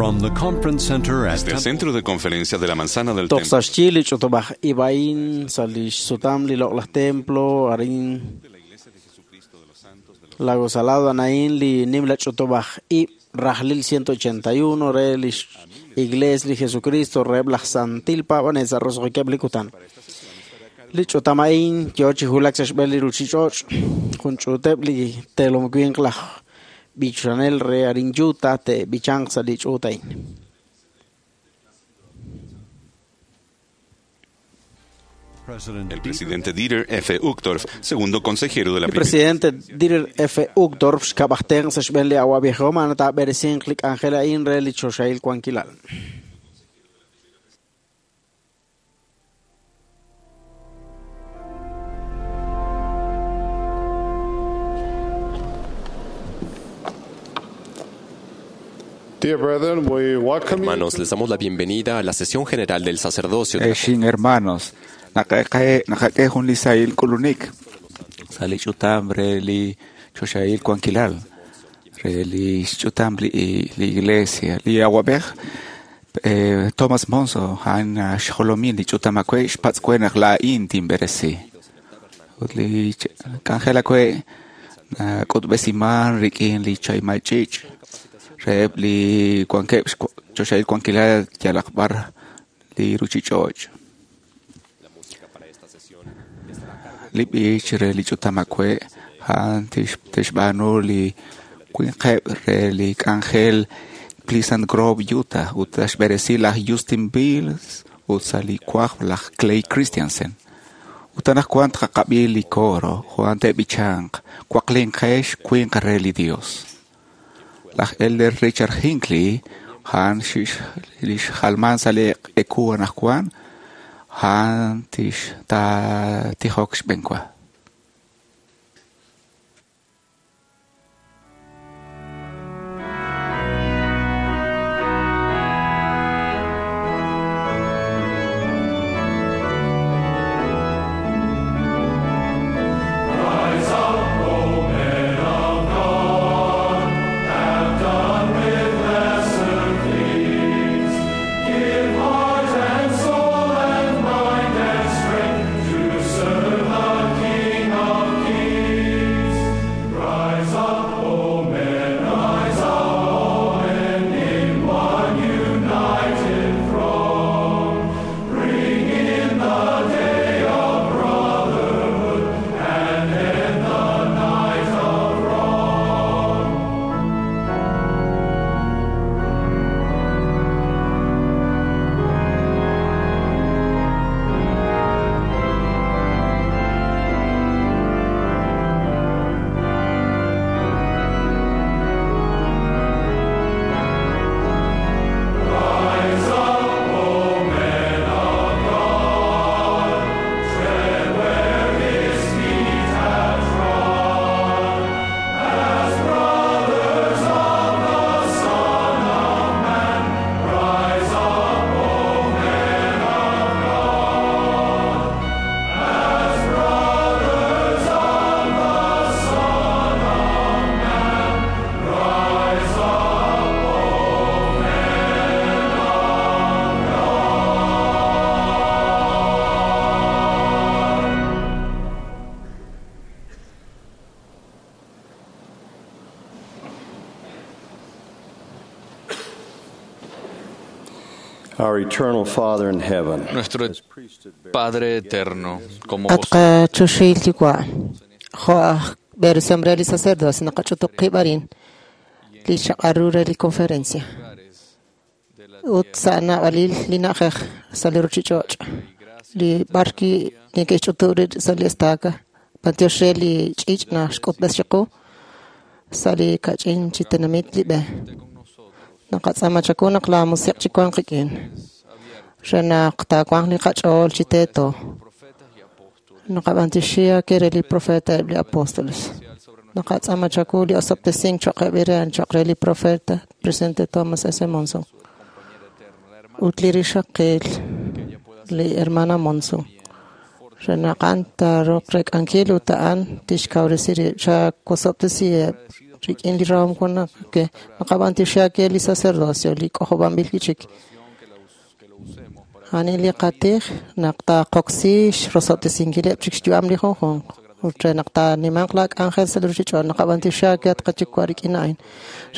From the conference center at Desde el Centro de Conferencia de la Manzana del Toj Templo. sa' xyi li ch'utub'aj ib'ain sa' lix sutam li loq'laj templo arin Lago Salado anain li nimla ch'utub'aj ib' rajlil 181 re lix Iglesia li Jesucristo reheb' laj Santil Paab'anel sa' roso'jikeb' li kutan. Li ch'utam a'in yo chi wulak sa' xb'een li ruchich'och' jun ch'uuteb' li teelom winq laj b'ichanel re arin Utah te'b'ichanq sa' li ch'uut a'in. President El presidente Dieter F. Uchtdorf, segundo consejero de la Li primera. presidente Dieter F. Uchtdorf xkab'ajten sa' xb'een li awa'b'ejom a'an taab'eresinq li k'anjel a'in re li choxahil wankilal. Dear brethren, we welcome you Hermanos, les damos la bienvenida a la sesión general del sacerdocio de la Exin hermanos, naqak'e jun li sahil k'ulunik sa' li ch'utam re li choxahil wankilal re li xch'utam li, li iglesia li awab'ej Thomas Monson a'an xjolomil li ch'utam awe' xpatz'we naq laa'in tinb'eresi ut li k'anjel awe' nak'utb'esiman rik'in li chaymal ch'iich' reheb' li wankeb' choxahil wankilal yalaq b'ar li ruchich'och'. Li b'ich re li ch'utam awe' a'an tixb'aanu li winqeb' re li k'anjel Pleasant Grove, Utah, ut xb'eresi laj Justin Bills ut sa' li wajb' laj Clay Christensen. Ut anaqwan tqaqab'i li coro, Juan te'b'ichanq, waqlinqex winq re li Dios. Laj Elder Richard Hinckley, a'an li xjalman sa' li eku anaqwan, a'an tixtijok xb'enwa. Our eternal Father in heaven. Nuestro Padre eterno, como vos Atqa choxil yuwa' jo' aj b'eresihom re li sacerdocio naqach'utuq qib' arin li xaq'aru re li conferencia ut sa' naab'alil li na'ajej sa' li ruchich'och' li b'ar neke'xch'utub' rib' sa' li estaca b'antiox re li ch'iich' naxk'utb'es chiqu sa' li kach'in chi tenamit li b'e naqatz'aama chaku naq la musiq' chiwanq qik'in re naq taawanq li qach'ool chi teeto naqab'antioxi ke re li profeta eb' li apóstoles naqatz'aama chaku li osob'tesink cho'q eb' re cho'q re li profeta presidente Thomas S. Monson ut li rixaqil li hermana Monson re naq a'an taaruuq rek'ankil ut a'an tixkawresi rib' chawosob'tesiheb' Rik'in li rahom wan ke naqab'antioxi aawe li sacerdocio li k'ojob'anb'il wi'chik. A'an li qatij naq taaqoksi xrosob'tesinkileb' chik xyu'am li junjunq. Ut re naq taanimanq laa k'anjel sa' li ruchich'och' naqab'antioxi aawe at qayuwa' rik'in a'in.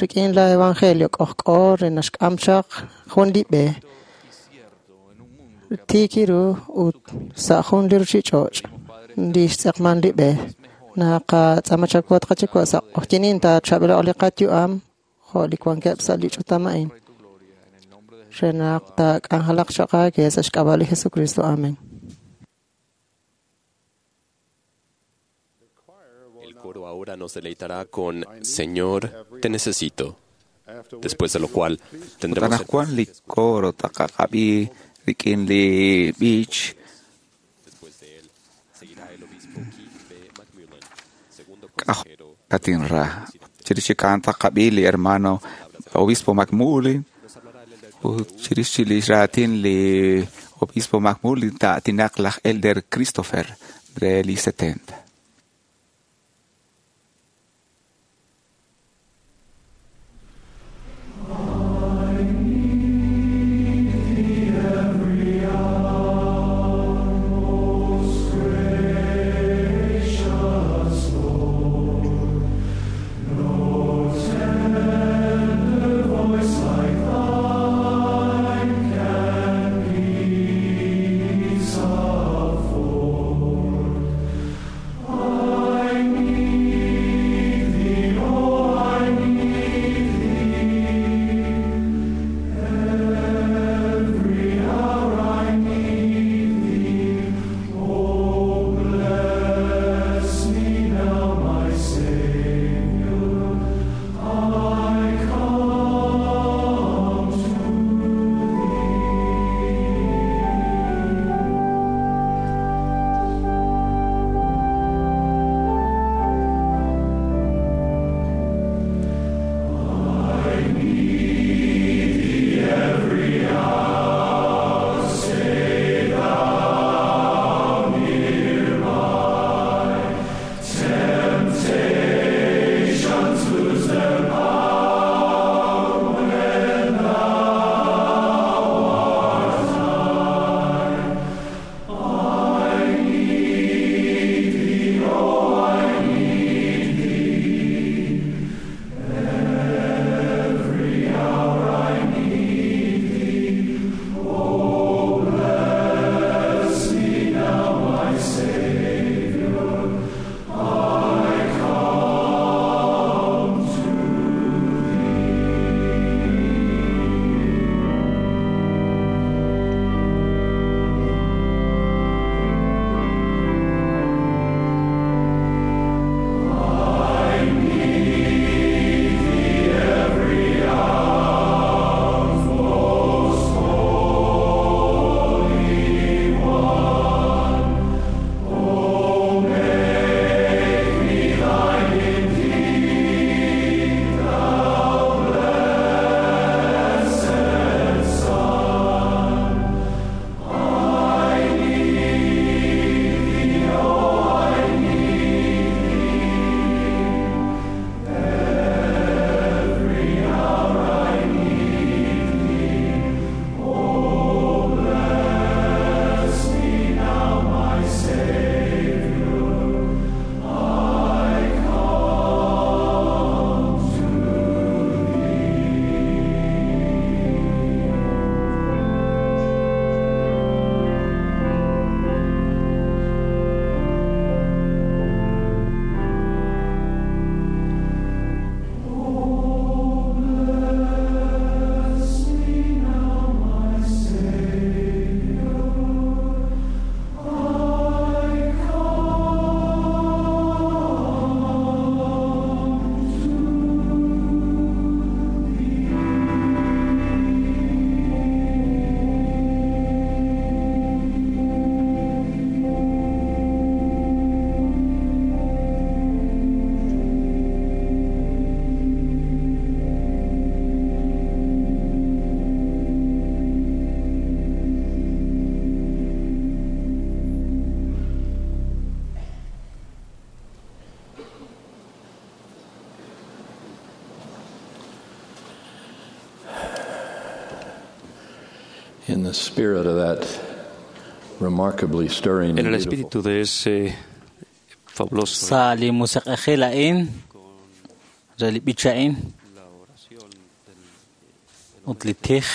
Rik'in la evangelio k'ojk'o re naxk'am chaq jun li b'e tiik ru ut sa' jun li ruchich'och' li xtz'eqman li b'e. Naqatz'aama chawu at qayuwa' sa' q'ojyinin taachaab'ilo'q li qayu'am jo' li wankeb' sa' li ch'utam a'in. Re naq taak'anjelaq choq' aawe sa' xk'ab'a' li Jesucristo. Amén. El coro ahora nos deleitará con Señor, te necesito. Después de lo cual tendremos el Anaqwan li coro taqaqab'i rik'in li b'ich Después de él seguirá el obispo Keith B. McMullen, segundo consejero. Katinra. Chirix chik a'an taqab'i li hermano obispo McMullen ut chirix chi li raatin li obispo McMullen ta'atinaq laj elder Christopher re li 70. Peace afford. In the spirit of that remarkably stirring En and el beautiful espíritu de ese fabuloso Sa li musiq'ejil a'in re li b'ich a'in ut li tij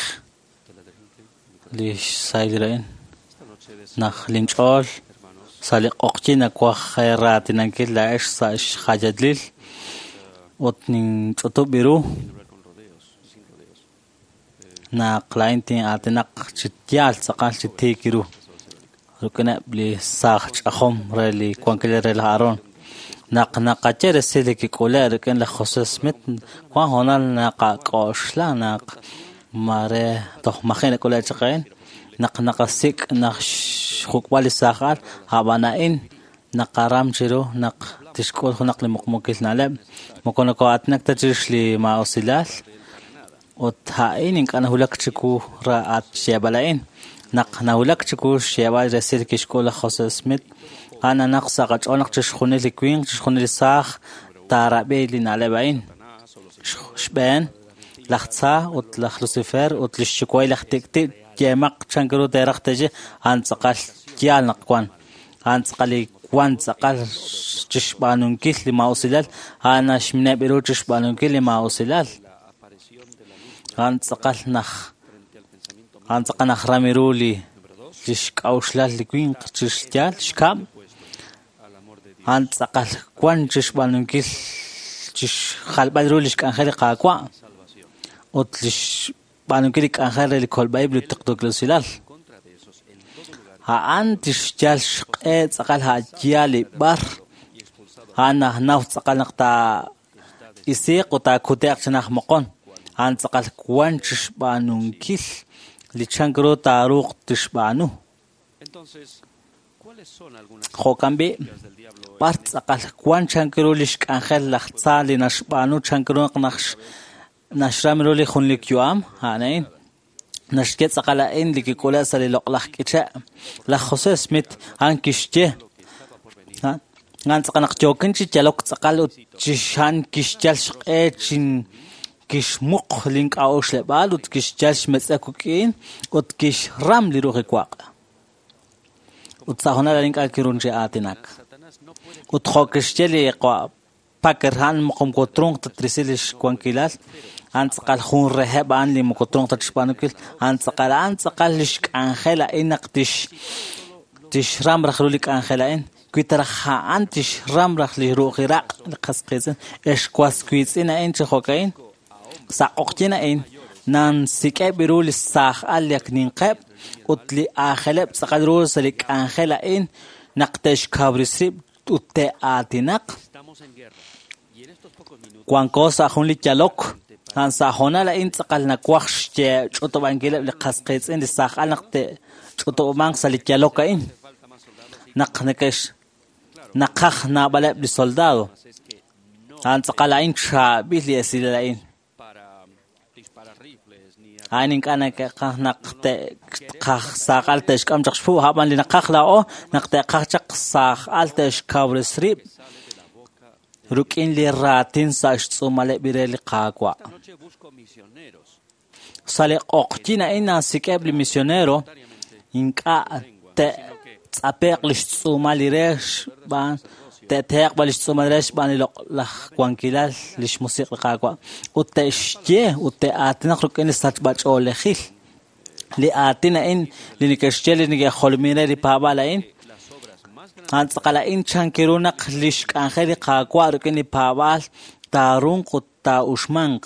li xsahil a'in naq linch'ool sa' li q'oqyin nawaj raatinankil laa'ex sa' xjayalil ut ninch'utub' ru naq laa'in tin'aatinaq chi yaal tz'aqal chi tiik ru rik'ineb' li saaj ch'ajom re li wankil re laj Aarón. Naq naqaye resil li kik'ule' rik'in laj José Smith, wan hoonal naqak'oxla naq mare toj maji' nak'ule' chaq a'in, naq naqasik' naq xjuk'b'al li saaj al, a'b'an a'in naqaram chiru naq tixk'ul junaq li muqmuukil na'leb'. Moko noko'aatinak ta chirix li maa'usilal, ut a'in ink'a' nawulak chiwu ra'at xyeeb'al a'in. Naq nawulak chiwu xyeeb'al resil kixk'ul laj José Smith, a'an naq sa' qach'ool naq chixjunil li winq, chixjunil li saaj taarab'i li na'leb' a'in. Xb'een, laj Tza ut laj Lucifer ut lix yuwa'il laj tik'ti' yeemaq chan ru teeraj teeye, a'an tz'aqal yaal naq wan. A'an tz'aqal li wan tz'aqal chixb'aanunkil li maa'usilal, a'an naxmineb' ru chixb'aanunkil li maa'usilal. A'an tz'aqal naj ram ru li xk'a'uxlal li winq chixyaal xkab', a'an tz'aqal wan chixb'aanunkil chixjalb'al ru li xk'anjel li Qaawa' ut li xb'aanunkil li k'anjel re li kolb'a'ib' li tuqtuukil. A'an tixyal xq'e tz'aqal a'yaal li b'ar, a'an najnaw tz'aqal naq taa'isiiq ut taakute'q chi naj moqon. A'an tz'aqal wan chixb'aanunkil li chan ru taaruuq tixb'aanu. Jo'kan b'i', b'ar tz'aqal wan chan ru li xk'anjel laj Tza li naxb'aanu chan ru naq naxram ru li junlik yu'am, a'an a'in. Naxye tz'aqal a'in li kik'ule' sa' li loq'laj k'iche'. Laj José Smith a'an kixye, a'an tz'aqal naq yookin chi yalok tz'aqal ut chixan kixyal xq'e chin kixmuq link'a'uxleb'aal ut kixyal xmetz'ek wik'in ut kixram li ruuj iwaq'. Ut sa' hoonal a'in ink'a' kirun chi aatinak. Ut jo' kixye li Packer a'an moko trunq ta trisi li xwankilal, a'an tz'aqal jun reheb' a'an li moko trunq ta chixb'aanunkil, a'an tz'aqal li xk'anjel a'in naq tixram raj ru li k'anjel a'in. Wi taraj a'an tixram raj li ruuj iraq' li qas qiitz'in, ex was wiitz'in a'in chi jo'ka'in, sa' q'oqyin a'in nansik'eb' ru li saaj al li ak ninqeb' ut li aajeleb' tz'aqal ru sa' li k'anjel a'in naq te'xkawrisi rib' ut te'aatinaq. Wanko sa' jun li yalok, a'an sa' hoonal a'in tz'aqal nawaj xch'utub'ankileb' li qas qiitz'in li saaj al naq te'ch'utub'amanq sa' li yalok a'in. Naq naqaj naab'aleb' li soldado. A'an tz'aqal a'in chaab'il li esilal a'in. A'in ink'a' neke'qaj naq te'qaj saaj al te'xk'am chaq xpu', a'b'an li naqaj laa'o naq te'qaj chaq saaj al te'xkawresi rib' rik'in li raatin sa' xtz'uumaleb' re li Qaawa'. Sa' li q'oqyin a'in nasik'eb' li misionero ink'a' te'tz'ape'q li xtz'uumal li re xb'aan te'tehe'q b'an li xtz'uumal re xb'aan li loq'laj wankilal li xmusiq' li Qaawa' ut te'xye ut te'aatinaq rik'in li sachb'ach'oolejil. Li aatin a'in li neke'xye li neke'jolomin re li paab'aal a'in, a'an tz'aqal a'in chan ru naq li xk'anjel li Qaawa' rik'in li paab'aal taarunq ut taa'uxmanq.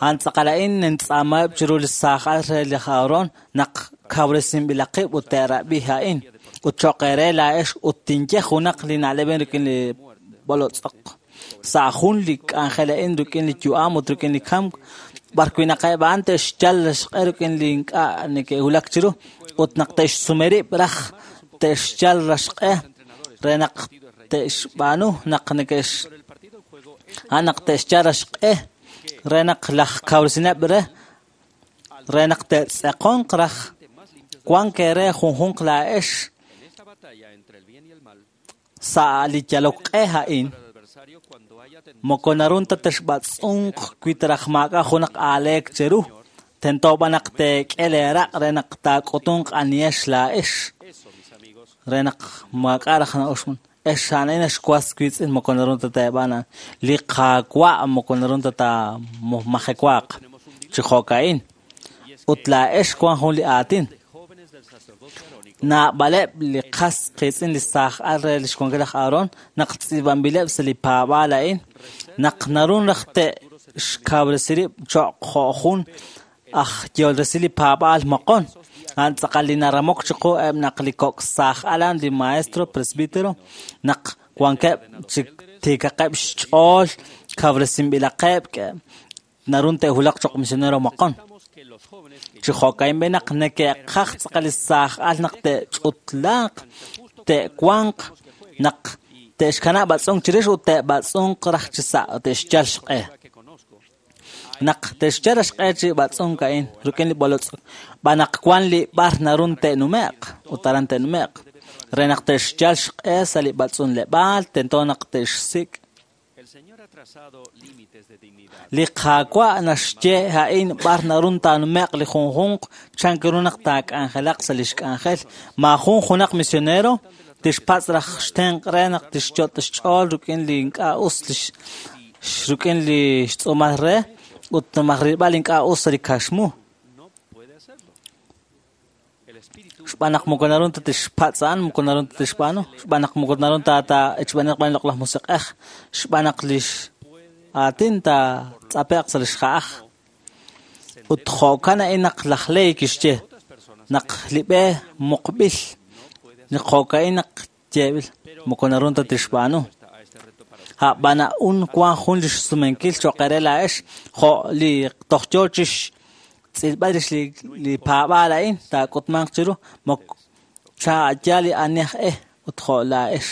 A'an tz'aqal a'in nintz'aamaheb' chiru li saaj al re laj Aarón naq kawresinb'ilaqib' ut te'rab'i a'in. Ut cho'q eere laa'ex ut tinye junaq li na'leb' rik'in li b'olotz'oq. Sa' jun li k'anjel a'in rik'in li yu'am ut rik'in li kamk, b'ar wi' naq eb' a'an te'xyal xq'e rik'in li ink'a' neke'wulak chiru ut naq te'xsume rib' raj te'xyal xq'e re naq te'xb'aanu naq neke'x a'an naq te'xyal xq'e re naq laj kawresineb' re naq te'tz'eqonq raj wan eere junjunq laa'ex sa' li yalok q'e a'in. Moko narun ta texb'atz'unq wi taraj maak'a' junaq aaleek cheru. Tento b'an naq teek'e leeraq' re naq taak'utunq anihex laa'ex. Re naq maak'a' raj na'uxman. Ex a'an xwas wiitz'in moko naru ta teeb'aan. Li Qaawa' moko naru ta taamajewaaq. Chi jo'ka'in. Ut laa'ex wan jun li aatin. Naab'aleb' li qas qiitz'in li saaj al re lix wankil laj Aarón naq tz'iib'anb'ileb' sa' li paab'aal a'in naq naru raj te'xkawresi rib' cho'q jo' jun aj yehol resil li paab'aal moqon. A'an tz'aqal li naramok chiqu eb' naq li kok' saaj alan li maestro presbítero naq wankeb' chi tiikaqeb' xch'ool kawresinb'ilaqeb' naru te'wulaq cho'q misionero moqon. Chi jo'ka'in b'e naq neke'qaj tz'aqal li saaj al naq te'ch'utlaaq, te'wanq, naq te'xkanab' b'atz'unk chirix ut te'b'atz'unq raj chi sa' te'xyal xq'e. Naq te'xyal xq'e chi b'atz'unk a'in rik'in li b'olotz' b'an naq wan li b'ar narun te'nume'q ut aran te'nume'q. Re naq te'xyal xq'e sa' li b'atz'unleb'aal tento naq te'xsik'. Li Qaawa' naxye a'in b'ar narun taanume'q li junjunq chan ru naq taak'anjelaq sa' lix k'anjel. Maajun junaq misionero tixpatz' raj xtenq' re naq tixyot' xch'ool rik'in li ink'a' us rik'in li xtz'uumal re ut majrilb'al ink'a' us sa' li kaxmu. Xb'aan naq moko naru ta tixpatz' a'an, moko naru ta tixb'aanu. Xb'aan naq moko naru ta taechb'aneq b'an loq laj musiq'ej. Xb'aan naq lix aatin taatz'ape'q sa' lix ja'aj. Ut jo'kan a'in naq laj Ley kixye naq li b'e muqb'il, li jo'ka'in naq yeeb'il, moko naru ta tixb'aanu. A'b'an a'un wan jun lix sumenkil cho'q re laa'ex jo' li toj yoo chix tz'ilb'al rix li paab'aal a'in taak'utmanq chiru moko cha'ayal li ani aj e ut jo' laa'ex.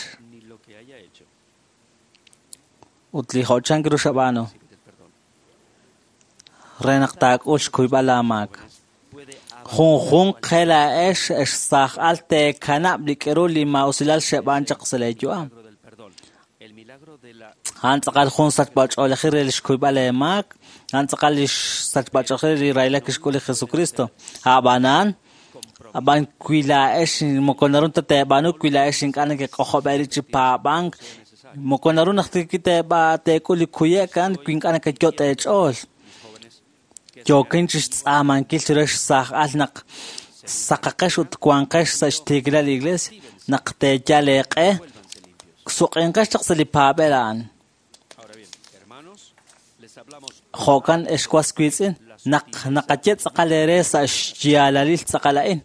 Ut li jo' chan ru xab'aanu re naq taak'ul xkuyb'al laamaak. Junjunq qe laa'ex ex saaj al teekanab' li k'eru li maa'usilal xeb'aan chaq sa' leeyu'am. A'an tz'aqal jun sachb'ach'oolejil re lix kuyb'al eemaak, a'an tz'aqal lix sachb'ach'oolejil li rahilal kixk'ul li Jesucristo. A'b'anan, ab'an wi laa'ex moko naru ta teeb'aanu, wi laa'ex ink'a' nekek'ojob'e rib' chi paab'ank, moko naru naq teek'ul li kuye'k a'an wi ink'a' nekeyot' eech'ool. Yookin chi xtz'aamankil chiru xsaaj al naq saqaqex ut wanqex sa' xtiikilal li iglesia, naq teeyal eeq'e, suq'inqex chaq sa' li paab'el a'an. Jo'kan ex was wiitz'in naq naqaye tz'aqal eere sa' xyaalalil tz'aqal a'in.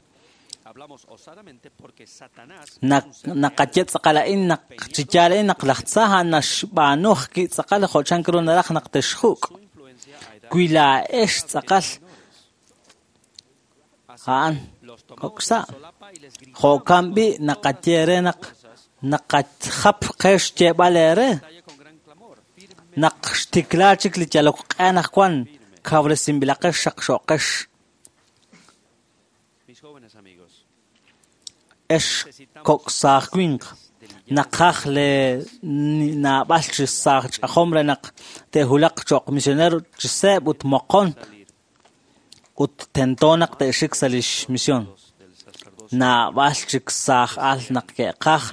Naqaye tz'aqal a'in naq chi yaal a'in naq laj tza a'an naxb'aanu ajwi' tz'aqal jo' chan ru naraj naq texjuk'. Wi laa'ex tz'aqal a'an kok' sa'. Jo'kan b'i' naqaye re naq naqajap qe xyeeb'al eere. Naq xtikla chik li yalok q'e anaqwan kawresinb'ilaqex xaqxo'qex. Ex kok' saaj winq naqaj le naab'al chi saaj ch'ajom re naq te'wulaq cho'q misionero chi seeb' ut moqon ut tento naq te'xik sa' lix misión. Naab'al chik saaj al naq ke'qaj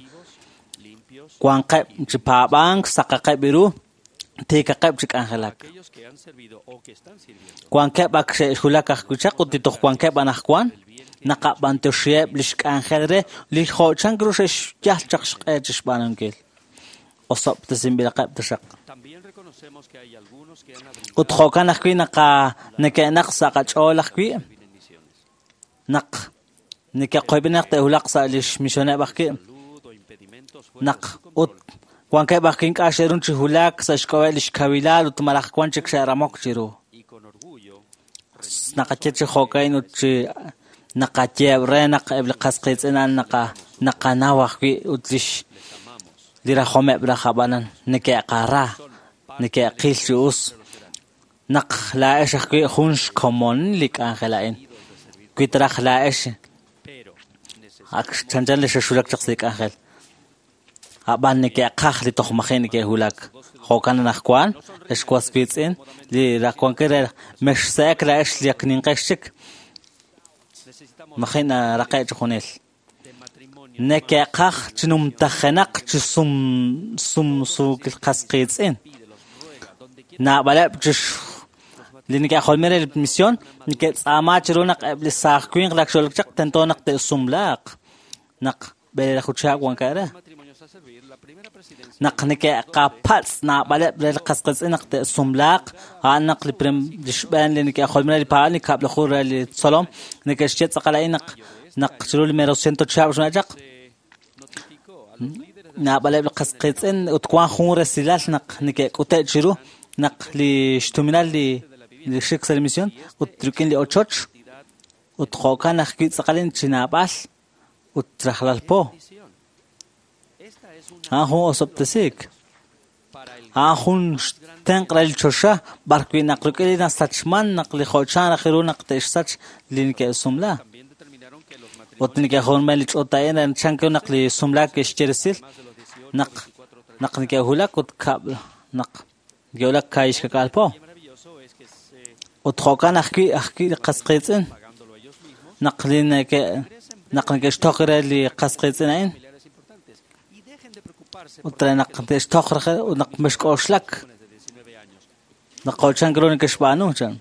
wanqeb' chi paab'ank saqaqeb' ru tiikaqeb' chi k'anjelak. Wankeb' ak xe'xwulak ajwi' chaq ut li toj wankeb' anaqwan naqab'antoxiheb' lix k'anjel re li jo' chan ru xe'xyal chaq xq'e chi xb'aanunkil. Osob'tesinb'ilaqeb' taxaq. Ut jo'kan ajwi' neke'naq sa' qach'ool ajwi' naq neke'qoyb'in naq te'wulaq sa' lix misioneb' ajwi' naq ut wankeb' ajwi' ink'a' xe'run chi wulak sa' xk'ab'a' lix kawilal ut malaj wan chik xe'ramok chiru. Naqaye chi jo'ka'in ut chi naqaye re naq eb' li qas qiitz'in a'an naqanaw ajwi' ut lix li rajomeb' raj ab'anan neke'qara neke'qil chi us naq laa'ex ajwi' jun xkomon li k'anjel a'in. Wi taraj laa'ex ak chanchan li xexwulak chaq sa' li k'anjel. Ab'an neke'qaj li toj maji' neke'wulak. Jo'kan anaqwan, ex was wiitz'in, li raqwankil re mexse'ek laa'ex li ak ninqex chik. Maji' naraqe' chi junil. Neke'qaj chi numtajenaq chi sumsuukil qas qiitz'in. Naab'aleb' chix li neke'jolmi re li misión neke'tz'aama chiru naq eb' li saaj winq lak xolok chaq tento naq te'sumlaaq naq b'eleelaju chihab' wankeb' re. Naq neke'qapatz' naab'aleb' re li qas qiitz'in naq te'sumlaaq, a'an naq li xb'een li neke'jolmi re li paab'aal li kab'laju re li tzolom neke'xye tz'aqal a'in naq naq chiru li mero ciento chihab' xna'chaq chaq naab'aleb' li qas qiitz'in ut wan jun resilal naq neke'k'ute' chiru naq li xtuminal li xik sa' li misión ut rik'in li ochoch ut jo'kan ajwi' tz'aqalin chi naab'al ut rajlal po. A'an jun osob'tesiik. A'an jun xtenq' re li choxa b'ar wi' naq rik'in li nasachman naq li jo'chan raj ru naq te'xsach li neke'sumla. Ut neke'jolmen li ch'oot a'in re chan naq li sumlaak ke'xye resil naq naq neke'wulak ut kab' naq neke'wulak kaahixkak'aal po. Ut jo'kan ajwi' ajwi' li qas qiitz'in naq li neke' naq neke'xtoq re li qas qiitz'in a'in ut re naq te'xtoq re ut naq mexk'oxlak naq jo'chan ru neke'xb'aanu chan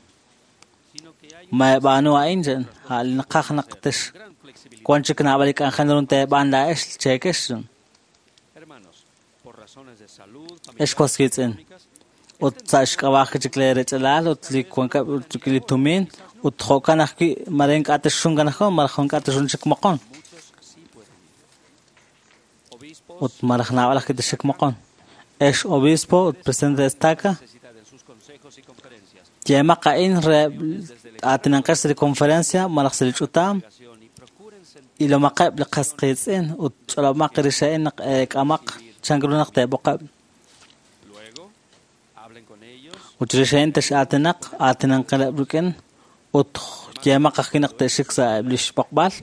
maeb'aanu a'in chan a' li naqaj naq tex wan chik naab'al li k'anjel ru teeb'aan laa'ex cheekex chan ex was qiitz'in ut sa' xk'ab'aaj chik le rech'alal ut li wankeb' ut li tumin ut jo'kan ajwi' mare ink'a' texxunkan ajwi' malaj ink'a' texxun chik moqon ut malaj naab'al ajwi' texxik moqon. Ex obispo ut presidente de estaca yeemaq a'in re aatinanqex sa' li conferencia malaj sa' li ch'utam ilomaqeb' li qas qiitz'in ut ch'olob'maq rix a'in naq eek'amaq chan ru naq teeb'oqeb'. Ut chirix a'in tex'aatinaq aatinanqileb' rik'in ut yeemaq ajwi' naq te'xik sa' eb' li xb'oqb'al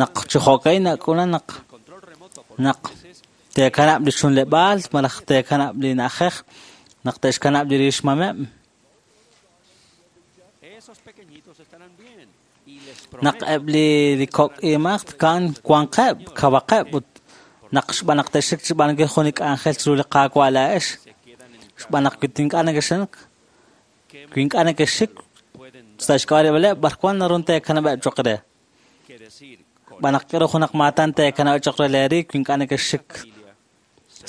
naq chi jo'ka'in nak'ulan naq naq teekanab' li chunleb'aal malaj teekanab' li na'ajej naq te'xkanab' li rixmameb'. Naq eb' li kok' imaq kan wanqeb' kawaqeb' ut naq xb'aan naq te'xik chi b'aanunkil jun li k'anjel chiru li Qaawa' laa'ex xb'aan naq wi ink'a' neke'xik wi ink'a' neke'xik sa' xk'ab'a'eb' b'ar wan naru teekanab'eb' cho'q re. Xb'aan naq k'aru junaq maatan teekanab'eb' cho'q re leeriik wi ink'a' neke'xik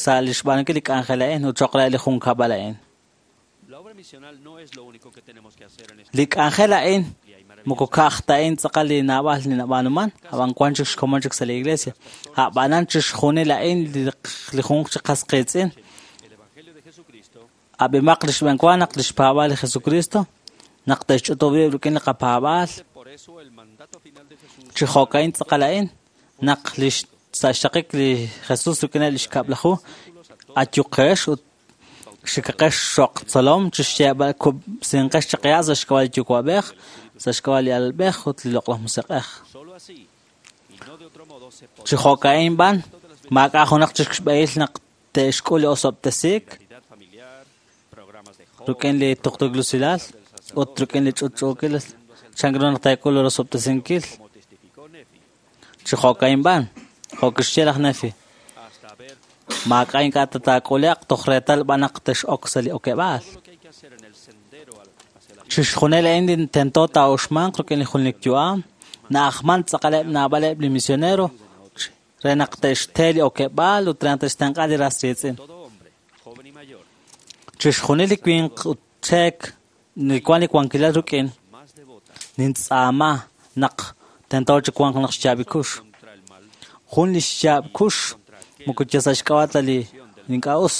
sa' li xb'aanunkil li k'anjel a'in ut cho'q re li junkab'al a'in. Li k'anjel a'in moko ka'aj ta a'in tz'aqal li naab'al li nab'aanuman, ab'an wan chik xkomon chik sa' li iglesia. A'b'anan chixjunil a'in li junq chi qas qiitz'in. Ab'imaq li xb'een wa naq li xpaab'aal li Jesucristo naq te'xch'utub' rib' rik'in li qapaab'aal. Chi jo'ka'in tz'aqal a'in naq li sa' xtaqik li Jesús rik'ineb' li xkab'laju ayuqex ut xikaqex xoq tzolom chi xyeeb'al kub'sinqex chiqiya' sa' xk'ab'a' li Yuwa'b'ej, sa' xk'ab'a' li Alalb'ej ut li Loq'laj Musiq'ej. Chi jo'ka'in b'an maak'a' junaq chik xb'ehil naq te'xk'ul li osob'tesiik rik'in li tuqtuukil ut rik'in li ch'utch'uukil chan ru naq teek'ul li osob'tesinkil. Chi jo'ka'in b'an jo' kixye laj Nefi maak'a' ink'a' tataak'ule'q toj reetal b'an naq tex'ok sa' li okeb'aal. Chixjunil a'in li tento taa'uxmanq rik'in li junelik yu'am na'ajman tz'aqaleb' naab'aleb' li misionero re naq te'xte li okeb'aal ut re naq te'xtenq'a li ras riitz'in. Chixjunil li winq ut cheek li wan li wankilal rik'in nintz'aama naq tento chi wanq naq xyaab' kux. Jun li xyaab' kux moko yal sa' xk'ab'a' ta li ink'a' us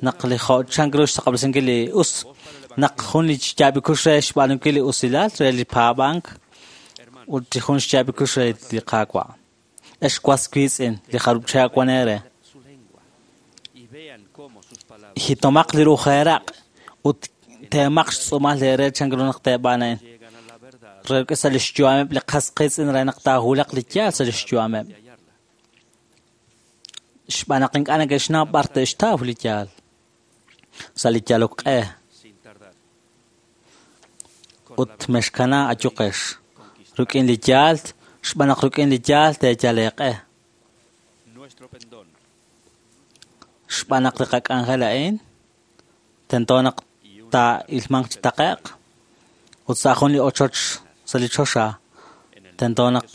naq li jo'chan ru xtaqab'lesinkil li us naq jun li xyaab' kux re xb'aanunkil li usilal re li paab'ank ut li jun xyaab' kux re li Qaawa'. Ex was wiitz'in li jarub' chihab' wan eere. Jitomaq li rujeeraq ut teemaq xtz'uumal eere chan ru naq teeb'aan a'in. Re sa' li xyu'ameb' li qas qiitz'in re naq taahulaq li yaal sa' li xyu'ameb'. Xb'aan naq ink'a' neke'xnaw b'ar te'xtaw li yaal sa' li yalok q'e. Ut mexkana ayuqex rik'in li yaal, xb'aan naq rik'in li yaal teeyal eeq'e. Xb'aan naq li qak'anjel a'in tento naq taa'ilmanq chi taqe'q ut sa' jun li ochoch sa' li choxa tento naq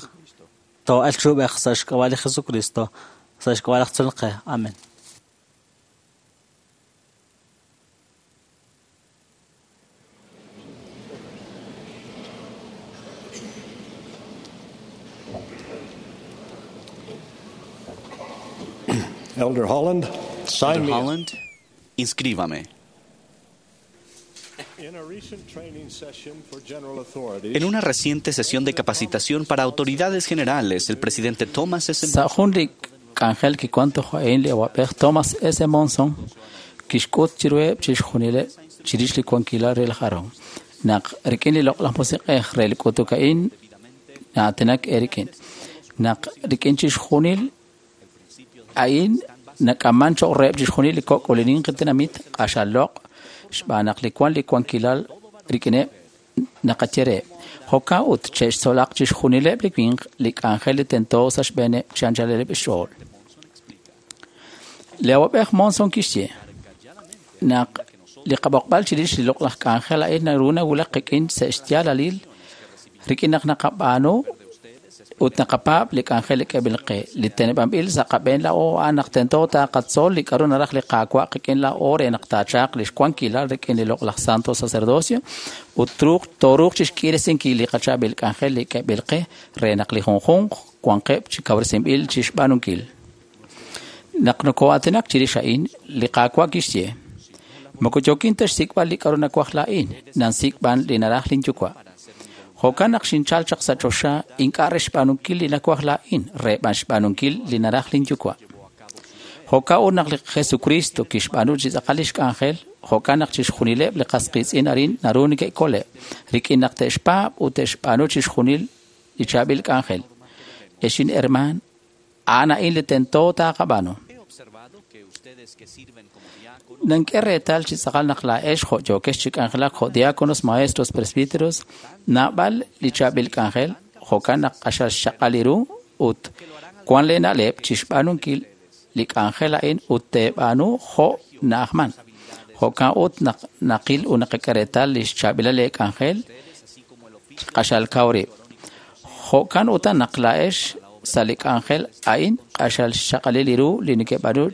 too'elq chi ub'ej sa' xk'ab'a' li Jesucristo, sa' xk'ab'a' laj Tzolol qe. Amen. Elder Holland, sign Elder me. Holland, inscríbame. In a recent training session for general authorities, En una reciente sesión de capacitación para autoridades generales, el presidente Thomas S. Sa' jun li k'anjel kiwan toj a'in li awab'ej Thomas S. Monson kixk'ut chiruheb' chixjunileb' chirix li wankilal re laj Aaron. Naq rik'in li loq'laj musiq'ej re li k'utuk a'in na'aatinak eerik'in. Naq rik'in chixjunil a'in nak'aman cho'q reheb' chixjunil li kok' ut li ninqi tenamit q'axal loq' xb'aan naq li wan li wankilal rik'ineb' naqaye reheb'. Jo'kan ut che'xtzolaq chixjunileb' li winq li k'anjel li tento sa' xb'eeneb' chi anchaleb' xch'ool. Li awab'ej Monson kixye naq li qab'oqb'al chirix li loq'laj k'anjel a'in naru nawulak qik'in sa' xyaalalil rik'in naq naqab'aanu ut naqapaab' li k'anjel li k'eeb'il qe. Li teneb'anb'il sa' qab'een laa'o a'an naq tento taqatzol li k'a'ru naraj li Qaawa' qik'in laa'o re naq taachalq li xwankilal rik'in li loq'laj santo sacerdocio ut truuq tooruuq chixk'iiresinkil li qachaab'il k'anjel li k'eeb'il qe re naq li junjunq wanqeb' chi kawresinb'il chixb'aanunkil. Naq nokoo'aatinak chirix a'in, li Qaawa' kixye: Moko yookin ta xsik'b'al li k'a'ru nawaj laa'in, nansik' b'an li naraj linyuwa'. Jo'kan naq xinchal chaq sa' choxa ink'a' re xb'aanunkil li nawaj laa'in, re b'an xb'aanunkil li naraj linyuwa'. Jo'kan ut naq li Jesucristo kixb'aanu chi tz'aqal lix k'anjel, jo'kan naq chixjunileb' li qas qiitz'in arin naru neke'kole', rik'in naq te'xpaab' ut te'xb'aanu chixjunil li chaab'il k'anjel. Ex inhermaan, a'an a'in li tento taaqab'aanu. Nank'e reetal chi tz'aqal naq laa'ex jo' yookex chi k'anjelak jo' diáconos, maestros, presbíteros, naab'al li chaab'il k'anjel, jo'kan naq q'axal xchaq'al ru ut wan lee na'leb' chixb'aanunkil li k'anjel a'in ut teeb'aanu jo' na'ajman. Jo'kan ut naq naqil ut naqak'e reetal li xchaab'ilal lee k'anjel q'axal kaw rib'. Jo'kan utan naq laa'ex sa' li k'anjel a'in q'axal xchaq'alil ru li nekeb'aanu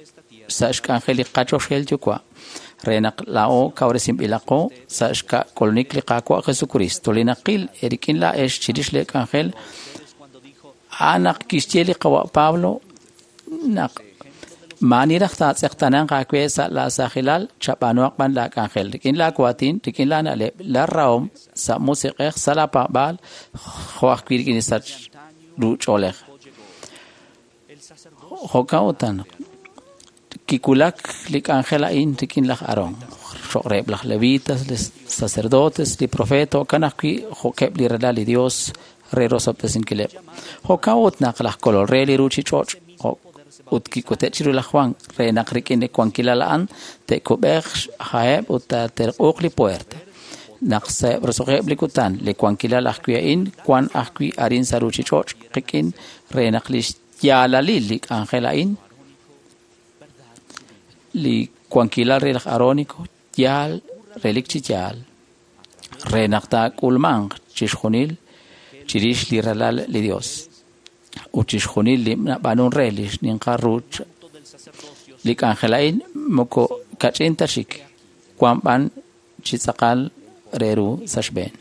sa' xk'anjel li qachoxel yuwa' re naq laa'o kawresinb'ilaqo sa' xk'ulunik li Qaawa' Jesucristo li naqil eerik'in laa'ex chirix lee k'anjel a'an naq kixye li qawa' Pablo naq maani raj taatz'eqtananq aawe sa' laa saajilal chab'aanuhaq b'an laa k'anjel rik'in laa waatin rik'in laa na'leb' laa rahom sa' musiq'ej sa' laa paab'aal jo' ajwi' rik'in li sach ru ch'oolej. Jo'kan utan naq kiwulak li k'anjel a'in rik'in laj Aarón, cho'q reheb' laj levitas, li sacerdotes, li profeta, jo'kan ajwi' jo'keb' li ralal li Dios re rosob'tesinkileb'. Jo'kan ut naq laj Kolol re li ruuchich'och' ut kik'ute' chiru laj Juan re naq rik'in li wankilal a'an te'kub'eeq xha'eb' ut taaterq'uuq li puerta. Naq sa'eb' roso'jeb' li kutan, li wankilal ajwi' a'in wan ajwi' arin sa' ruuchich'och' qik'in re naq li xyaalalil li k'anjel a'in li wankilal re laj Aarónico yaal relik chi yaal re naq taak'ulmanq chixjunil chirix li ralal li Dios ut chixjunil li nab'aanun re li xninqal ru li k'anjel a'in moko kach'in ta chik wan b'an chi tz'aqal re ru sa' xb'een.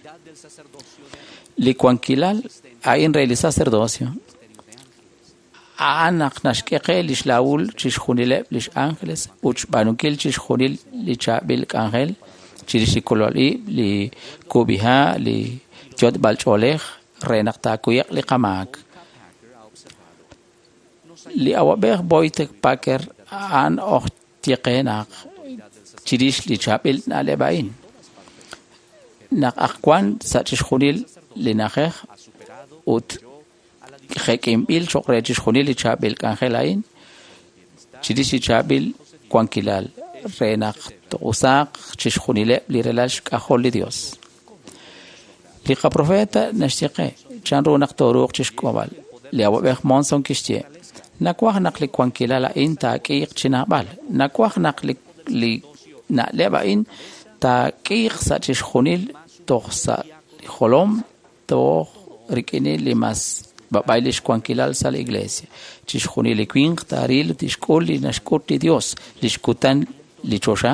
Li wankilal a'in re li sacerdocio a'an naq naxk'e qe li xlaawul chixjunileb' lix ángeles ut xb'aanunkil chixjunil li chaab'il k'anjel chirix li kolol ib', li kub'iha', li yot'b'al ch'oolej re naq taakuye'q li qamaak. Li awab'ej Boyd Packer a'an oj ye qe naq chirix li chaab'il na'leb' a'in. Naq aj wan sa' chixjunil li na'ajej ut jek'inb'il cho'q re chixjunil li chaab'il k'anjel a'in, chirix li chaab'il wankilal re naq to'usaaq chixjunileb' li ralal xk'ajol li Dios. Li qaprofeta naxye qe chanru naq tooruuq chixk'ob'al. Li awab'ej Monson kixye: Nawaj naq li wankilal a'in taak'iiq chi naab'al. Nawaj naq li na'leb' a'in taak'iiq sa' chixjunil toj sa' li jolom toj rik'in li mas b'ab'ay li xwankilal sa' li iglesia. Chixjunil li winq taaril tixk'ul li naxk'ut li Dios li xkutan li choxa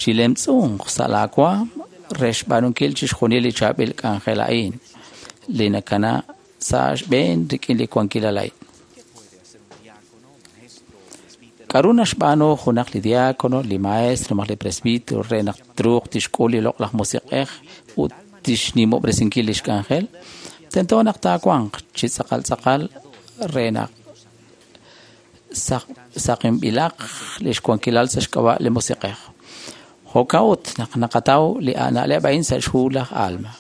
chilemtz'unq sa' laawaam re xb'aanunkil chixjunil li chaab'il k'anjel a'in li nakana sa' xb'een rik'in li wankilal a'in. K'aru naxb'aanu junaq li diácono, li maestro, malaj li presbítero re naq truuq tixk'ul li loq'laj musiq'ej ut tixnimob'resinkil li xk'anjel? Tento naq taawanq chi tz'aqal tz'aqal re naq saqinb'ilaq li xwankilal sa' xk'ab'a' li musiq'ej. Jo'kan ut naq naqataw li na'leb' a'in sa' xhu laj Alma.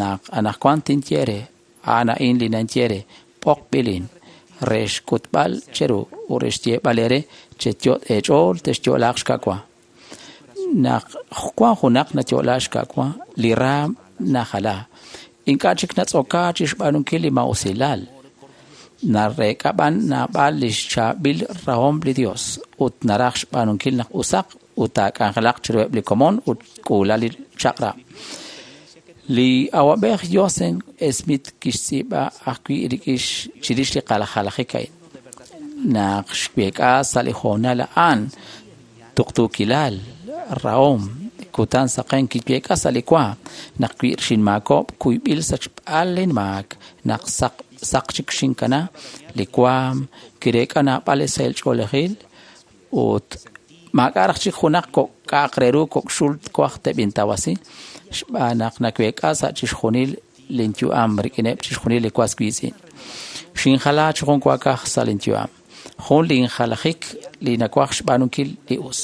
Naq anaqwan tinye re, a'an a'in li ninye re, b'oqb'ilin re xk'utb'al cheru ut re xyeeb'al eere cheyot' eech'ool texyo'laaq xka'wa. Naq wan junaq nayo'laaq xka'wa, li raam najala. Ink'a' chik natz'oka chi xb'aanunkil li maa'usilal. Nareek'a b'an naab'al li xchaab'il rahom li Dios ut naraj xb'aanunkil naq usaq ut taak'anjelaq chiruheb' li komon ut k'uula li chaq'rab'. Li awab'ej Joseph Smith kixtz'iib'a ajwi' rik'in chirix li qaljalajik a'in. Naq xweek'a sa' li hoonal a'an tuqtuukilal, rahom, kutan saqen kiweek'a sa' li waam naq wi xinmaakob' kuyb'il sachb'al linmaak naq saq chik xinkana li waam kireek'a naab'al li sahil ch'oolejil ut maak'a' raj chik junaq kok' k'a'aq re ru kok' xul twaj teb'intawasi xb'aan naq naweek'a sa' chixjunil linyu'am rik'ineb' chixjunil li was wiitz'in. Xinjala chi jun waakaj sa' linyu'am. Jun linjalajik li nawaj xb'aanunkil li us.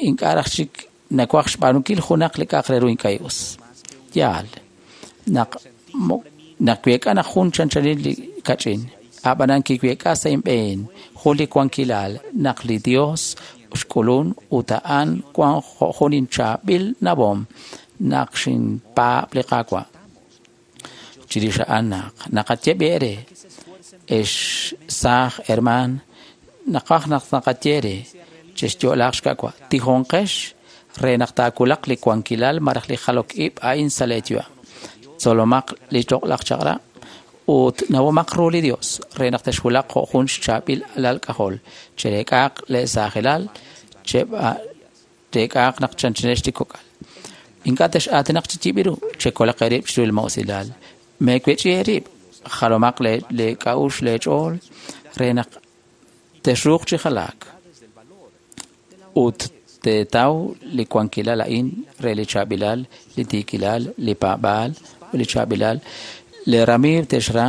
Ink'a' raj chik nawaj xb'aanunkil junaq li k'a'aq re ru ink'a' us. Yaal, naq week'a naq jun chanchanil li kach'in, ab'anan kiweek'a sa' inb'een jun li wankilal naq li Dios xk'ulun ut a'an wan jo' jun inchaab'il nawom naq xinpaab' li Qaawa'. Chirix a'an naq naqaye eere, ex saaj hermaan, naqaj naq naqaye eere chexyo'laaq xka'wa. Tijonqex re naq taawulaq li wankilal malaj li jalok ib' a'in sa' leeyu'am. Tzolomaq li loq'laj chaq'rab' ut nawomaq ru li Dios re naq texwulaq jo' jun xchaab'il alal k'ajol. Chereek'aaq leesaajilal, chereek'aaq naq chanchanex li kok'al. Ink'a' tex'aatinaq chi yib'iru, chekolaq eerib' chiru li maa'usilal. Meewech'i eerib', jalomaq leek'a'uxl leech'ool re naq texruuq chi jalaak. Ut teetaw li wankilal a'in re li chaab'ilal, li tiikilal, li paab'aal, li chaab'ilal. Le ramiiw texra,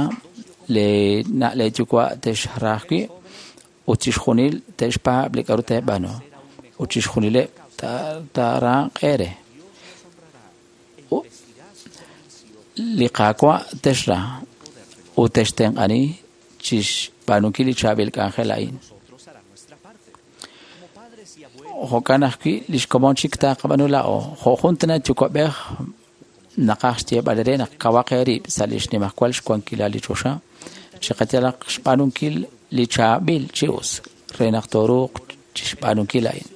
le na' leeyuwa' texra ajwi', ut chixjunil te'xpaab' li k'aru teeb'aanu, ut chixjunileb' taaraaq eere. Li Qaawa' texra ut textenq'ani chixb'aanunkil li chaab'il k'anjel a'in. Jo'kan ajwi' li xkomon chik taaqab'aanu laa'o. Jo' jun tana yuwa'b'ej naqaj xyeeb'al re naq kawaq eerib' sa' li xnimajwal xwankilal li choxa, chiqayalaq xb'aanunkil li chaab'il chi us re naq tooruuq chixb'aanunkil a'in.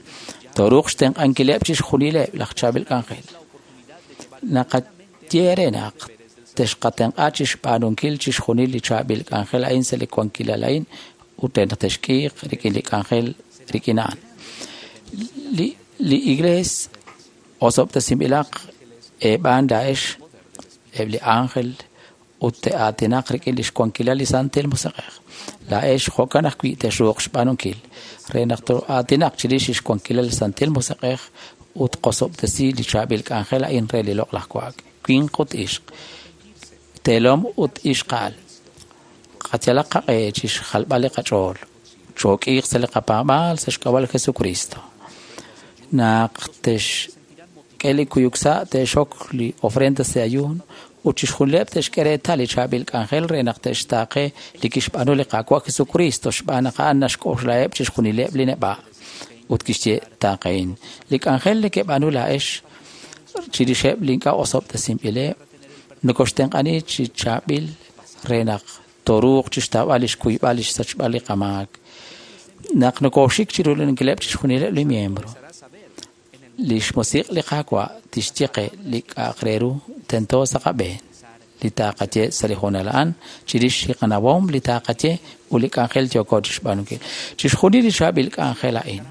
Tooruuq xtenq'ankileb' chixjunileb' laj chaab'il k'anjel. Naqaye re naq texqatenq'a chixb'aanunkil chixjunil li chaab'il k'anjel a'in sa' li wankilal a'in ut re naq texk'iiq rik'in li k'anjel rik'in a'an. Li iglees osob'tesinb'ilaq eeb'aan laa'ex eb' li ángel ut te'aatinaq rik'in li xwankilal li Santil Musiq'ej. Laa'ex jo'kan ajwi' texruuq xb'aanunkil re naq to'aatinaq chirix li xwankilal li Santil Musiq'ej ut qosob'tesi li chaab'il k'anjel a'in re li loq'laj wa'ak, winq ut ixq, teelom ut ixqa'al. Qayalaq qaq'e chi xjalb'al li qach'ool, chook'iiq sa' li qapaab'aal sa' xk'ab'a' li Jesucristo. Naq texk'e li kuyuk sa' te'xok li ofrenda sa' ayuun Ut chixjunileb' te'xk'e reetal li chaab'il k'anjel re naq te'xtaaqe li kixb'aanu li Qaawa' Jesucristo xb'aan naq a'an naxk'oxlaheb' chixjunileb' li neb'a'. Ut kixye taaqehin. Li k'anjel nekeb'aanu laa'ex chirixeb' li ink'a' osob'tesinb'ileb' nokoxtenq'ani chi chaab'il re naq toruuq chixtawb'al lix kuyb'al lix sachb'al li qamaak. Naq nokoxik chirulinkileb' chixjunileb' li miembro, lix musiq' li Qaawa' tixye qe li k'a'aq re ru tento sa' qab'een, li taqaye sa' li hoonal a'an, chirix li qanawom li taqaye ut li k'anjel yooko chixb'aanunkil. Chixjunil li chaab'il k'anjel a'in,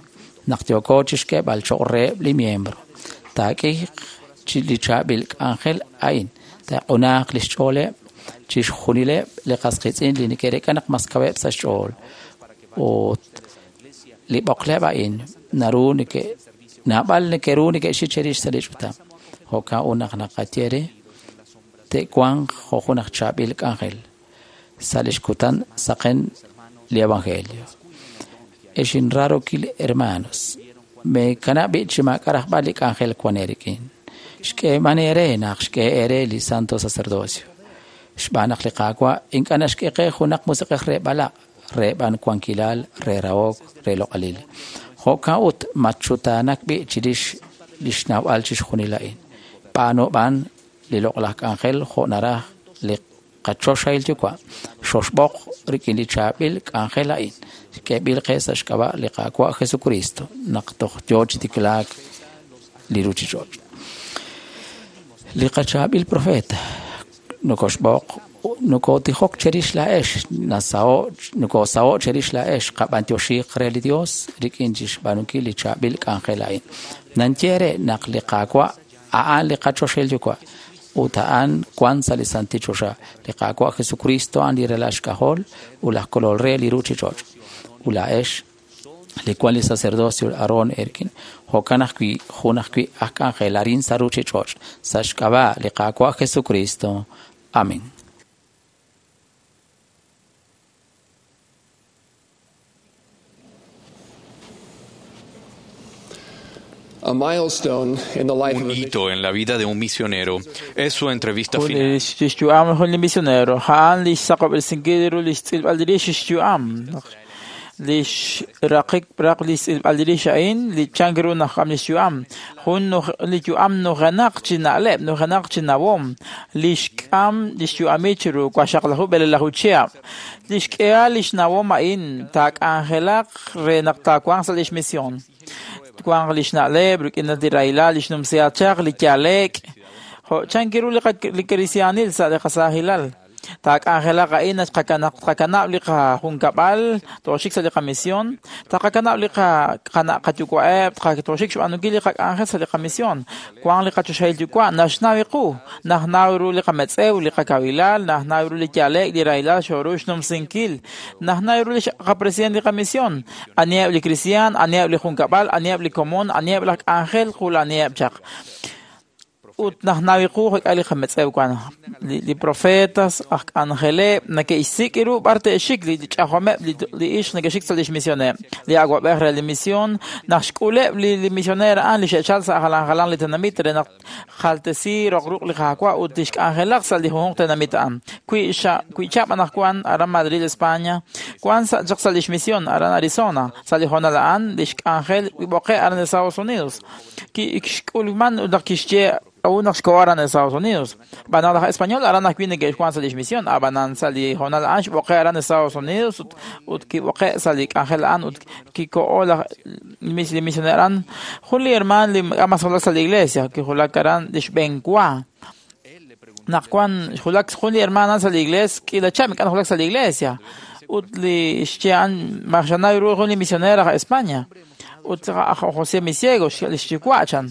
naq yooko chixk'eeb'al cho'q reheb' li miembro, taak'iiq chi li chaab'il k'anjel a'in, taaq'unaaq lix ch'ooleb' chixjunileb' li qas qiitz'in li neke'reek'a naq mas kaweb' sa' xch'ool. Ut li b'oqleb' a'in naru neke' naab'al neke'ru neke'xik cherix sa' li ch'utam. Jo'kan ut naq naqaye re te'wanq jo' jun aj chaab'il k'anjel sa' lix kutan saqen li evangelio. Ex inraarokil hermanos, meekanab' b'i' chi maak'a' rajb'al li k'anjel wan eerik'in. Xk'eeman eere naq xk'e eere li santo sacerdocio. Xb'aan naq li Qaawa' ink'a' naxk'e qe junaq musiq'ej re b'alaq', re b'an wankilal, re rahok, re loq'alil. Jo'kan ut matxutaanak b'i' chirix li xnawb'al chixjunil a'in. B'aanu b'an li loq'laj k'anjel jo' naraj li qachoxahil yuwa'. Xoxb'oq rik'in li chaab'il k'anjel a'in. K'eeb'il qe sa' xk'ab'a' li Qaawa' Jesucristo naq toj yoo chi tiklaak li ruchich'och'. Li qachaab'il profeta nokoxb'oq nokotijok cherix laa'ex, nasaho' nokosaho' cherix laa'ex, qab'antioxiiq re li Dios rik'in chixb'aanunkil li chaab'il k'anjel a'in. Nanye re naq li Qaawa' a'an li qachoxahil yuwa' ut a'an wan sa' li santil choxa. Li Qaawa' Jesucristo a'an li ralal xk'ajol ut laj kolol re li ruchich'och'. Ut laa'ex li wan li sacerdocio Aarón erkin, jo'kan ajwi' jun ajwi' aj k'anjel arin sa' ruchich'och' sa' xk'ab'a' li Qaawa' Jesucristo. Amén. A milestone in the life Un of a hito en la vida de un misionero es su entrevista Jun final. li xyu'am jun li misionero a'an li xsaqob'resinkil ru li xtz'ilb'al rix xyu'am li xraqik raq li xtz'ilb'al rix a'in li chank ru naq li xyu'am jun li yu'am nujenaq chi na'leb' nujenaq chi nawom li xk'am li xyu'ami chiru waxaqlaju b'elelaju chihab' li xk'ehal li xnawom a'in taak'anjelaq re naq taawanq sa' li xmisión twanq li xna'leb' rik'in li rahilal li xnumsihat chaq li yaleek' jo' chank ru li kristiaanil sa' li qasaajilal taak'anjelaq a'in naq tqakanab' li qajunkab'al tooxik sa' li qamisión taqakanab' li qana' qayuwa'eb' tooxik xb'aanunkil li qak'anjel sa' li qamisión wanq li qachoxahil yuwa' naxnaw qu najnaw ru li qametz'ew li qakawilal najnaw ru li yaleek' li rahilal xooru xnumsinkil najnaw ru li qapresident li qamisión aniheb' li kristiaan aniheb' li junkab'al aniheb' li komon aniheb' laj k'anjel qul aniheb' chaq ut najnaw qu jo'k'a li qametz'ew wan li profetas aj k'anjeleb' neke'xsik' ru b'ar te'xik li ch'ajomeb' li ixq neke'xik sa' li xmisioneb' li awab'ej re li misión naq xk'uleb' li misioner a'an li xe'chal sa' jalan jalan li tenamit re naq jaltesi roq ruq' li Qaawa' ut li xk'anjelaq sa' li junjunq tenamit a'an wi chab' anaqwan aran Madrid España wan sa' chaq sa' li xmisión aran Arizona sa' li hoonal a'an li xk'anjel kib'oqe' aran Estados Unidos kixk'ulman ut naq kixye aún naq xkoho aran Estados Unidos. B'anaq laj español aran ajwi' neke'xwan sa' lix misión, ab'anan sa' li hoonal a'an xb'oqe' aran Estados Unidos ut kib'oqe' sa' li k'anjel a'an ut kiko'o laj li misioner a'an. Jun li hermaan li mas julak sa' li iglesia kijulak aran li xb'enwa. Naq wan xjulak jun li hermaan a'an sa' li iglesia k'iila chab' ink'a' najulak sa' li iglesia ut li xye a'an maxanaw ru jun li misioner aj España. Ut aj José Misiego li xyuwa' chan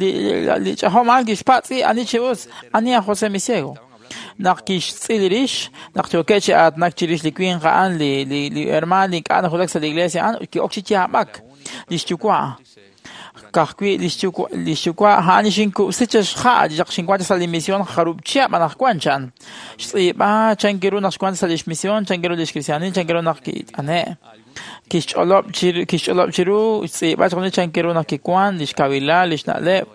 li ch'ajom a'an kixpatz'i ani chi us ani aj José Misiego naq kixtz'il rix naq yookeb' chi aatinak chirix li winq a'an li hermaan li ink'a' najulak sa' li iglesia a'an ki'ok chi yaab'ak li xyuwa' Ka'ajwi' lix yuwa' a'an xinkub'si chixja' chaq xinwan sa' li misión jarub' chihab' anaqwan chan. Xtz'iib'a chan ru naq xwan sa' lix misión, chan ru lix kristiaanil, chan ru naq kit'ane'. Kixch'olob' chiru xtz'iib'a chixjunil chan ru naq kiwan, lix kawilal, lix na'leb'.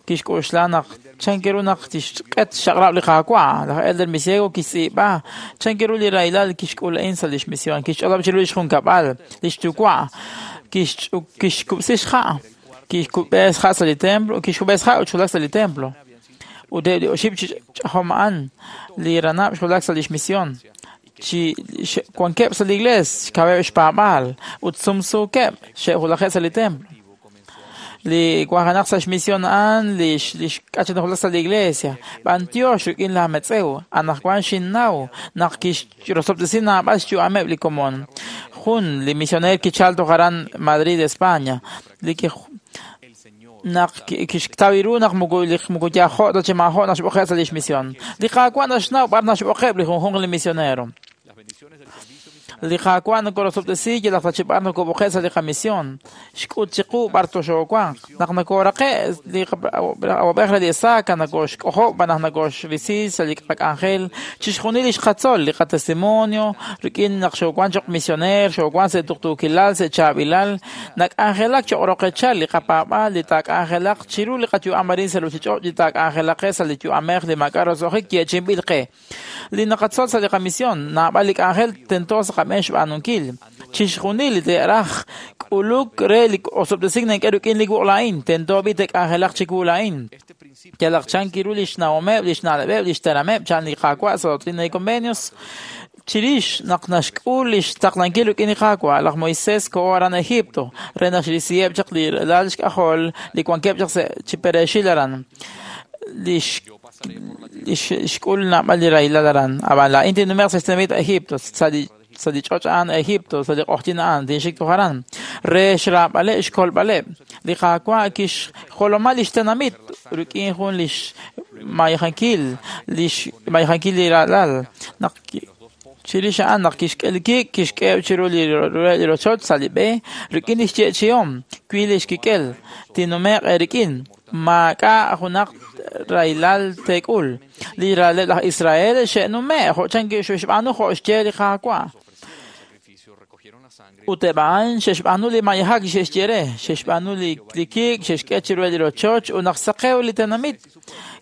Kixk'oxla naq chan ru naq tixq'et xchaq'rab' li Qaawa'. Laj Elder Misiego kixtz'iib'a chan ru li rahilal kixk'ul a'in sa' lix misión. Kixch'olob' chiru lix junkab'al, lix yuwa'. Kixkub'si xja'. Kixkub'e xja' sa' li templo, kixkub'e xja' ut xwulak sa' li templo. Ut eb' li oxib' chi ch'ajom a'an li ranab' xwulak sa' lix misión. Chi wankeb' sa' li iglees, xkaweb' xpaab'aal ut sumsuukeb' xe'wulajeb' sa' li templo. Li wanjenaq sa' xmisión a'an li xk'achanajulak sa' li iglesia. B'antiox rik'in laj metz'ew, anaqwan xinnaw naq kixrosob'tesi naab'al xyu'ameb' li komon. Jun li misioneer kichal toj aran Madrid, España. Li naq kixtaw ru naq muku yajo' ta chi maajo' naq xb'oqe' sa' lix misión. Li Qaawa' naxnaw b'ar naxb'oqeb' li junjunq li misionero. Li Qaawa' nokorosob'tesi yalaq ta chi b'ar nokob'oqe' sa' li qamisión. Xk'ut chiqu b'ar toxoowanq. Naq nokoraqe' li awab'ej re li Isaac nokoxk'ojob' naq nokoxrisi sa' li qak'anjel chixjunil li xqatzol li qatestimonio rik'in naq xoowan choq' misioneer, xoowan sa' tuqtuukilal, sa' chaab'ilal, nak'anjelak choq' roqechal li qapaab'aal li taak'anjelaq chiru li qayu'am arin sa' ruuchich'och' li taak'anjelaq sa' li yu'amej li maak'a' roso'jik yeechi'inb'il qe. Li naqatzol sa' li qamisión, naab'al li k'anjel tento sa' qab'een xb'aanunkil. Chixjunil li te'raj k'uluk re li osob'tesink nank'e rik'in li wuq' laa'in, tento b'i te'k'anjelaq chiwu laa'in. Yalaq chan kiru li xnawomeb', li xna'leb'eb', li xterameb', chan li Qaawa' sa' Doctrina y Convenios. Chirix naq naxk'ul li xtaqlankil rik'in li Qaawa', laj Moisés koho aran Egipto re naxrisiheb' chaq li ralal xk'ajol li wankeb' chaq sa' chi pereexil aran. Li xk'ul naab'al li rahilal aran. Ab'an laa'in tinnume'q sa' xtenamit Egipto, sa' li ch'och' a'an Egipto, sa' li q'oqyink a'an, tinxik toj aran. Re xraab'aleb' xkolb'aleb'. Li Qaawa' kixjoloma lix tenamit rik'in jun lix mayajankil, lix mayajankil li ralal. Naq chirix a'an naq kixk'e li kik', kixk'eheb' chiru li rochoch sa' li b'e, rik'in li xyeechi'om, wi li xkik'el, tinnume'q eerik'in. Maak'a' junaq rahilal teek'ul. Li raleb' laj Israel xe'nume' jo' chan xe'xb'aanu jo' xye li Qaawa'. Ut eb' a'an xe'xb'aanu li mayajak xe'xye re, xe'xb'aanu li kik', xe'xk'e chiru li rochoch ut naq saqew li tenamit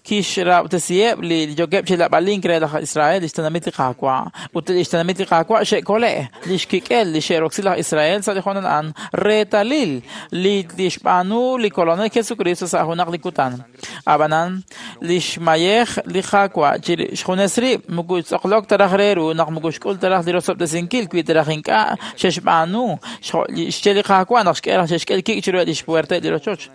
kixrab'tesiheb' li yookeb' chi lab'alink re laj Israel, lix tenamit li Qaawa'. Ut lix tenamit li Qaawa' xe'kole' li xkik'el li xe'roksi laj Israel sa' li hoonal a'an reetalil li xb'aanu li Kolonel Jesucristo sa' junaq li kutan. Ab'anan lix mayej li Qaawa' xjunes rib' muku tz'oqlok ta raj re ru naq muku xk'ul ta raj li rosob'tesinkil wi ta raj ink'a' xe'xb'aanu xye li Qaawa' naq xk'e raj xe'xk'e li kik' chiru li xpuerta li rochoch.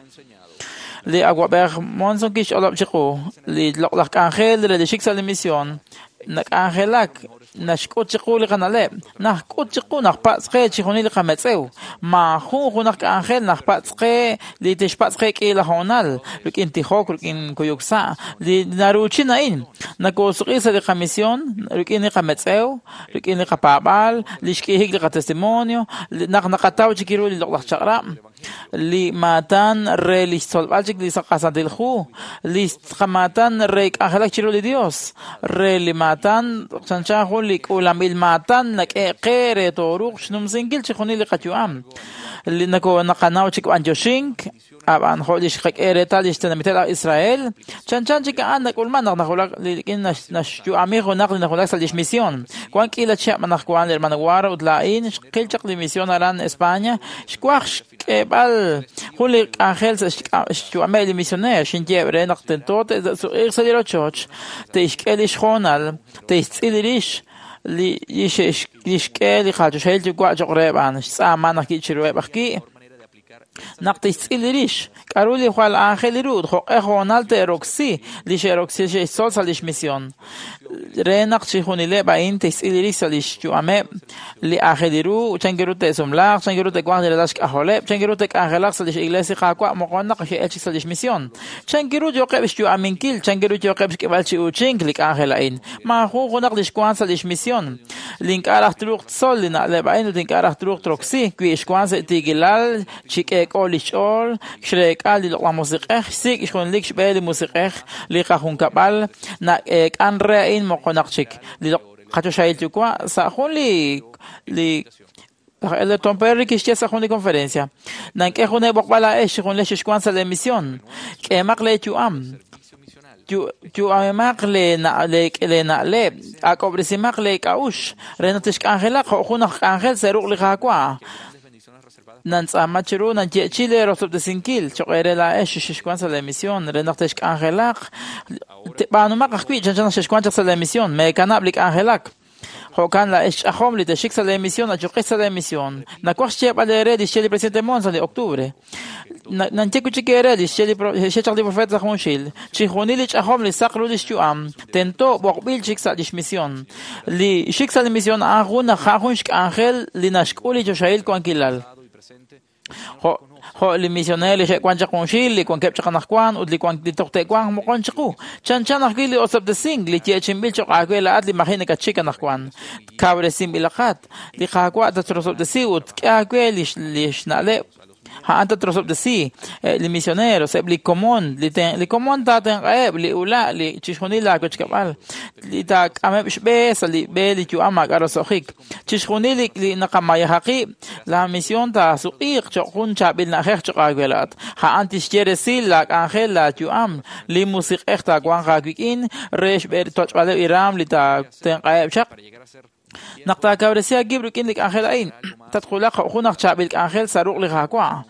Li awab'ej Monson kixch'olob' chiqu li loq'laj k'anjel re li xik sa' li misión nak'anjelak naxk'ut chiqu li qana'leb', najk'ut chiqu naqpatz' qe chixjunil li qametz'ew. Maajun junaq k'anjel naqpatz' qe li tixpatz' qe k'iila hoonal rik'in tijok, rik'in kuyuk sa'. Li naruuchin a'in nakoosuq'i sa' li qamisión rik'in li qametz'ew, rik'in li qapaab'aal, li xk'ihik li qatestimonio, naq naqataw chik ru li loq'laj chaq'rab', li maatan re li xtzolb'al chik li qasantil hu, li qamaatan re k'anjelak chiru li Dios, re li maatan chanchan jun li k'uulanb'il maatan nak'e qe re tooruuq xnumsinkil chixjunil li qayu'am. Li naqanaw chik b'antioxink, ab'an jo' li xqak'e reetal li xtenamiteb' aj Israel, chanchan chik a'an nak'ulman naq najulak rik'in naxyu'ami junaq li najulak sa' lix misión. Wan k'iila chihab' anaqwan li hermano Guaro ut laa'in xqil chaq li misión aran España, xwaj xk'eeb'al jun li k'anjel sa' xyu'ameb' li misioneer, xinyeeb' re naq tento te'suq'iiq sa' li rochoch, te'xk'e lix hoonal, te'xtz'il rix li xk'e li qachoxahil yuwa' cho'q reheb' a'an, xtz'aama naq ki'chiruheb' aj ki' naq tixtz'il rix k'aru li jwal aajel ru jo'q'e hoonal te'roksi li xe'roksi xe'xtzol sa' lix misión re naq chixjunileb' a'in te'xtz'il rix sa' lix yu'ameb' li aajel ru chan ru te'sumlaaq, chan ru te'wanq li ralal xk'ajoleb', chan ru te'k'anjelaq sa' lix iglesia Qaawa' moqon naq xe'el chik sa' lix misión, chan ru yooqeb' xyu'aminkil, chan ru yooqeb' xk'eb'al chi uuchink li k'anjel a'in. Maajun junaq li xwank sa' lix misión. Li ink'a' raj truuq tzol li na'leb' a'in ut ink'a' raj truuq troksi wi xwank sa' tiikilal chi k'eek'o li xch'ool, xreek'a li loq'laj musiq'ej, xsik' xjunlik xb'e li musiq'ej, li qajunkab'al nak'eek'an re a'in moqonaq chik. Li qachoxahil yuwa' sa' jun li laj Elder Tom Perry kixye sa' jun li conferencia. Nank'e jun eeb'oqb'al laa'ex chi junlej xixwank sa' lee misión. K'eemaq lee yu'am. Yu'amemaq lee na'leb', ak'ob'resimaq lee k'a'ux, re naq tixk'anjelaq jo' jun aj k'anjel sa' ruq' li Qaawa'. Nantz'aama chiru nanye'chi lee rosob'tesinkil cho'q eere laa'ex xixwank sa' lee misión, re naq tixk'anjelaq. B'aanumaq ajwi' chanchan naq xexwank chaq sa' lee misión, meekanab' li k'anjelak. Jo'kan laa'ex ch'ajom li texik sa' lee misión, achuqex sa' lee misión. Nawaj xyeeb'al eere li xye li presidente Monson li octubre. Nanye wi' chik eere li xye chaq li profeta sa' junxil. Chixjunil li ch'ajom li saq ru li xyu'am, tento b'oqb'il chik sa' lix misión. Li xik sa' li misión a'an jun jun xk'anjel li naxk'ul li choxahil wankilal. Jo' li misioneer li xe'wank chaq junxil, li wankeb' chaq anaqwan ut li wank li toj te'wanq moqon chiqu. Chanchan ajwi' li osob'tesink li yeechi'inb'il cho'q aawe laa'at li maji' nakatxik anaqwan. Kawresinb'ilaqat. Li Qaawa' tatrosob'tesi ut k'e aawe li xna'leb'. A'an tatrosob'tesi li misioneros, eb' li komon, li komon taatenq'aheb', li ula', li chixjunil laawechkab'al, li taak'ameb' xb'e sa' li b'e li yu'am maak'a' roso'jik. Chixjunil li naqamayaja qib', la misión taasuq'iiq cho'q jun chaab'il na'ajej cho'q aawe laa'at. A'an tixye resil laak'anjel laayu'am, li musiq'ej taawanq aawik'in re xtoch'b'aleb' li raam li taatenq'aheb' chaq. Naq taakawresi aakib' rik'in li k'anjel a'in, tatwulaq jo' jun aj chaab'il k'anjel sa' ruq' li Qaawa'.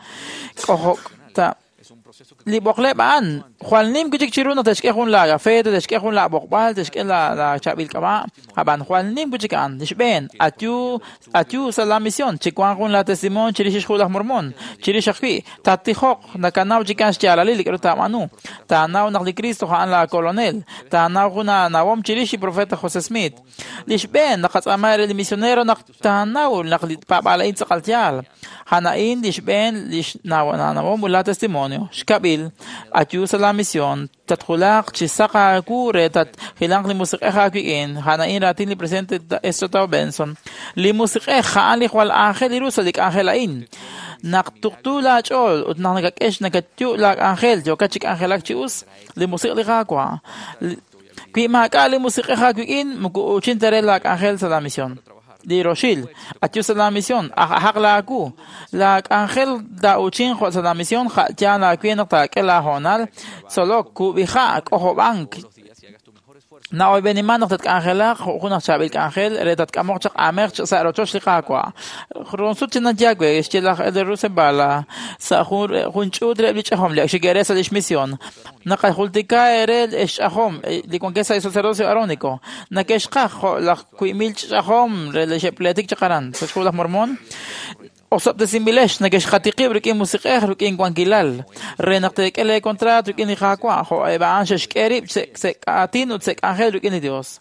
Li b'oqleb' a'an jwal nim wi' chik chiru naq te'xk'e jun laagafeta, te'xk'e jun laab'oqb'al, te'xk'e laachaab'il k'ab'a'. Ab'an jwal nim wi' chik a'an. Li xb'een, ayu sa' la misión, chiwanq jun laatestimonio chirix xhu laj Mormón, chirix ajwi' tattijoq nakanaw chikan xyaalalil li k'aru taab'aanu. Taanaw naq li Cristo a'an laakolonel. Taanaw jun aanawom chirix li profeta José Smith. Li xb'een naqatz'aama re li misionero naq taanaw naq li paab'aal a'in tz'aqal yaal. A'an a'in li xb'een li xnawom ut la testimonio. Xkab'il, ayu sa' la misión, tatwulaq chi saq aawu re tatjilanq li musiq'ej aawik'in. A'an a'in raatin li presidente Ezra Taft Benson. Li musiq'ej a'an li jwal aajel ru sa' li k'anjel a'in. Naq tuqtu laach'ool ut naq nakak'ex nakatyu' laak'anjel yookat chi k'anjelak chi us, li musiq' li Qaawa'. Wi maak'a' li musiq'ej aawik'in, moko uuchin ta re laak'anjel sa' la misión. Li roxil, ayu sa' la misión, aj'ajaq laawu. Laak'anjel taa'uchin jo' sa' la misión, ja'yaal aawe naq taak'e laahoonal, tzolok, kub'iha', k'ojob'ank. Na'oyb'eniman naq tatk'anjelaq jo' jun aj chaab'il k'anjel re tatk'amoq chaq aamej sa' rochoch li Qaawa'. Ronsut chi nanyawe xye laj Elder Russell Ballard sa' jun ch'uut reheb' li ch'ajom li ak xe'k'eere sa' lix misión. Naqajultika eere xch'ajom li wankeb' sa' li sacerdocio aarónico. Nakexqaj jo' laj 2,000 ch'ajom re li xe'pleetik chaq aran sa' xhu laj Mormón. Osob'tesinb'ilex nakexqatiqib' rik'in musiq'ej rik'in wankilal re naq teek'e lee contrato rik'in li Qaawa' jo' eb' a'an xe'xk'e rib' sa' aatin ut sa' k'anjel rik'in li Dios.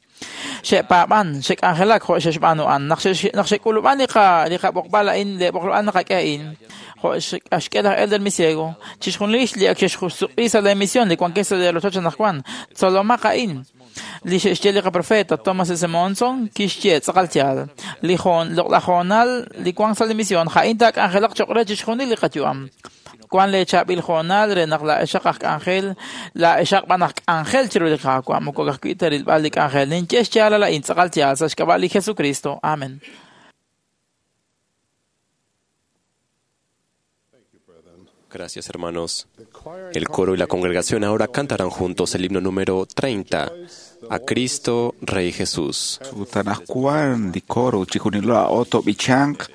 Xe'paab'an, xe'k'anjelak jo' xe'xb'aanu a'an. Naq xe'k'ulub'an li qab'oqb'al a'in, li b'oqb'al naqak'e a'in, jo' xk'e laj Elder Misiego, chixjunil li ak xe'xsuq'i sa' lee misión li wankeb' sa' lee rochoch anaqwan, tzolomaq a'in. Li xe'xye li qaprofeta Thomas S. Monson kixye tz'aqal yaal. Li loq'laj hoonal li wank sa' li misión a'in taak'anjelaq cho'q re chixjunil li qayu'am. Wank lee chaab'il hoonal re naq laa'exaq aj k'anjel, laa'exaq b'an aj k'anjel chiru li Qaawa', moko ka'ajwi' ta rilb'al li k'anjel. Ninye xyaalal a'in tz'aqal yaal sa' xk'ab'a' li Jesucristo. Amen. Gracias, hermanos. El coro y la congregación ahora cantarán juntos el himno número 30, A Cristo, Rey Jesús. Ut anaqwan li coro chixjunilo a'o to'b'ichanq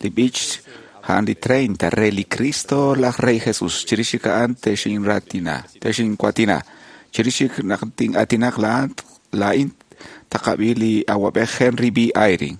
li b'ich a'an li 30 re li Cristo laj Rey Jesús. Chirix chik a'an texinratina, texinkuatina. Chirix chik naq tin'atinaq laa'in taqab'i li awab'ej Henry B. Eyring.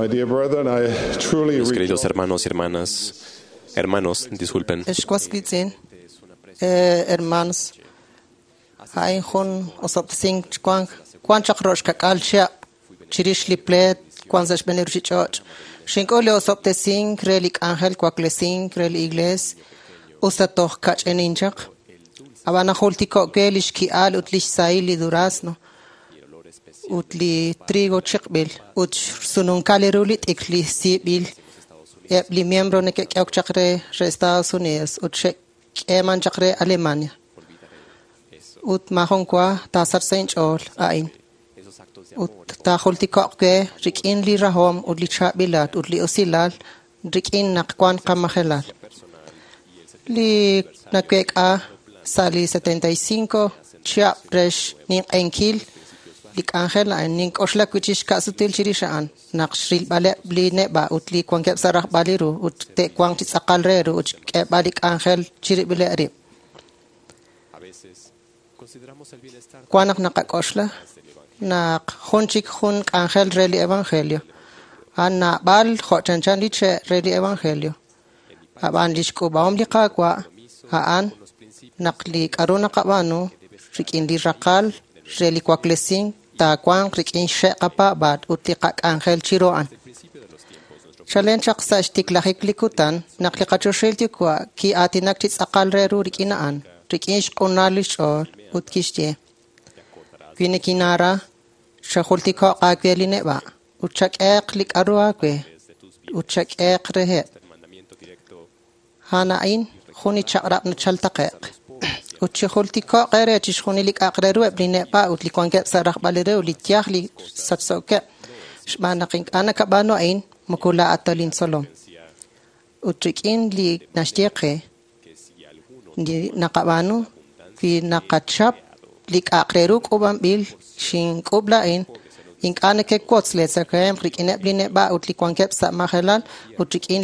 My dear brethren, I truly Mis queridos hermanos y hermanas, hermanos, disculpen. Ex was wiitz'in, hermanos, a'in jun osob'tesink wank wan chaq ro'xkak'al chihab' chirix li pleet wan sa' xb'een li ruuchich'och'. Xink'ul li osob'tesink re li k'anjel waklesink re li iglees usta toj kach'inin chaq. Ab'an najultiko' we li xki'al ut li xsahil li durazno ut li trigo chiqb'il ut xsununkal ru li t'ikr li siib'il eb' li miembro neke'k'ehok chaq re Estados Unidos ut xe'k'eeman chaq re Alemania. Ut maajun wa taasach sa' inch'ool a'in. Ut taajultiko'q we rik'in li rahom ut li chaab'ilal ut li usilal rik'in naq wan qamajelal. Li naweek'a sa' li 75 chihab' re xninq'ehinkil li k'anjel a'in nink'oxla wi' chik xka'sutil chirix a'an naq xrilb'aleb' li neb'a' ut li wankeb' sa' rajb'al li ru ut te'wanq chi tz'aqal re ru ut xk'eeb'al li k'anjel chirib'ileb' rib'. Wan naq naqak'oxla naq jun chik jun k'anjel re li evangelio. A'an naab'al jo' chanchan li che' re li evangelio. Ab'an li xk'uub'ahom li Qaawa' a'an naq li k'a'ru naqab'aanu rik'in li raqal re li waklesink taawanq rik'in xe' qapaab'aal ut li qak'anjel chiru a'an. Chalen chaq sa' xtiklajik li kutan naq li qachoxahil Yuwa' ki'aatinak chi tz'aqal re ru rik'in a'an, rik'in xq'unal li xch'ool ut kixye: Wi nikinaara, chajultiko'q aawe li neb'a' ut chak'ehaq li k'a'ru aawe ut chak'ehaq reheb'. A'an a'in jun li chaq'rab' nachal taqe'q. Ut chijultiko'q eere chixjunil li k'a'aq re ru eb' li neb'a' ut li wankeb' sa' rajb'al li ru, li yaj li sachsookeb', xb'aan naq ink'a' nakab'aanu a'in moko laa'at ta lintzolom. Ut rik'in li naxye qe, li naqab'aanu wi naqachap li k'a'aq re ru k'uub'anb'il xink'uub' laa'in, ink'a' nekewotz leetzakahemq rik'ineb' li neb'a' ut li wankeb' sa' majelal ut rik'in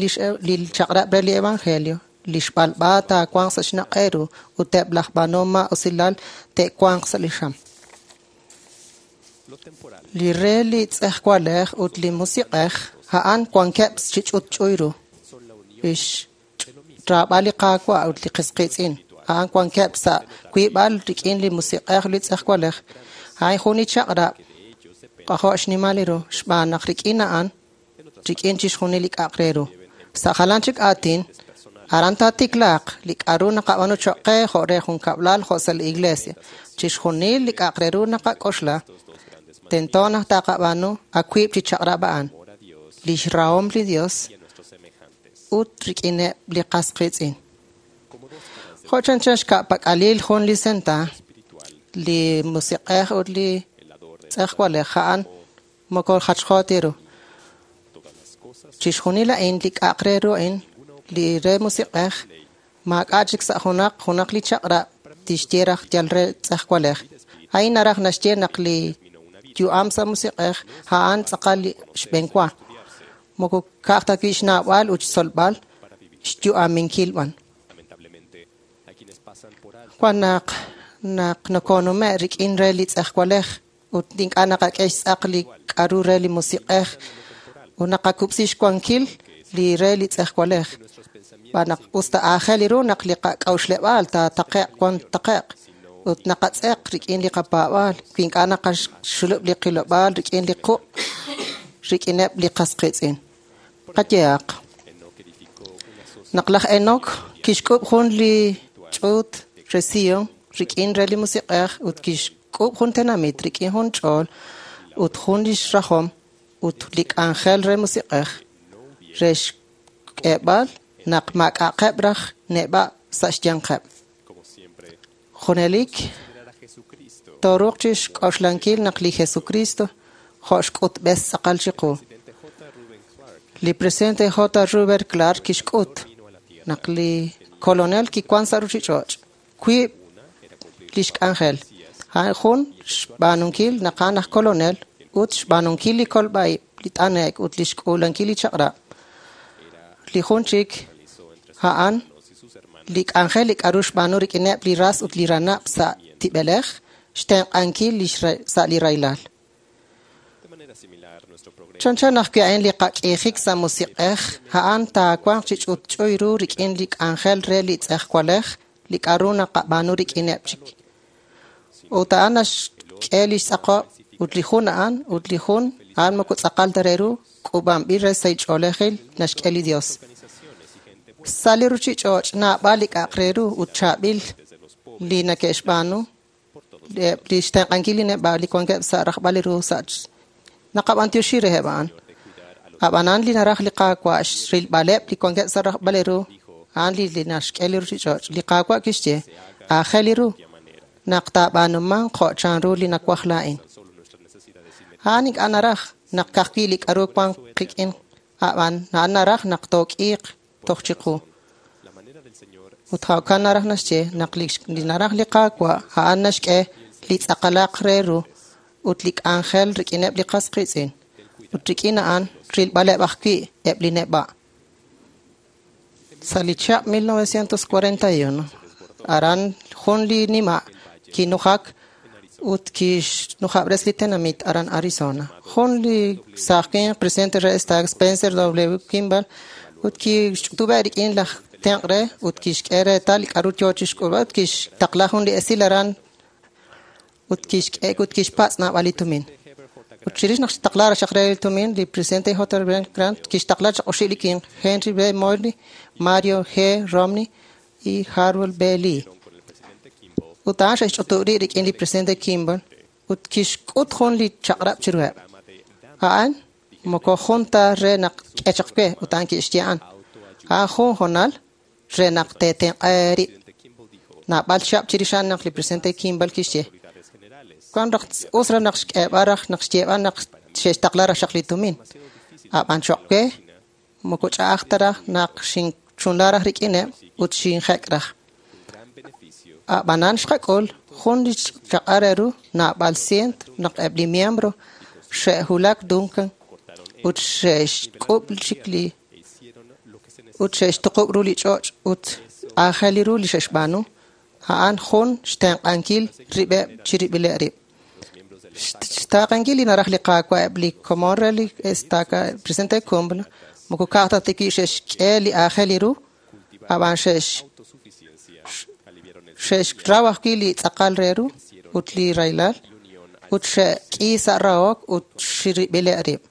li chaq'rab' re li evangelio. Li xb'alb'a taawanq sa' xnaq' eeru ut eb' laj b'aanuhom maa'usilal te'wanq sa' li xam. Li re li tz'ejwalej ut li musiq'ej a'an wankeb' chi ch'utch'uy ru. Lix xraab'al li Qaawa' ut li qis qiitz'in a'an wankeb' sa' wiib'al rik'in li musiq'ej li tz'ejwalej. A'in jun li chaq'rab' k'ajo' xnimal ru xb'aan naq rik'in a'an rik'in chixjunil li k'a'aq re ru. Sa' jalan chik aatin, aran taatiklaaq li k'a'ru naqab'aanu choq' qe jo' re junkab'lal jo' sa' li iglesia. Chixjunil li k'a'aq re ru naqak'oxla, tento naq taqab'aanu awiib' chi chaq'rab' a'an, lix rahom li Dios ut rik'ineb' li qas qiitz'in. Jo' chanchan xka'pak'alil jun li senta, li musiq'ej ut li tz'ejwalej a'an moko jachjo ta ru. Chixjunil a'in li k'a'aq re ru a'in, li re musiq'ej, maak'a' chik sa' junaq junaq li chaq'rab' tixye raj yal re tz'ejwalej. A'in naraj naxye naq li yu'am sa' musiq'ej a'an tz'aqal li xb'eenwa. Moko ka'aj ta wi' xnaab'al ut xtzolb'al xyu'aminkil b'an. Wan naq naq nokonume' rik'in re li tz'ejwalej ut ink'a' naqak'e xtz'aq li k'a'ru re li musiq'ej ut naqakub'si xwankil li re li tz'ejwalej. Xb'aan naq us ta aajel ru naq li qak'a'uxleb'aal taataqe'q wan taqe'q ut naqatz'eq rik'in li qapaab'aal wi ink'a' naqaxulub' li qilob'aal rik'in li quq' rik'ineb' li qas qiitz'in. Qayehaq naq laj Enoc kixk'uub' jun li ch'uut re Sion rik'in re li musiq'ej ut kixk'uub' jun tenamit rik'in jun ch'ool ut jun lix rajom ut li k'anjel re musiq'ej re xk'eeb'al naq maak'a'aqeb' raj neb'a' sa' xyanqeb'. Junelik tooruuq chixk'oxlankil naq li Jesucristo jo' xk'utb'es tz'aqal chiqu. Li presidente J. Reuben Clark kixk'ut naq li kolonel kiwan sa' ruuchich'och' wiib' lix k'anjel. A'an jun xb'aanunkil naq a'an aj kolonel ut xb'aanunkil li kolb'a'ib', li t'ane'k ut li xk'uulankil li chaq'rab'. Li jun chik a'an li k'anjel li k'a'ru xb'aanu rik'ineb' li ras ut li ranab' sa' tib'elej, xtenq'ankil sa' li rahilal. Chanchan ajwi' a'in li qak'iijik sa' musiq'ej, a'an taawanq chi ch'utch'uy ru rik'in li k'anjel re li tz'ejwalej li k'a'ru naqab'aanu rik'ineb' chik. Ut a'an naxk'e lix tz'aqob' ut li jun a'an ut li jun a'an moko tz'aqal ta re ru k'uub'anb'il re sahil ch'oolejil naxk'e li Dios. Sa' li ruchich'och' naab'al li k'a'aq re ru ut chaab'il li neke'xb'aanu li xtenq'ankil li neb'a' li wankeb' sa' rajb'al li ru sa' naqab'antioxi reheb' a'an. Ab'anan li naraj li Qaawa' xrilb'aleb' li wankeb' sa' rajb'al li ru a'an li naxk'e li ruchich'och'. Li Qaawa' kixye aajel li ru naq taab'aanumanq jo' chanru li nawaj laa'in. A'an ink'a' naraj naq ka'ajwi' li k'a'ru wank qik'in, ab'an a'an naraj naq took'iiq toj chiqu. Ut jo'kan naraj naxye naq li naraj li Qaawa' a'an naxk'e li tz'aqalaq re ru ut li k'anjel rik'ineb' li qas qiitz'in. Ut rik'in a'an rilb'aleb' ajwi' eb' li neb'a'. Sa' li chihab' 1941, aran jun li nima' kinujak ut kixnujab'res li tenamit aran Arizona. Jun li saaj winq presidente re Stag Spencer W. Kimball ut kixch'utub'e' rik'in laj tenq' re ut kixk'e reetal li k'a'ru yoo chixk'ulb'al ut kixtaqla jun li esil aran ut kixk'e ut kixpatz' naab'al li tumin. Ut chirix naq xtaqla xaq re li tumin, li presidente J. Grant kixtaqla chaq oxib' li winq, Henry B. Morley, Mario G. Romney y Harold B. Lee. Ut a'an xe'xch'utub' rib' rik'in li presidente Kimball ut kixk'ut jun li chaq'rab' chiruheb'. A'an moko jun ta re naq k'e chaq we ut a'an kixye a'an. A'an jun hoonal re naq teetenq'a rib'. Naab'al chihab' chirix a'an naq li presidente Kimball kixye wan raj us raj naq xk'eeb'al raj naq xyeeb'al naq xe'xtaqla raj xaq li tumin. Ab'an choq' we moko ch'a'aj ta raj naq xinchunla raj rik'ineb' ut xinjek' raj. Ab'anan xqak'ul jun li chaq'al re ru naab'al cient naq eb' li miembro xe'wulak Duncan ut xe'xk'ub' chik li ut xe'xtuqub' ru li ch'och' ut aajel li ru li xe'xb'aanu a'an jun xtenq'ankil rib'eb' chirib'ileb' rib'. Xtaaqenkil li naraj li Qaawa' eb' li komon re li estaca presidente Kimball moko ka'aj ta tikib' xe'xk'e li aajel li ru ab'an xe'xraw ajwi' li tz'aqal re ru ut li rahilal ut xe'k'i sa' rahok ut xirib'ileb' rib'.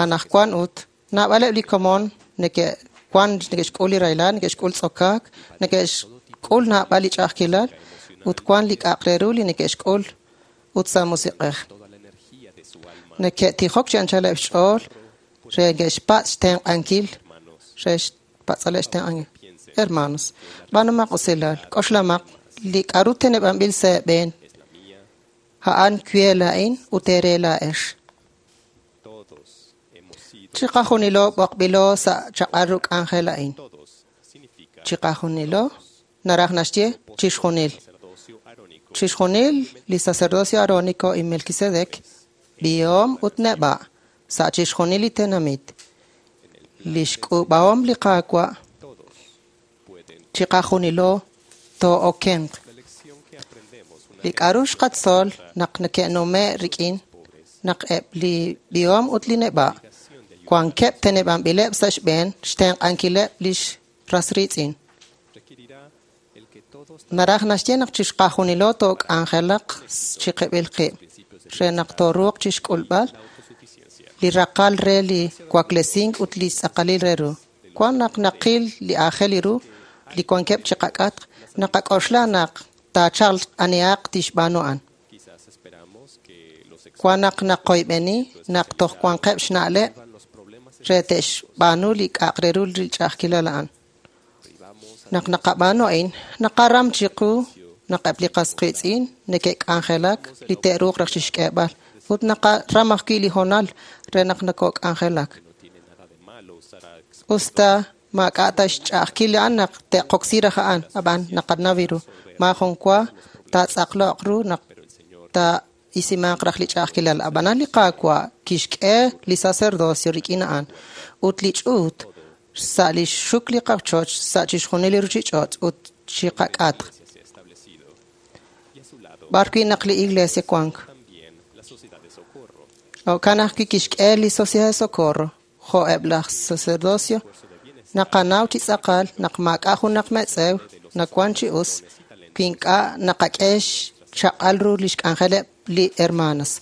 Anaqwan ut naab'aleb' li komon neke'wan neke'xk'ul li rahilal, neke'xk'ul tz'okaak, neke'xk'ul naab'al li ch'a'ajkilal ut wan li k'a'aq re ru li neke'xk'ul ut sa' musiq'ej. Neke'tijok chi anchaleb' xch'ool re neke'xpatz' xtenq'ankil re xpatz'aleb' xtenq'ankil. Hermanos, b'aanumaq usilal, k'oxlamaq li k'a'ru teneb'anb'il sa' eeb'een a'an we laa'in ut eere laa'ex. Chiqajunilo b'oqb'ilo sa' chaq'al ru k'anjel a'in. Chiqajunilo naraj naxye chixjunil. Chixjunil li sacerdocio arónico y Melquisedec, b'ihom ut neb'a' sa' chixjunil li tenamit. Lix k'uub'ahom li Qaawa' chiqajunilo too'okenq. Li k'a'ru xqatzol naq neke'nume' rik'in naq eb' li b'ihom ut li neb'a' wankeb' teneb'anb'ileb' sa' xb'een xtenq'ankileb' lix ras riitz'in. Naraj naxye naq chixqajunilo took'anjelaq chiqib'il qib' re naq tooruuq chixk'ulb'al li raqal re li waklesink ut li tz'aqalil re ru. Wan naq naqil li aajel ru li wankeb' chiqak'atq, naqak'oxla naq taachalq anihaq tixb'aanu a'an. Wan naq naqoyb'eni naq toj wanqeb' xna'leb' re te'xb'aanu li k'a'aq re ru li ch'a'ajkilal a'an. Naq naqab'aanu a'in, naqaram chiqu naq eb' li qas qiitz'in neke'k'anjelak li te'ruuq raj chixk'eeb'al ut naqaram ajwi' li hoonal re naq nokok'anjelak. Usta maak'a' ta xch'a'ajkil a'an naq te'qoksi raj a'an, ab'an naqanaw ru maajun wa taatz'aqloq ru naq taa'isimanq raj li ch'a'ajkilal. Ab'anan li Qaawa' kixk'e li sacerdocio rik'in a'an ut li ch'uut sa' li xxuk li qochoch sa' chixjunil li ruchich'och' ut chiqak'atq. B'ar wi' naq li iglesia wank. Jo'kan ajwi' kixk'e li Sociedad de Socorro, jo' eb' laj sacerdocio, naqanaw chi tz'aqal naq maak'a' junaq metz'ew nawan chi us wi ink'a' naqak'e xchaq'al ru lix k'anjeleb' li hermanas.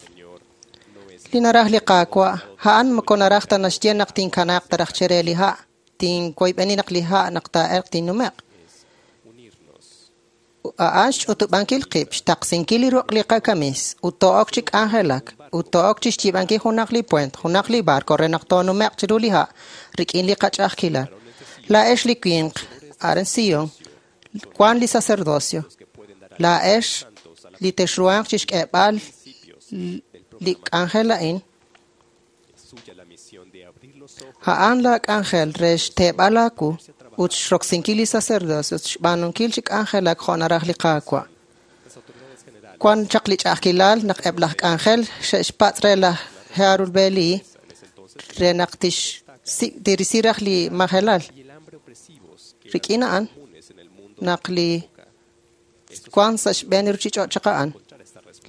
Li naraj li Qaawa', a'an moko naraj ta naxye naq tinkanaaq ta raj chere li ha', tinwoyb'eni naq li ha' naq taa'elq tinnume'q. A'an xch'utub'ankil qib', xtaqsinkil li ruq' li qakamis, ut to'ok chi k'anjelak, ut to'ok chi xyiib'ankil junaq li puent, junaq li barco re naq toonume'q chiru li ha' rik'in li qach'a'ajkilal. Laa'ex li winq, aran Sion, wan li sacerdocio. Laa'ex li texruhanq chi xk'eeb'al li k'anjel a'in. A'an la k'anjel re xteeb'al aawu ut xroksinkil li sacerdocio, xb'aanunkil chi k'anjelak jo' naraj li Qaawa'. Wan chaq li ch'a'ajkilal naq eb' laj k'anjel xe'xpatz' re laj Harold B. Lee re naq tirisi raj li majelal. Rik'in a'an naq li wan sa' xb'een li ruchich'och' chaq a'an,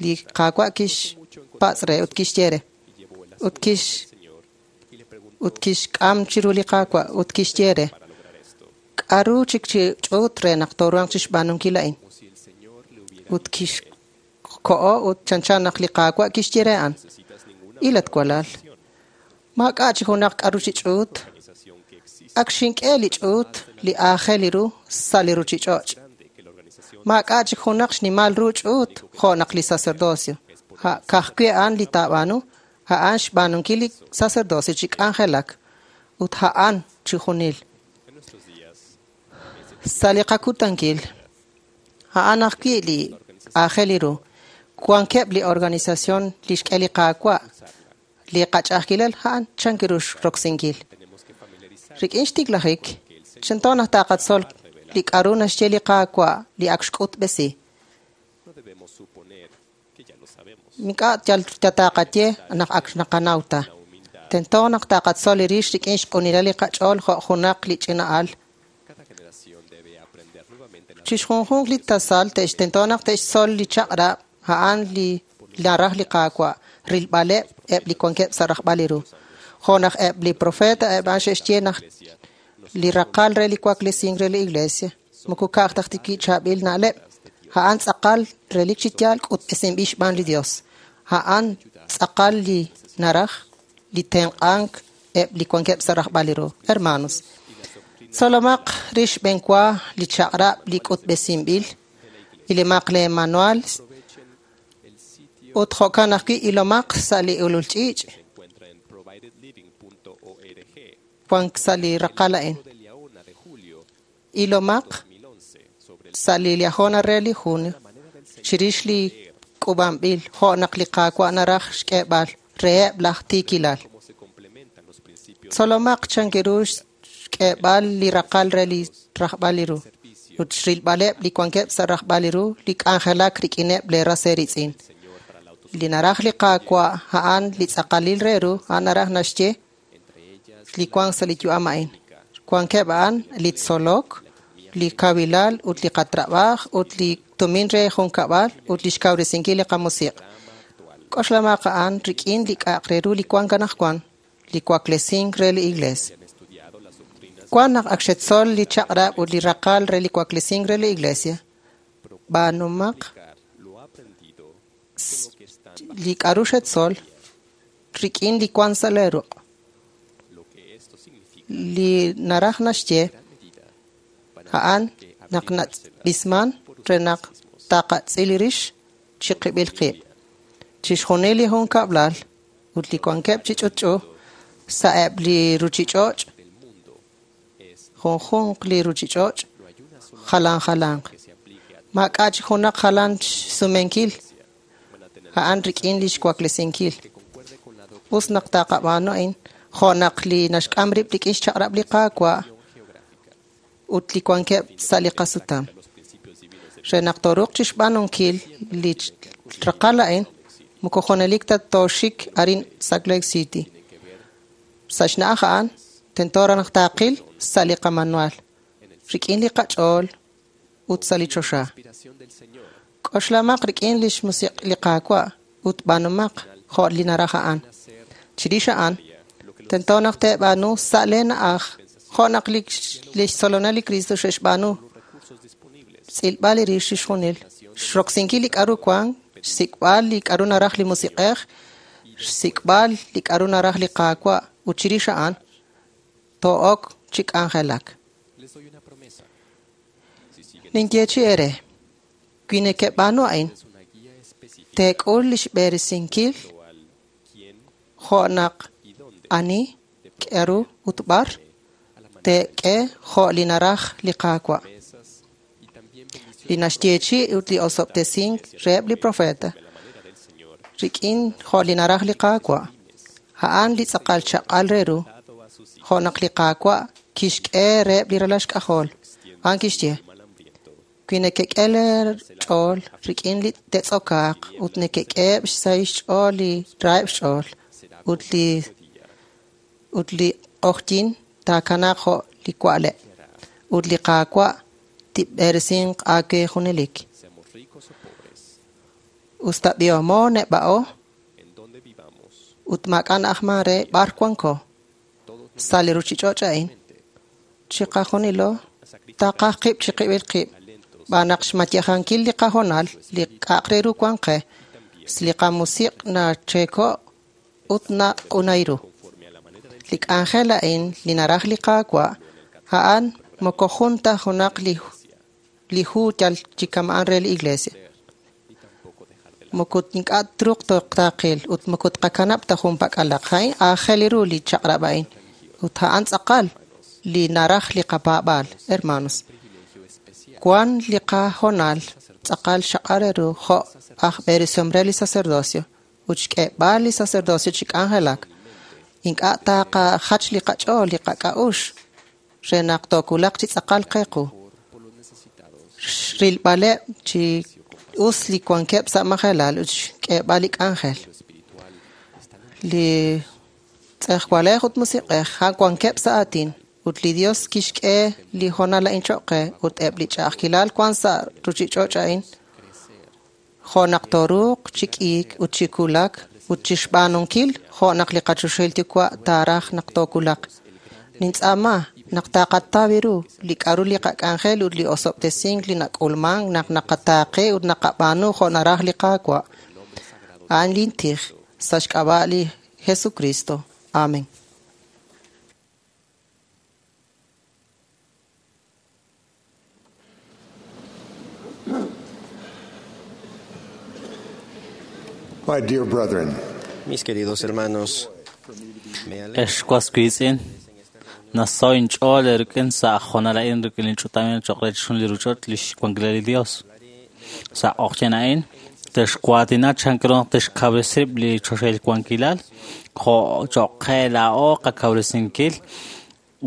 li Qaawa' kixpatz' re ut kixye re, ut kixk'am chiru li Qaawa' ut kixye re, k'aru chik chi ch'uut re naq tooruhanq chi xb'aanunkil a'in. Ut kixko'o ut chanchan naq li Qaawa' kixye re a'an, ilat walal, maak'a' chi junaq k'aru chi ch'uut, ak xink'e li ch'uut li aajel ru sa' li ruchich'och'. Maak'a' chik junaq xnimal ru ch'uut jo' naq li sacerdocio. Ka'ajwi' a'an li taab'aanu, a'an xb'aanunkil li sacerdocio chi k'anjelak ut a'an chi junil. Sa' li qakutankil, a'an ajwi' li aajel ru. Wankeb' li organización li xk'e li Qaawa', li qach'a'ajkilal a'an chan ru xroksinkil. Rik'in xtiklajik, tento naq taqatzol li k'aru naxye li Qaawa' li ak xk'utb'esi. Ink'a' yal taqaye naq ak naqanaw ta. Tento naq taqatzol li rix rik'in xq'unilal li qach'ool jo' junaq li ch'ina'al. Chixjunjunq li tasal tento naq te'xtzol li chaq'rab' a'an li naraj li Qaawa' rilb'aleb' eb' li wankeb' sa' rajb'al li ru. Jo' naq eb' li profeta eb' a'an xe'xye naq li raqal re li waklesink re li iglesia moko ka'aj ta ajwi' chaab'il na'leb', a'an tz'aqal relik chi yaal k'utb'esinb'il xb'aan li Dios. A'an tz'aqal li naraj li tenq'ank eb' li wankeb' sa' rajb'al li ru. Hermanos, tzolomaq rix b'enwa li chaq'rab' li k'utb'esinb'il, ilomaq lee manual ut jo'kan ajwi' ilomaq sa' li ulul ch'iich' wank sa' li raqal a'in. Ilomaq sa' li Liahona re li junio chirix li k'ub'anb'il jo' naq li Qaawa' naraj xk'eeb'al reheb' laj tiikilal. Tzolomaq chan ru xk'eeb'al li raqal re li rajb'al li ru ut xrilb'aleb' li wankeb' sa' rajb'al li ru li k'anjelak rik'ineb' lee ras eeritz'in. Li naraj li Qaawa' a'an li tz'aqalil re ru, a'an naraj naxye li wank sa' li yu'am a'in. Wankeb' a'an li tzolok, li kawilal ut li qatrab'aaj ut li tumin re junkab'al ut li xkawresinkil li qamusiq'. K'oxlamaq a'an rik'in li k'a'aq re ru li wank anaqwan, li waklesink re li iglees. Wan naq ak xetzol li chaq'rab' ut li raqal re li waklesink re li iglesia, b'aanumaq li k'aru xetzol rik'in li wank sa' lee ruq'. Li naraj naxye a'an naq natz'b'isman re naq taqatz'il rix chi qib'il qib'. Chixjunil li junkab'lal ut li wankeb' chi ch'utch'u sa'eb' li ruchich'och', junjunq li ruchich'och' jalan jalanq. Maak'a' chi junaq jalan xsumenkil a'an rik'in li xwaklesinkil. Us naq taqab'aanu a'in jo' naq li naxk'am rib' rik'in xchaq'rab' li Qaawa' ut li wankeb' sa' li qasutam. Re naq tooruuq chixb'aanunkil li raqal a'in, moko junelik ta tooxik arin Salt Lake City. Sa' xna'aj a'an, tento raj naq taqil sa' li qamanual, rik'in li qach'ool ut sa' li choxa. K'oxlamaq rik'in lix musiq' li Qaawa' ut b'aanumaq jo' li naraj a'an. Chirix a'an, tento naq teeb'aanu sa' lee na'aj jo' naq lix tzolonel li Cristo xe'xb'aanu. Tz'ilb'al li rix chixjunil, xroksinkil li k'a'ru wan, xsik'b'al li k'a'ru naraj li Musiq'ej, xsik'b'al li k'a'ru naraj li Qaawa' ut chirix a'an too'ok chi k'anjelak. Ninyeechi eere, wi nekeb'aanu a'in, teek'ul lix b'eresinkil jo' naq ani, k'a'ru ut b'ar teek'e jo' li naraj li Qaawa'. Li naxyeechi ut li osob'tesink reheb' li profeta rik'in jo' li naraj li Qaawa', a'an li tz'aqal chaq'al re ru, jo' naq li Qaawa' kixk'e reheb' li ralal xk'ajol. A'an kixye, wi nekek'e lee ch'ool rik'in li te'tz'okaaq ut nekek'eheb' xsahil xch'ool li raheb' xch'ool ut li q'ojyin taakanaaq jo' li wa'leb' ut li Qaawa' tib'eresinq aawe junelik. Usta b'ihomo neb'a'o ut maak'a' na'ajman re b'ar wanko sa' li ruchich'och' a'in, chiqajunilo taqaj qib' chiqib'il qib' b'aan naq xmayejankil li qahoonal li k'a'aq re ru wan qe, li qamusiq' nacheeko' ut naq'unay ru. Li k'anjel a'in li naraj li Qaawa' a'an moko jun ta junaq li hu yal chi kama'an re li Iglesia. Moko ink'a' truuq taqil ut moko tqakanab' ta jun pak'alaq. A'in aajel ru li chaq'rab' a'in ut a'an tz'aqal li naraj li qapaab'aal, hermanos. Wan li qahoonal tz'aqal xaqal re ru jo' aj b'eresihom re li sacerdocio ut xk'eeb'al li sacerdocio chi k'anjelak. Ink'a' taqajach li qach'ool li qak'a'uxl re naq tookulaq chi tz'aqal qequ. Rilb'aleb' chi us li wankeb' sa' majelal ut xk'eeb'al li k'anjel. Li tz'ejwalej ut musiq'ej a'an wankeb' sa' aatin ut li Dios kixk'e li hoonal a'in choq' qe ut eb' li ch'a'ajkilal wan sa' ruchich'och' a'in jo' naq tooruuq chi k'iik ut chi kulak ut chixb'aanunkil jo' naq li qachoxahil Yuwa' taaraj naq tookulaq. Nintz'aama naq taqataw ru li k'a'ru li qak'anjel ut li osob'tesink li nak'ulman naq naqataaqe ut naqab'aanu jo' naraj li Qaawa'. A'an lin tij sa' xk'ab'a' li Jesucristo. Amen. My dear brethren, Mis queridos hermanos, me alegra Ex was wiitz'in, naso inch'ool rik'in sa' hoonal a'in rik'in li ch'utam choq' re chixjunil li ruchich'och' lix wankilal li Dios. Sa' q'ojyin a'in, texwaatina chan ru naq texkawresib' li choxahil wankilal, jo' choq' qe laa'o qakawresinkil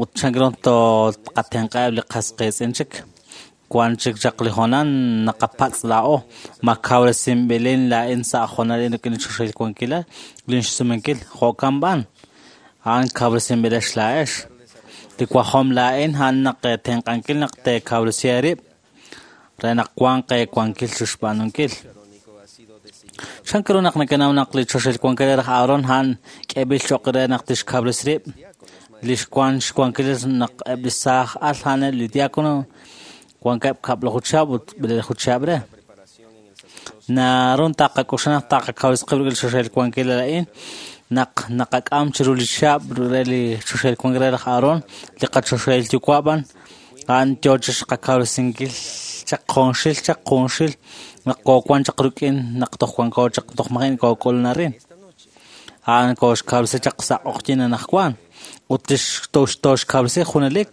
ut chan ru tqatenq'aheb' li qas qiitz'in chik. Wan chik chaq li hoonal naqapatz' laa'o ma kawresinb'ilin laa'in sa' hoonal a'in rik'in li choxahil wankilal lin xsumenkil jo'kan b'an. A'an kawresinb'ilex laa'ex. Li wajom laa'in a'an naq tenq'ankil naq teekawresi eerib' re naq wanq eewankil chixb'aanunkil. Chan ru naq nakanaw naq li choxahil wankilal raj Aaron a'an k'eeb'il choq' re naq tixkawresi rib'? Lix wan xwankil naq eb' li saaj al a'aneb' li diácono wankeb' kab'laju chihab' ut b'eleelaju chihab' re. Naru taqak'oxla naq taqakawresi qib' rik'in li choxahil wankilal a'in naq naqak'am chiru li chihab' re li choxahil wankilal raj Aaron li qachoxahil Yuwa' b'an a'an yoo chixqakawresinkil chaq qonxil naq koowan chaq rik'in naq toj wanko chaq toj maji' kook'ulun arin. A'an kooxkawresi chaq sa' q'ojyin anaqwan ut tooxkawresi junelik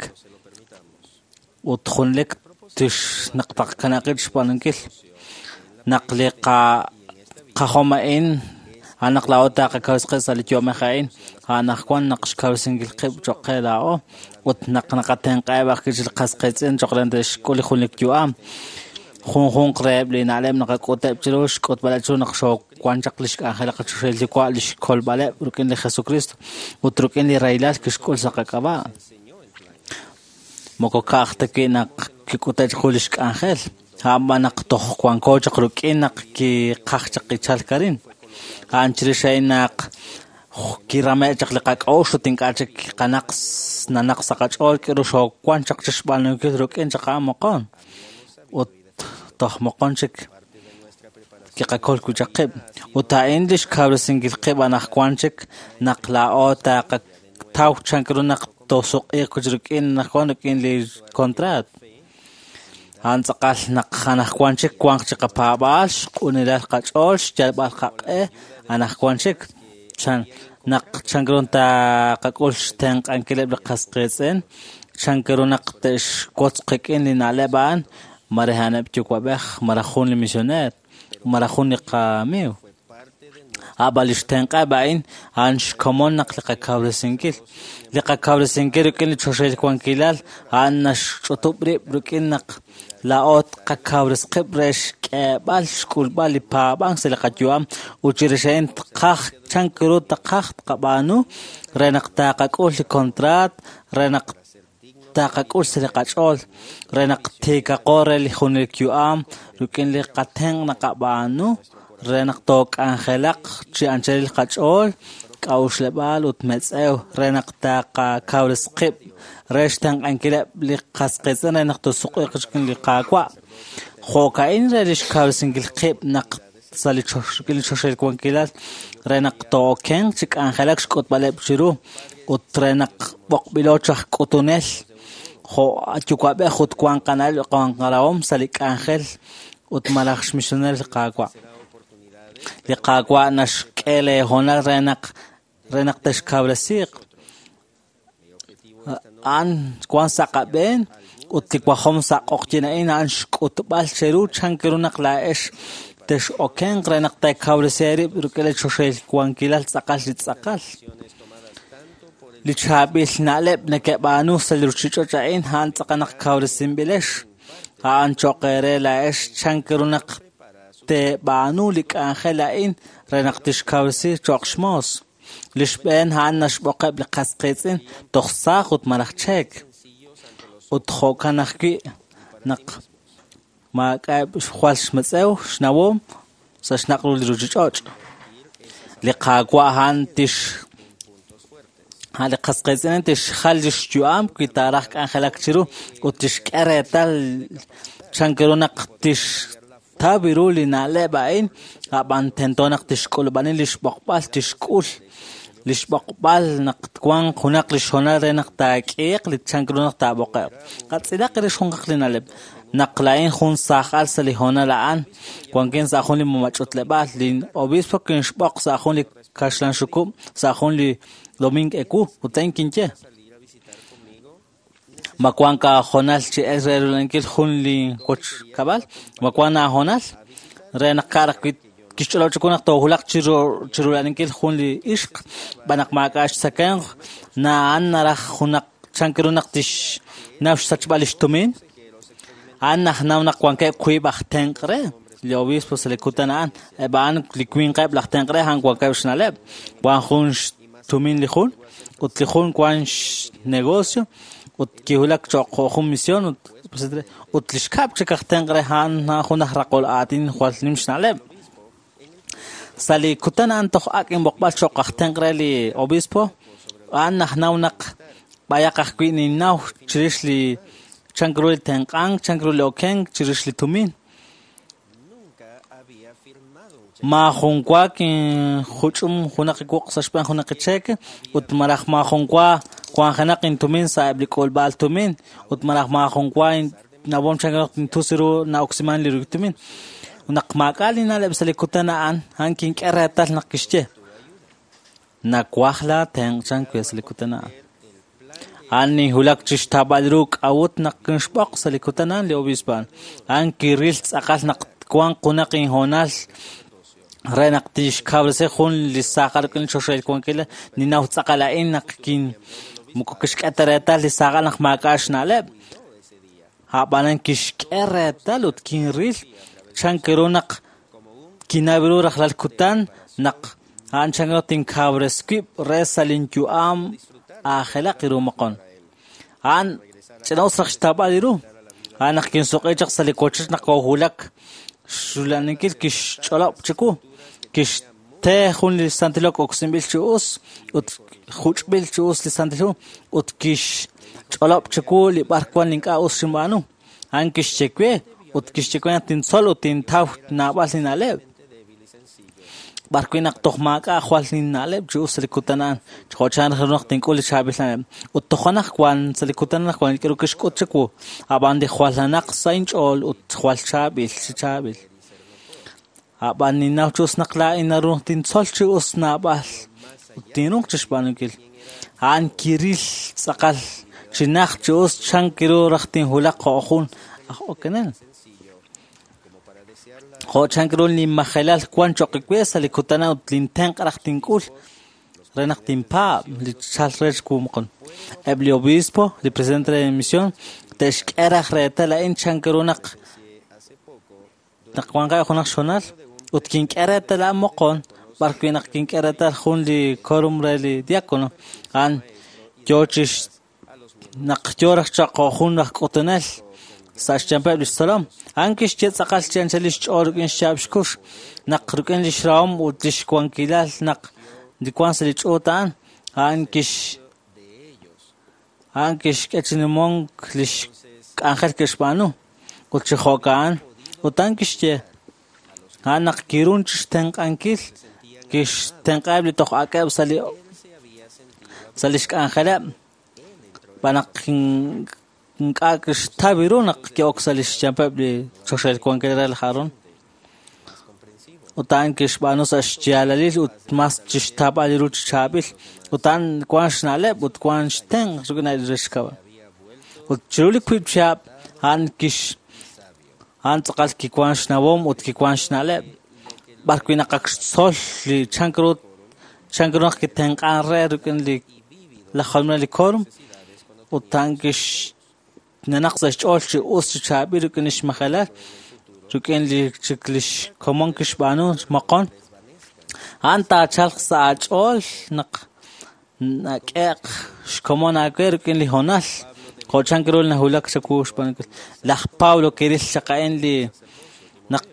ut junelik tix naq taqakanaqil xb'aanunkil. Naq li qajom a'in a'an naq laa'o taqakawresi qib' sa' li yu'amej a'in anaqwan naq xkawresinkil qib' choq' qe laa'o ut naq naqatenq'aheb' ajwi' li qas qiitz'in choq' re te'xk'ul li junelik yu'am. Junjunq reheb' li na'leb' naqak'uteb' chiru xk'utb'aleb' chiru naq xoowan chaq lix k'anjel qachoxahil Yuwa' lix kolb'aleb' rik'in li Jesucristo ut rik'in li rahilal kixk'ul sa' qak'ab'a'. Moko ka'aj ta wi' naq kik'ute' chiqu lix k'anjel. A'an naq toj wanko chaq rik'in naq kiqaj chaq qichalk arin. A'an chirix a'in naq kirame' chaq li qak'a'uxl ut ink'a' chik qanaq nanaq sa' qach'ool k'aru xoowank chaq chi xb'aanunkil rik'in chaq a'an moqon. Ut toj moqon chik kiqakol wi' chaq qib'. Ut a'in li xkawresinkil qib' anaqwan chik naq laa'o taqataw chan ru naq toosuq'iiq wi' rik'in anaqwan rik'in li contrat. A'an tz'aqal naq anaqwan chik wanq chi qapaab'aal, xq'unilal qach'ool, xyalb'al qaq'e anaqwan chik. Chan naq chan ru taqak'ul xtenq'ankileb' li qas qiitz'in, chan ru naq te'xwotz qik'in li na'leb' a'an, malaj a'aneb' yuwa'b'ej, malaj jun li misioneer, malaj jun li qamiiw. A'b'an li xtenq'eb' a'in a'an xkomon naq li qakawresinkil. Li qakawresinkil rik'in li choxahil wankilal a'an naxch'utub' rib' rik'in naq laa'o qakawres qib' re xk'eeb'al xk'ulb'al li paab'ank sa' li qayu'am ut chirix a'in tqaj chan ru taqaj tqab'aanu re naq taqak'ul li contrat, re naq taqak'ul sa' li qach'ool, re naq tiikaqo re li junelik yu'am rik'in li qatenq' naqab'aanu re naq took'anjelaq chi anchalil qach'ool, k'a'uxleb'aal ut metz'ew re naq taqakawres qib' re xtenq'ankileb' li qas qiitz'in re naq toosuq'iiq rik'in li Qaawa'. Jo'ka'in re li xkawresinkil qib' naq sa' li rik'in li choxahil wankilal re naq too'okenq chi k'anjelak xk'utb'aleb' chiru ut re naq b'oqb'ilo chaj k'utunel jo' yuwa'b'ej ut wanq qana'leb' wanq qarahom sa' li k'anjel ut malaj xmisioneer li Qaawa'. Li Qaawa' naxk'e leehoonal re naq texkawresiiq. A'an wank sa' qab'een ut li wajom sa' q'oqyin a'in a'an xk'utb'al cheru chan ru naq laa'ex tex'okenq re naq teekawresi eerib' rik'in li choxahil wankilal tz'aqal li tz'aqal. Li chaab'il na'leb' nekeb'aanu sa' li ruuchich'och' a'in a'an tz'aqal naq kawresinb'ilex. A'an cho'q eere laa'ex chan ru naq teeb'aanu li k'anjel a'in re naq tixkawresi cho'q xmoos. Li xb'een a'an naxb'oqeb' li qas qiitz'in toj saaj ut malaj cheek. Ut jo'kan ajwi' naq maak'a'eb' jwal xmetz'ew xnawom sa' xnaq' ru li ruuchich'och'. Li Qaawa' a'an tix li qas qiitz'in tixjal li xyu'am wi taaraj k'anjelak chiru ut tixk'e reetal chan ru naq tixtaw ru li na'leb' a'in, a'b'an tento naq tixk'ulub'ani li xb'oqb'al tixk'ul li xb'oqb'al naq twanq junaq li xhoonal re naq taak'iiq li chan ru naq taab'oqe'q. Qatz'ilaq rix junaq li na'leb'. Naq laa'in jun saajal sa' li hoonal a'an, wankin sa' jun li mamach'utleb'aal, li obispo kinxb'oq sa' jun li kaxlan xukub' sa' jun li domingo ewu, ut a'in kinye. Ma wank aahoonal chi el re rulankil jun li wochkab'al? Ma wank aahoonal re naq ka'raq wi' kixch'olob' chiwu naq toohulaq chi rulankil jun li ixq, b'an naq maak'a' xtzakemq, na'an naraj junaq chan ru naq tixnaw xsachb'al li xtumin. A'an najnaw naq wankeb' wiib' aj tenq' re li obispo sa' li kutan a'an. Eb' a'an li winqeb' laj tenq' re a'an wankeb' xna'leb'. Wan jun xtumin li jun ut li jun wan xnegocio ut kihulak cho'q jo' jun misión ut li xkab' chik aj tenq' re a'an jun aj raqol aatin jwal nim xna'leb'. Sa' li kutan a'an toj ak' inb'oqb'al cho'q aj tenq' re li obispo, a'an najnaw naq b'ayaq ajwi' ninnaw chirix li chan ru li tenq'ank, chan ru li okenk chirix li tumin. Maajun wa kinjuch'um junaq wuq' sa' xb'een junaq cheque ut malaj maajun wa wanjenaq intumin sa' eb' li k'ulb'aal tumin ut malaj maajun wa nawom chan ru tintus ru na'oksiman li tumin. Naq maak'a' li na'leb' sa' li kutan a'an, a'an kink'e reetal naq kixye. Nawaj laa tenq' chan we sa' li kutan a'an. A'an ninhulak chi xtaab'al ru k'a'ut naq kinxb'oq sa' li kutan a'an li obispo a'an. A'an kiril tz'aqal naq wanq junaq inhoonal re naq tixkawresi jun li saajal rik'in li choxahil wankilal. Ninnaw tz'aqal a'in naq kin moko kixk'e ta reetal li saajal naq maak'a' xna'leb'. A'b'anan kixk'e reetal ut kinril chan ru naq kinaw ru rajlal kutan naq a'an chan ru tinkawres wib' re sa' linyu'am aajelaq ru moqon. A'an ch'ina'us raj xtawb'al ru. A'an naq kinsuq'i chaq sa' li wochoch naq koohulak xrula'aninkil kixch'olob' chiwu. Kixte jun li Santil Hu oksinb'il chi us ut juch'b'il chi us li Santil Hu ut kixch'olob' chiwu li b'ar wan ink'a' us xinb'aanu. A'an kixye we ut kixye we naq tintzol ut tintaw naab'al li na'leb'. B'ar wi' naq toj maak'a' jwal linna'leb' chi us sa' li kutan a'an, jo' chan raj ru naq tink'ul li chaab'il na'leb'. Ut toj anaqwan sa' li kutan anaqwan li k'aru kixk'ut chiwu, ab'an li jwal nanaq sa' inch'ool ut jwal chaab'il chi chaab'il. Ab'an ninnaw chi us naq laa'in naru tintzol chi us naab'al ut tinruuq chixb'aanunkil. A'an kiril tz'aqal chi najt chi us chan kiru raj tinwulaq jo' jun aj okenel. Jo' chan ru linmajelal wan cho'q we sa' li kutan ut lintenq' raj tink'ul re naq tinpaab' li chalk re xwu moqon. Eb' li obispo, li presidente re misión, te'xk'e raj reetal a'in chan ru naq naq wanqeb' junaq xhoonal ut kink'e reetal a'an moqon b'ar wi' naq kink'e reetal jun li quórum re li diácono a'an yoo chi naq yoo raj cho'q jo' jun aj k'utunel sa' xyanqeb' li xtzolom. A'an kixye tz'aqal chi anchal lix ch'ool rik'in xyaab' xkux naq rik'in lix rahom ut lix wankilal naq li wan sa' li ch'uut a'an, a'an kixk'e chi nimonk lix k'anjel kixb'aanu ut chi jo'ka'an ut a'an kixye a'an naq kirun chixtenq'ankil kixtenq'aheb' li toj ak'eb' sa' lix k'anjeleb' b'an naq ink'a' kixtaw ru naq ki'ok sa' lix xyanqeb' li choxahil wankil re laj Aaron. Ut a'an kixb'aanu sa' xyaalalil ut mas chixtaab'al ru chi chaab'il. Ut a'an wan xna'leb' ut wan xtenq' rik'in li rixkab'. Ut chiru li wiib' chihab' a'an tz'aqal kiwan xnawom ut kiwan xna'leb'. B'ar wi' naq ak xtzol li chan ru naq kitenq'an re rik'in li laj jolominel li quórum ut a'an kix nanaq sa' xch'ool chi us chi chaab'il rik'in lix majelal rik'in li chik lix komon kixb'aanu moqon. A'an taachalq sa' aach'ool naq nak'e'q xkomon aawe rik'in li hoonal jo' chan ru nahulak chawu xb'aanunkil. Laj Pablo kiril chaq a'in li naq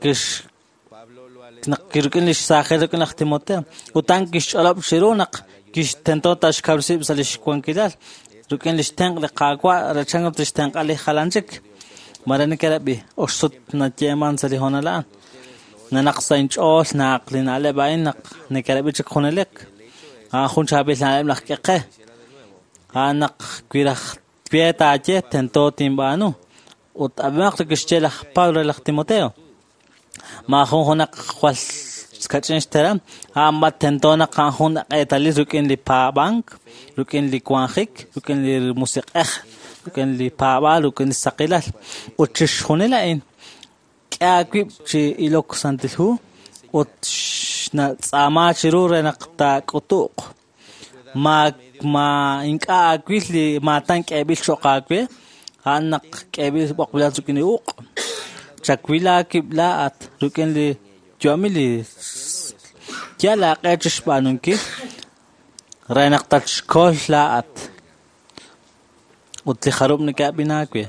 rik'in lix saajil rik'in laj Timoteo ut a'an kixch'olob' chiru naq kixtento taxkawresib' sa' lix wankilal rik'in lix tenq' li Qaawa' re chan ru tixtenq'a li jalan chik. Mare nekerab'i oxsut nayeeman sa' li hoonal a'an. Nanaq sa' inch'ool naq li na'leb' a'in naq nekerab'i chik junelik. A'an jun chaab'il na'leb' laj k'e qe. A'an naq wi raj twe taaye tento tinb'aanu. Ut ab'imaq li kixye laj Pablo re laj Timoteo. Maajun junaq jwal kach'in xteram, a'an b'a tento naq a'an jun eetalil rik'in li paab'ank, rik'in li wanjik, rik'in li musiq'ej, rik'in li paab'aal, rik'in li saqilal. Ut chixjunil a'in k'e aawib' chi ilok Santil Hu ut xnatz'aama chiru re naq taak'utu'q. Ma ink'a' aawil li maatan k'eeb'il cho'q aawe, a'an naq k'eeb'il b'oqb'ilal rik'in li uq'. Chawil aawib' laa'at rik'in li yu'amil li yal aaq'e chixb'aanunkil re naq tatxkol laa'at ut li jarub' neke'ab'in aawe.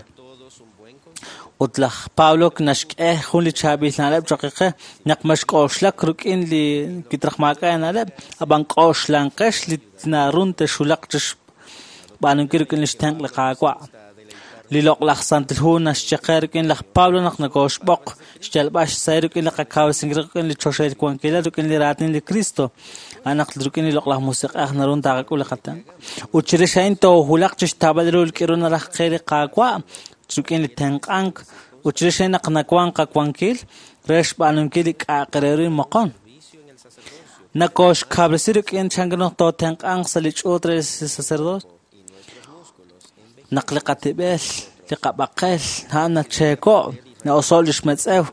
Ut laj Pablo naxk'e jun li chaab'il na'leb' cho'q qe naq maxk'oxlak rik'in li kitraj maak'a' na'leb', ab'an k'oxlanqex li narun texulaq chixb'aanunkil rik'in lix tenq' li Qaawa'. Li loq'laj Santil Hu naxye qe rik'in laj Pablo naq nokoxb'oq xyalb'al xsahil rik'in li qakawresinkil rik'in li choxahil wankilal rik'in li raatin li Cristo. A'an naq rik'in li loq'laj musiq'ej narun taaqak'ul li qatenq'. Ut chirix a'in toohulaq chixtaab'al ru li k'aru naraj qe li Qaawa' rik'in li tenq'ank ut chirix a'in naq nawank qawankil re xb'aanunkil li k'a'aq re ru moqon. Nokoxkawresi rik'in chan ru naq tootenq'anq sa' li ch'uut re li sacerdocio. Naq li qatib'el, li qab'aqel, a'an nacheeko', na'oso' lix metz'ew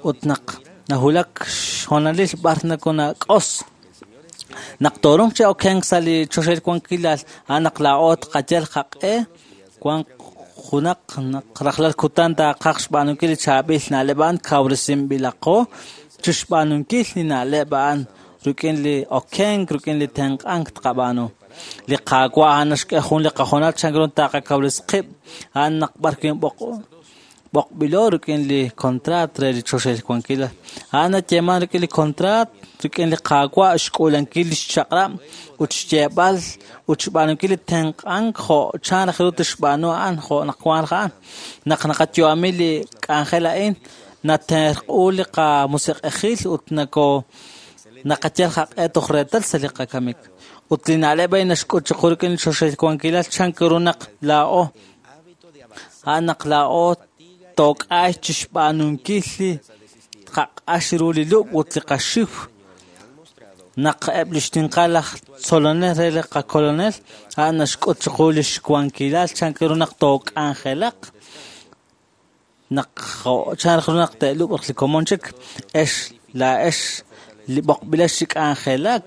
ut naq nahulak xhoonalil b'ar nakonak'os. Naq torunq chi okenk sa' li choxahil wankilal, a'an naq laa'o tqayal qaq'e wan junaq naq rajlal kutan taaqaj xb'aanunkil li chaab'il na'leb' a'an kawresinb'ilaqo chixb'aanunkil li na'leb' a'an rik'in li okenk, rik'in li tenq'ank tqab'aanu. Li Qaawa' a'an naxk'e jun li qahoonal chan ru taaqakawresi qib' a'an naq b'ar wi' b'oq B'oqb'ilo rik'in li kontraat re li choxahil wankilal. A'an nayeeman rik'in li kontraat rik'in li Qaawa' xk'uulankil li xchaq'rab' ut xyeeb'al ut xb'aanunkil li tenq'ank jo' chan raj ru tixb'aanu a'an jo' naq wank raj a'an. Naq naqayu'ami li k'anjel a'in, naterq'u li qamusiq'ejil ut nako naqayal qaq'e toj reetal sa' li qakamik. Ut li na'leb' a'in naxk'ut chiqu rik'in li choxahil wankilal chan ru naq laa'o a'an naq laa'o took'ay chixb'aanunkil li qaq'ax ru li lub' ut li qaxiw. Naq eb' li xtinqal laj tzolonel re li qakolonel a'an naxk'ut chiqu li xwankilal chan ru naq took'anjelaq naq chan ru naq te'lub'q li komon chik ex laa'ex li b'oqb'ilex chi k'anjelak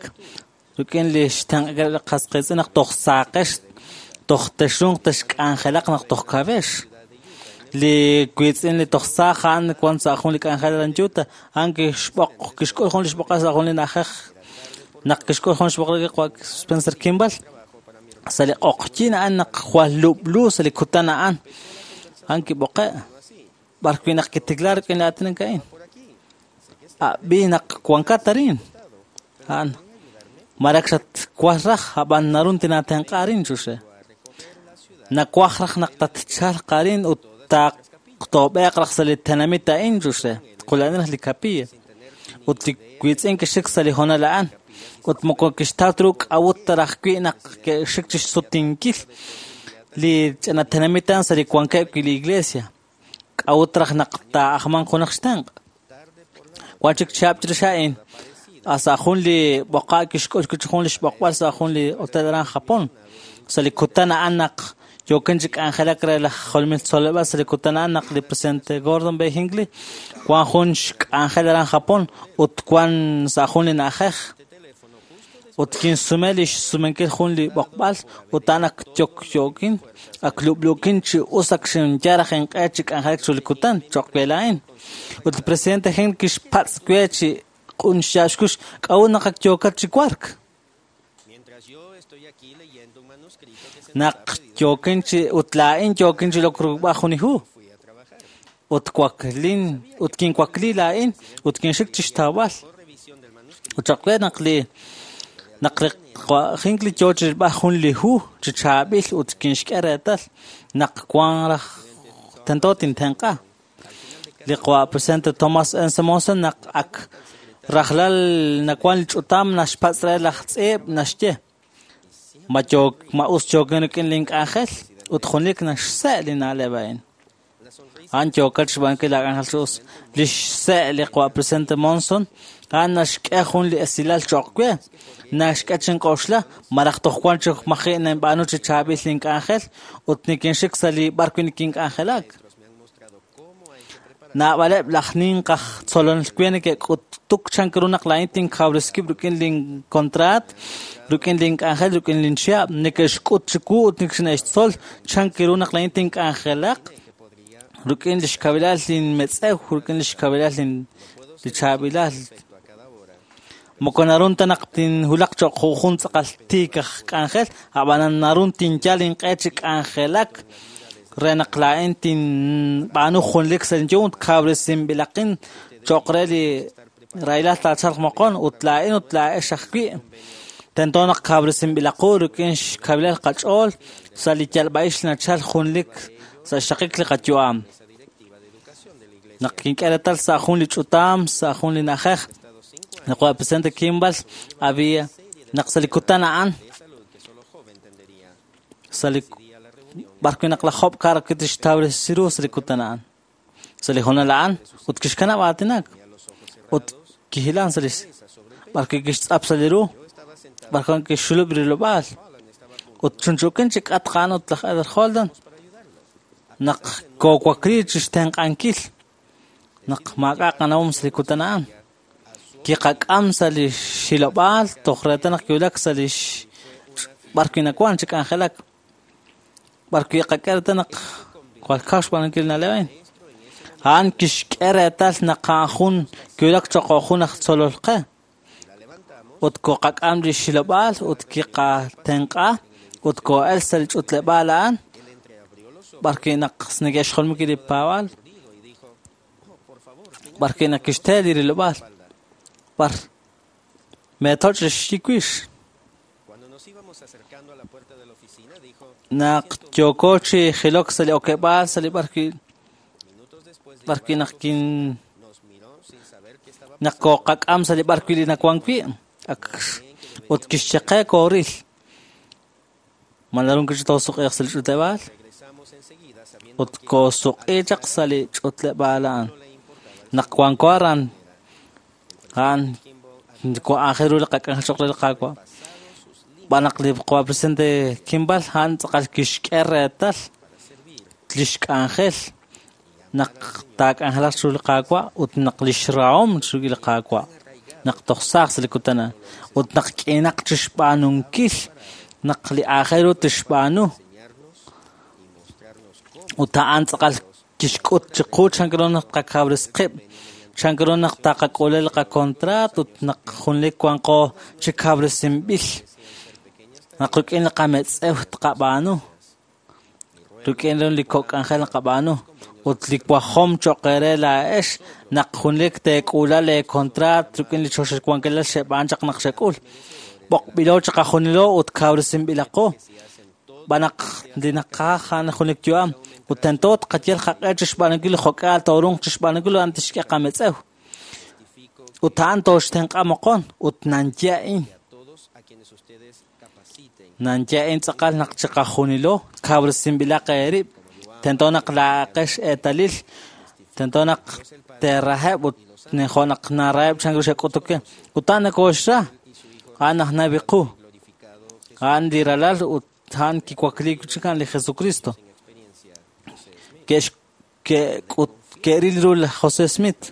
rik'in li xtenq'ankil li qas qiitz'in naq toj saaqex toj texrunq texk'anjelaq naq toj kawex. Li wiitz'in li toj saaj a'an wan sa' jun li k'anjel aran Utah, a'an kixb'oq kixk'ul jun li xb'oqal sa' jun li na'ajej naq kixk'ul jun xb'oqal Spencer Kimball sa' li q'oqyin a'an naq jwal lub'lu sa' li kutan a'an a'an kib'oqe' b'ar wi' naq kitikla rik'in li aatinak a'in. Ab'i naq wankat arin a'an marak xatwaj raj ab'an narun tinatenq'a arin chuxe. Nawaj raj naq tatchalq arin ut taqtoob'eq raj sa' li tenamit a'in chuxe. Qula'in raj li capilla. Ut li wiitz'in kixik sa' li hoonal a'an. Ut moko kixtaw ru k'awut raj wi' naq ke'xik chixsutinkil li ch'ina tenamit a'an sa' li wankeb' wi' li iglesia. K'awut raj naq taa'ajmanq junaq xtenq'. Wan chik chihab' chirix a'in sa' jun li b'oqa' kixk'ul jun li xb'oqb'al sa' jun li hotel aran Japón. Sa' li kutan a'an naq yookin chi k'anjelak re laj jolomil tzoleb'al sa' li kutan a'an naq li presidente Gordon B. Hinckley wan jun xk'anjel aran Japón ut wan sa' jun li na'ajej. Ut kinsume li xsumenkil jun li b'oqb'al ut a'an ak yokyookin ak lub'luukin chi us ak xinyal raj inq'e chi k'anjelak chiru li kutan cho'q we laa'in. Ut li presidente Hinckley kixpatz' we chi q'un xyaab' xkux k'a'ut naq ak yookat chi wark. Naq yookin chi ut laa'in yookin chi lokrub'aj jun li hu. Ut waklin ut kinwakli laa'in ut kinxik chi xtawb'al. Ut cho'q we naq li Hinckley yoo chi rilb'al jun li hu chi chaab'il ut kinxk'e reetal naq wan raj tento tintenq'a. Li qawa' presidente Thomas N. Monson naq ak rajlal nawan li ch'utam naxpatz' re laj tz'iib' naxye ma yook ma us yookin rik'in link'anjel ut junelik naxse' li na'leb' a'in. A'an yookat xb'aanunkil laak'anjel chi us. Li xse' li qawa' presidente Monson a'an naxk'e jun li esilal cho'q we naxk'e chink'oxla malaj toj wan chi maji' ninb'aanu chi chaab'il link'anjel ut nikinxik sa' li b'ar wi' nikink'anjelak. Naab'aleb' laj ninq aj tzolonel we neke'k'utuk chan ru naq laa'in tinkawreskib' rik'in linkontraat, rik'in link'anjel, rik'in linchihab', neke'xk'ut chiwu ut neke'xtzol chan ru naq laa'in tink'anjelaq rik'in li xkawilal linmetz'ew, rik'in li xkawilal li chaab'ilal. Moko narun ta naq tinhulaq cho'q jun tz'aqal tiik aj k'anjel, ab'anan narun tinyal inq'e chi k'anjelak re naq laa'in tinb'aanu junlik sa' linyum ut kawresinb'ilaqin cho'q re li rahilal taachalq moqon ut laa'in ut laa'ex ajwi' tento naq kawresinb'ilaqu rik'in xkawilal qach'ool sa' li yalb'a'ix nachal junlik sa' xraqik li qayu'am. Naq kink'e reetal sa' jun li ch'utam sa' jun li na'ajej naq wa presidente Kimball había naq sa' li kutan a'an sa' li b'ar wi' naq laj Job kar kitixtawresi ru sa' li kutan a'an sa' li hoonal a'an ut kixkanab' aatinak ut kihilan sa' li b'ar wi' kixtz'ap sa' li ru b'ar wi' kixxulub' rilob'aal ut chunchukin chi k'atq a'an ut laj Elder Holden naq koowakli chi xtenq'ankil naq maak'a' qanawom sa' li kutan a'an kiqak'am sa' li xilob'aal toj reetal naq kiwulak sa' li b'ar wi' nawan chi k'anjelak b'ar wi' qak'e reetal naq jwal kaw xb'aanunkil li na'leb' a'in. A'an kixk'e reetal naq a'an jun kiwulak cho'q jun aj tzolol qe ut koqak'am li xilob'aal ut kiqatenq'a ut koo'el sa' li ch'utleb'aal a'an b'ar wi' naq neke'xjolomiki li paab'aal B'ar wi' naq kixte li rilob'aal b'ar meetoch' li xyiwix. Naq yooko chi jilok sa' li okeb'aal sa' li b'ar wi' naq kin naq kooqak'am sa' li b'ar wi' li nawan wi' ak ut kixye qe kooril. Ma naru toosuq'iiq sa' li ch'utleb'aal? Ut koosuq'i chaq sa' li ch'utleb'aal a'an. Naq wanko aran, a'an aajel ru li qak'anjel cho'q re li Qaawa'. B'an naq li qawa' presidente Kimball a'an tz'aqal kixk'e reetal lix k'anjel naq taak'anjelaq chiru li Qaawa' ut naq lix rahom chiru li Qaawa' naq toj saaj sa' li kutan a'an ut naq k'inaq chixb'aanunkil naq li aajel ru tixb'aanu ut a'an tz'aqal kixk'ut chiqu chan ru naq tqakawres qib', chan ru naq taqak'ule li qakontraat ut naq junlik wanqo chi kawresinb'il naq rik'in li qametz'ew tqab'aanu, rik'in li kok' k'anjel naqab'aanu ut li wajom cho'q eere laa'ex naq junlik teek'ula leekontraat rik'in li choxahil wankilal xeb'aan chaq naq xek'ul. B'oqb'ilo chiqajunilo ut kawresinb'ilaqo b'an naq li naqaj a'an junlik yu'am ut tento tqayal qaq'e chixb'aanunkil li jo'k'aal toorunq chixb'aanunkil a'an tixk'e qametz'ew. Ut a'an tooxtenq'a moqon ut nanye a'in. Nanye a'in tz'aqal naq chiqajunilo kawresinb'ilaq eerib'. Tento naq laa'aqex eetalil, tento naq teeraheb' ut jo' naq naraheb' chan ru xek'utuk ke. Ut a'an nakooxra, a'an aj nabi qu, a'an li ralal ut a'an kiwakliik chik a'an li Jesucristo. Ke'ril ru laj José Smith,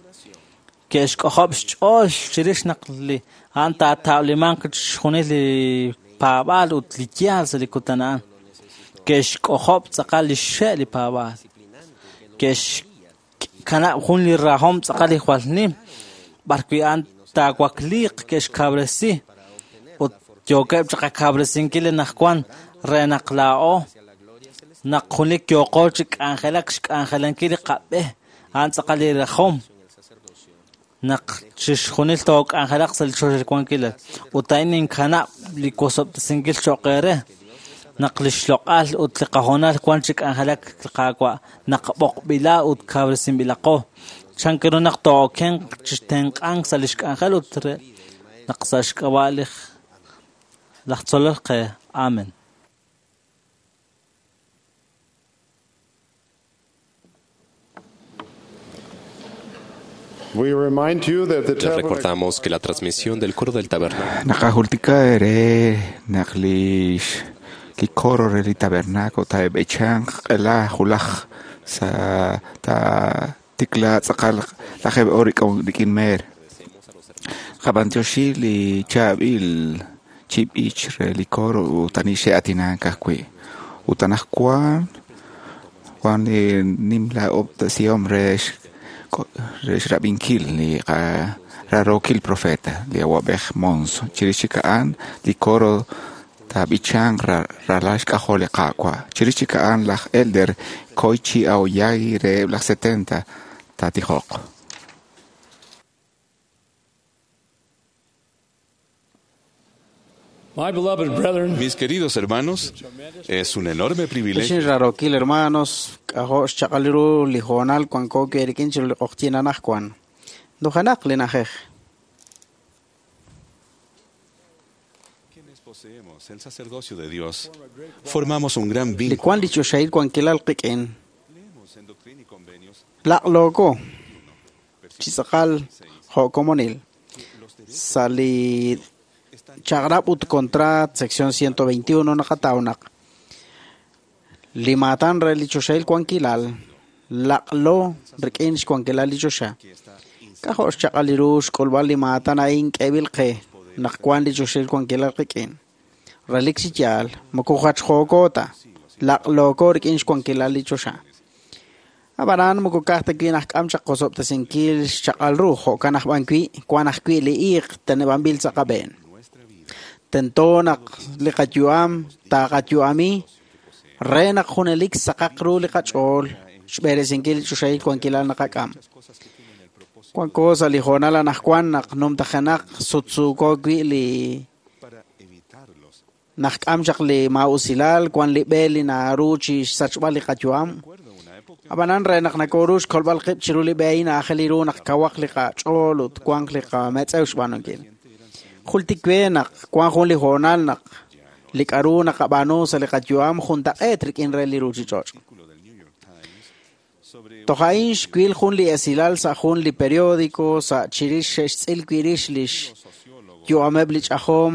ke'xk'ojob' xch'ool chirix naq li a'an taatawlimanq chixjunil li paab'aal ut li yaal sa' li kutan a'an. Ke'xk'ojob' tz'aqal li xxe' li paab'aal. Ke'xkanab' jun li rahom tz'aqal li jwal nim, b'ar wi' a'an taawakliiq ke'xkawresi ut yookeb' chaq qakawresinkil anaqwan re naq laa'o naq junlik yooqo chi k'anjelak xk'anjelankil li qab'e a'an tz'aqal li rajom naq chixjunil took'anjelaq sa' li choxahil wankilal ut a'in ninkanab' li wosob'tesinkil cho'q eere naq li xloq'al ut li qahoonal wan chi k'anjelak li Qaawa' naq b'oqb'ila ut kawresinb'ilaqo chan ru naq too'okenq chixtenq'ank sa' li xk'anjel ut re naq sa' xk'ab'a' li laj tzolol qe. Amen. We remind you that the Les recordamos que la transmisión del coro del tabernáculo Naqajultika ere naq li li coro re li tabernáculo taeb'echanq q'ela julaj sa ta tikla tz'aqal lajeb' oor rik'in meer. Qab'antioxi li chaab'il chib'ich re li coro ut ani xe'atinank ajwi'. Ut anaqwan wan li nimla ob'tesihom re xrab'inkil li rarokil profeta li awab'ej Monson. Chirix chik a'an li coro taab'ichanq ralal xk'ajol li Qaawa'. Chirix chik a'an laj elder Koichi Aoyagi reheb' laj 70 taatijoq. Mis queridos hermanos, es un enorme privilegio. Ex rarokil hermanos, k'ajo' xchaq'al ru li hoonal wanko wi' rik'in chiru li q'oqtyin anaqwan. Nujenaq li na'ajej. Quienes poseemos el sacerdocio de Dios, formamos un gran Li vínculo. wan li choxahil wankilal qik'in. Leemos en Doctrina y Convenios Laq'looko chi tz'aqal jo' komonil. Sa' li chaq'rab' ut contrat sección 121 naqataw naq li maatan re li choxahil wankilal laq'lo rik'in xwankilal li choxa. K'ajo' xchaq'al li ru xk'ulb'al li maatan a'in k'eeb'il qe naq wan li choxahil wankilal qik'in. Relik chi yaal moko jachjooko ta laq'looko rik'in xwankilal li choxa. Ab'anan moko ka'aj ta wi' najk'am chaq qosob'tesinkil xchaq'al ru jo'kan aj b'an wi' wan ajwi' li iiq teneb'anb'il sa' qab'een. Tento naq li qayu'am taaqayu'ami re naq junelik saqaq ru li qach'ool xb'eresinkil li choxahil wankilal naqak'am. Wanko sa' li hoonal anaqwan naq numtajenaq sutsuuko wi' li naq k'am chaq li maa'usilal, wan li b'e li naru chi xsachb'al li qayu'am. Ab'anan re naq nakoru xkolb'al qib' chiru li b'e a'in aajel ru naq kawaq li qach'ool ut wanq li qametz'ew xb'aanunkil. Jultik we naq wan jun li hoonal naq li k'aru naqab'aanu sa' li qayu'am juntaq'eet rik'in re li ruuchich'och'. Toj a'in xwil jun li esilal sa' jun li periódico sa' chirix xe'xtz'il wi' rix lix yu'ameb' li ch'ajom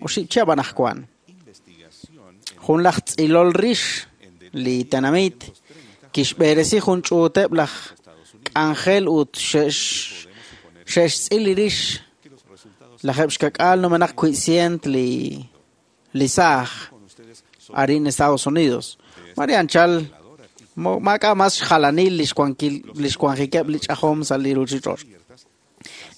oxib' chihab' anaqwan. Jun laj tz'ilol rix li tenamit kixb'eresi jun ch'uuteb' laj k'anjel ut xe'xtz'il li rix lajeb' xkak'al numenaq 200 li saaj arin Estados Unidos. Mare anchal maak'a' mas xjalanil li xwanjikeb' li ch'ajom sa' li ruuchich'och'.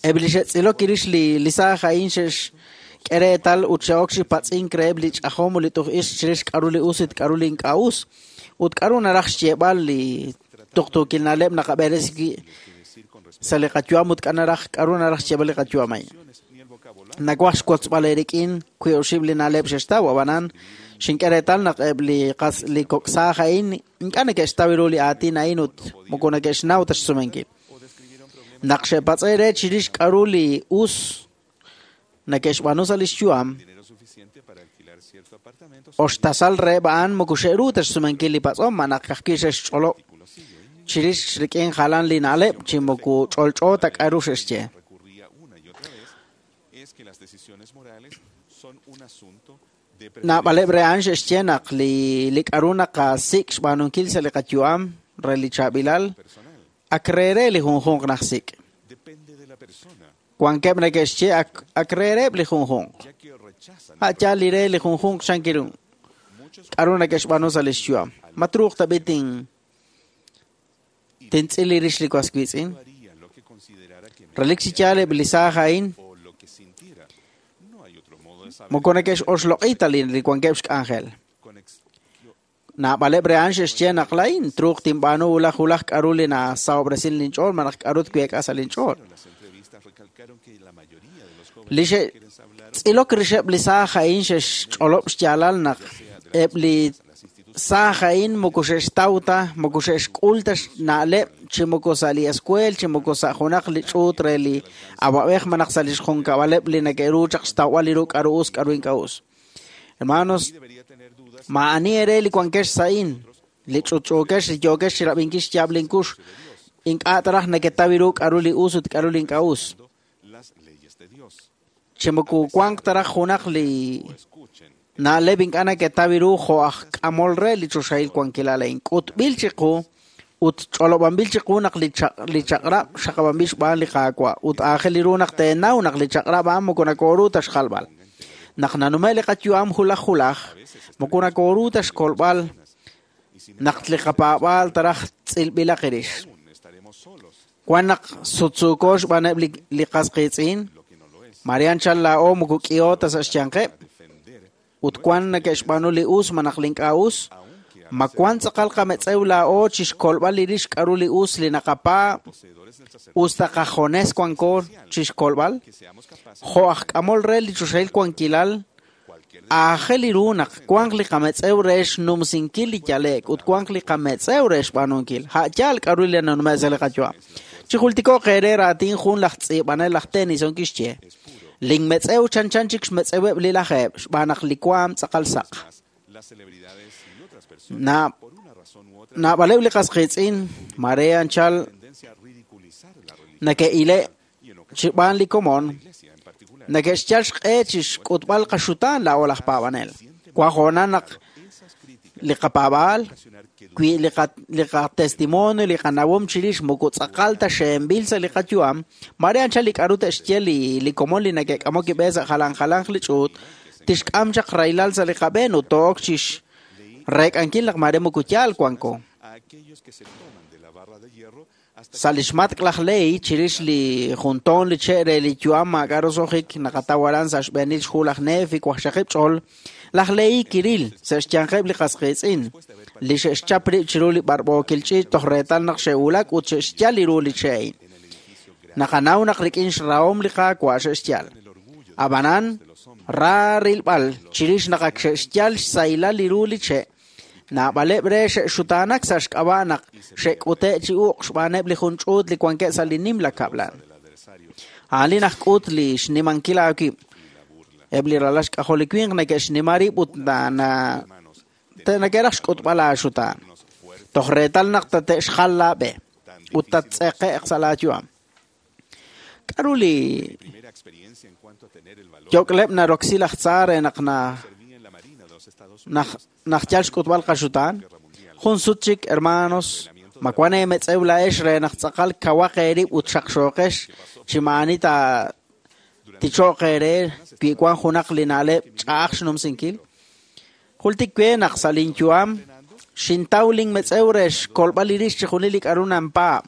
Eb' li xe'tz'ilok rix li saaj a'in xe'xk'e reetal ut xe'ok chi patz'ink reheb' li ch'ajom ut li tuj ix chirix k'aru li us ut k'aru li ink'a' us ut k'aru naraj xyeeb'al li tuqtuukil na'leb' naqab'eresi wi' sa' li qayu'am ut k'aru naraj xyeeb'al li qayu'am a'in. Nawaj xwotzb'al eerik'in wi' oxib' li na'leb' xe'xtaw, ab'anan xink'e reetal naq eb' li kok' saaj a'in ink'a' neke'xtaw ru li aatin a'in ut moko neke'xnaw ta xsumenkil. Naq xe'patz'e re chirix k'aru li us neke'xb'aanu sa' li xyu'am, oxtasal reheb' a'an moko xe'ru ta xsumenkil li patz'om, naq ka'ajwi' xe'xch'olob' chirix rik'in jalan li na'leb' chi moko ch'olch'o ta k'aru xe'xye. Naab'aleb' re a'an xe'xye naq li k'aru naqasik' xb'aanunkil sa' li qayu'am re li chaab'ilal ak reere li junjunq najsik'. Wankeb' neke'xye ak reereb' li junjunq. A' yaal li re li junjunq xankiru. K'aru neke'xb'aanu sa' li xyu'am. Ma truuq tab'i tintz'il li rix li was wiitz'in. Relik chi yaal eb' li saaj a'in moko neke'xoxloq'i ta li wankeb' xk'anjel. Naab'aleb' re a'an xe'xye naq la'in truuq tinb'aanu wulaj wulaj k'aru li nasahob'resin linch'ool malaj k'aru tweek'a sa' linch'ool. Li xe'tz'ilok rixeb' li saaj a'in xe'xch'olob' xyaalal naq eb' li saaj a'in moko xe'xtaw ta, moko xe'xk'ul ta xna'leb' chi moko sa' li escuel, chi moko sa' junaq li ch'uut re li awab'ej malaj sa' li xjunkab'aleb' li neke'ru chaq xtawb'al li ru k'aru us, k'aru ink'a' us. Hermanos, maa'ani eere li wankex sa'in, li ch'utch'uukex, li yookex chirab'inkil xyaab' linkux, ink'a' taraj neketaw ru k'aru li us ut k'aru li ink'a' us. Chi moko wanq taraj junaq li na'leb' ink'a' neketaw ru jo' aj k'amol re li choxahil wankilal a'in. K'utb'il chiqu ut ch'olob'anb'il chiqu naq li chaq'rab' xaqab'anb'il xb'aan li Qaawa' ut aajel ru naq teenaw naq li chaq'rab' a'an moko nakoru ta xjalb'al. Naq nanume' li qayu'am julaj julaj, moko nakoru ta xkolb'al naq li qapaab'aal taraj tz'ilb'ilaq rix. Wan naq sutsuuko xb'aaneb' li qas qiitz'in, mare anchal laa'o moko k'iho ta sa' xyanqeb', ut wan neke'xb'aanu li us malaj li ink'a' us, ma wan tz'aqal qametz'ew laa'o chi xkolb'al li rix k'aru li us li naqapaab' us ta qajones wanko chi xkolb'al, jo' aj k'amol re li choxahil wankilal, aajel ru naq wanq li qametz'ew re xnumsinkil li yale'k ut wanq li qametz'ew re xb'aanunkil. A' yaal k'aru li nanume' sa' li qayu'am. Chi jultiko'q eere raatin jun laj tz'iib'anel laj Tennyson kixye: Linmetz'ew chanchan chik xmetz'eweb' li lajeeb' xb'aan naq li waam tz'aqal saq. Naab'aleb' li qas qiitz'in mare anchal neke'ile' xb'aan li komon neke'xyal xq'e chi xk'utb'al qaxutaan laa'o laj paab'anel. Wan hoonal naq li qapaab'aal wi' li qatestimonio li qanawom chirix moko tz'aqal ta xe'enb'il sa' li qayu'am, mare anchal li k'aru te'xye li komon li neke'k'amok kib'e sa' jalan jalanq li ch'uut, tixk'am chaq rahilal sa' li qab'een ut to'ok chi xreek'ankil naq mare moko yaal wanko. Sa' li xmatk' laj Ley chirix li juntoon li che' re li yu'am maak'a' roso'jik naqataw aran sa' xb'eenil xhu laj Nefi waqxaqib' ch'ol, laj Ley kiril sa' xyanqeb' li qas qiitz'in li xe'xchap rib' chiru li b'arb'ookil ch'iich' toj reetal naq xe'wulak ut xe'xyal li ru li che' a'in. Naqanaw naq rik'in xrahom li Qaawa' xe'xyal. Ab'anan, ra rilb'al chirix naq ak xe'xyal xsahilal li ru li che', naab'aleb' re xe'xutaanak sa' xk'ab'a' naq xe'k'ute' chi uq' xb'aaneb' li jun ch'uut li wankeb' sa' li nimla kab'lan. A'an li najk'ut li xnimankil aawib'. Eb' li ralal xk'ajol li winq neke'xnima rib' ut neke'raj xk'utb'al aaxutaan. Toj reetal naq tate'xjal laab'e ut tattz'eqe'q sa' laayu'am. K'aru li yok'leb' naroksi laj tza re naq najyal xk'utb'al qaxutaan? Jun sut chik, hermanos, ma wan eemetz'ew laa'ex re naq tz'aqal kawaq eerib' ut xaqxooqex chi maa'ani ticho'q eere wi wan junaq li na'leb' ch'a'aj xnumsinkil? Jultik we naq sa' linyu'am xintaw linmetz'ew re xkolb'al li rix chixjunil li k'aru nanpaab'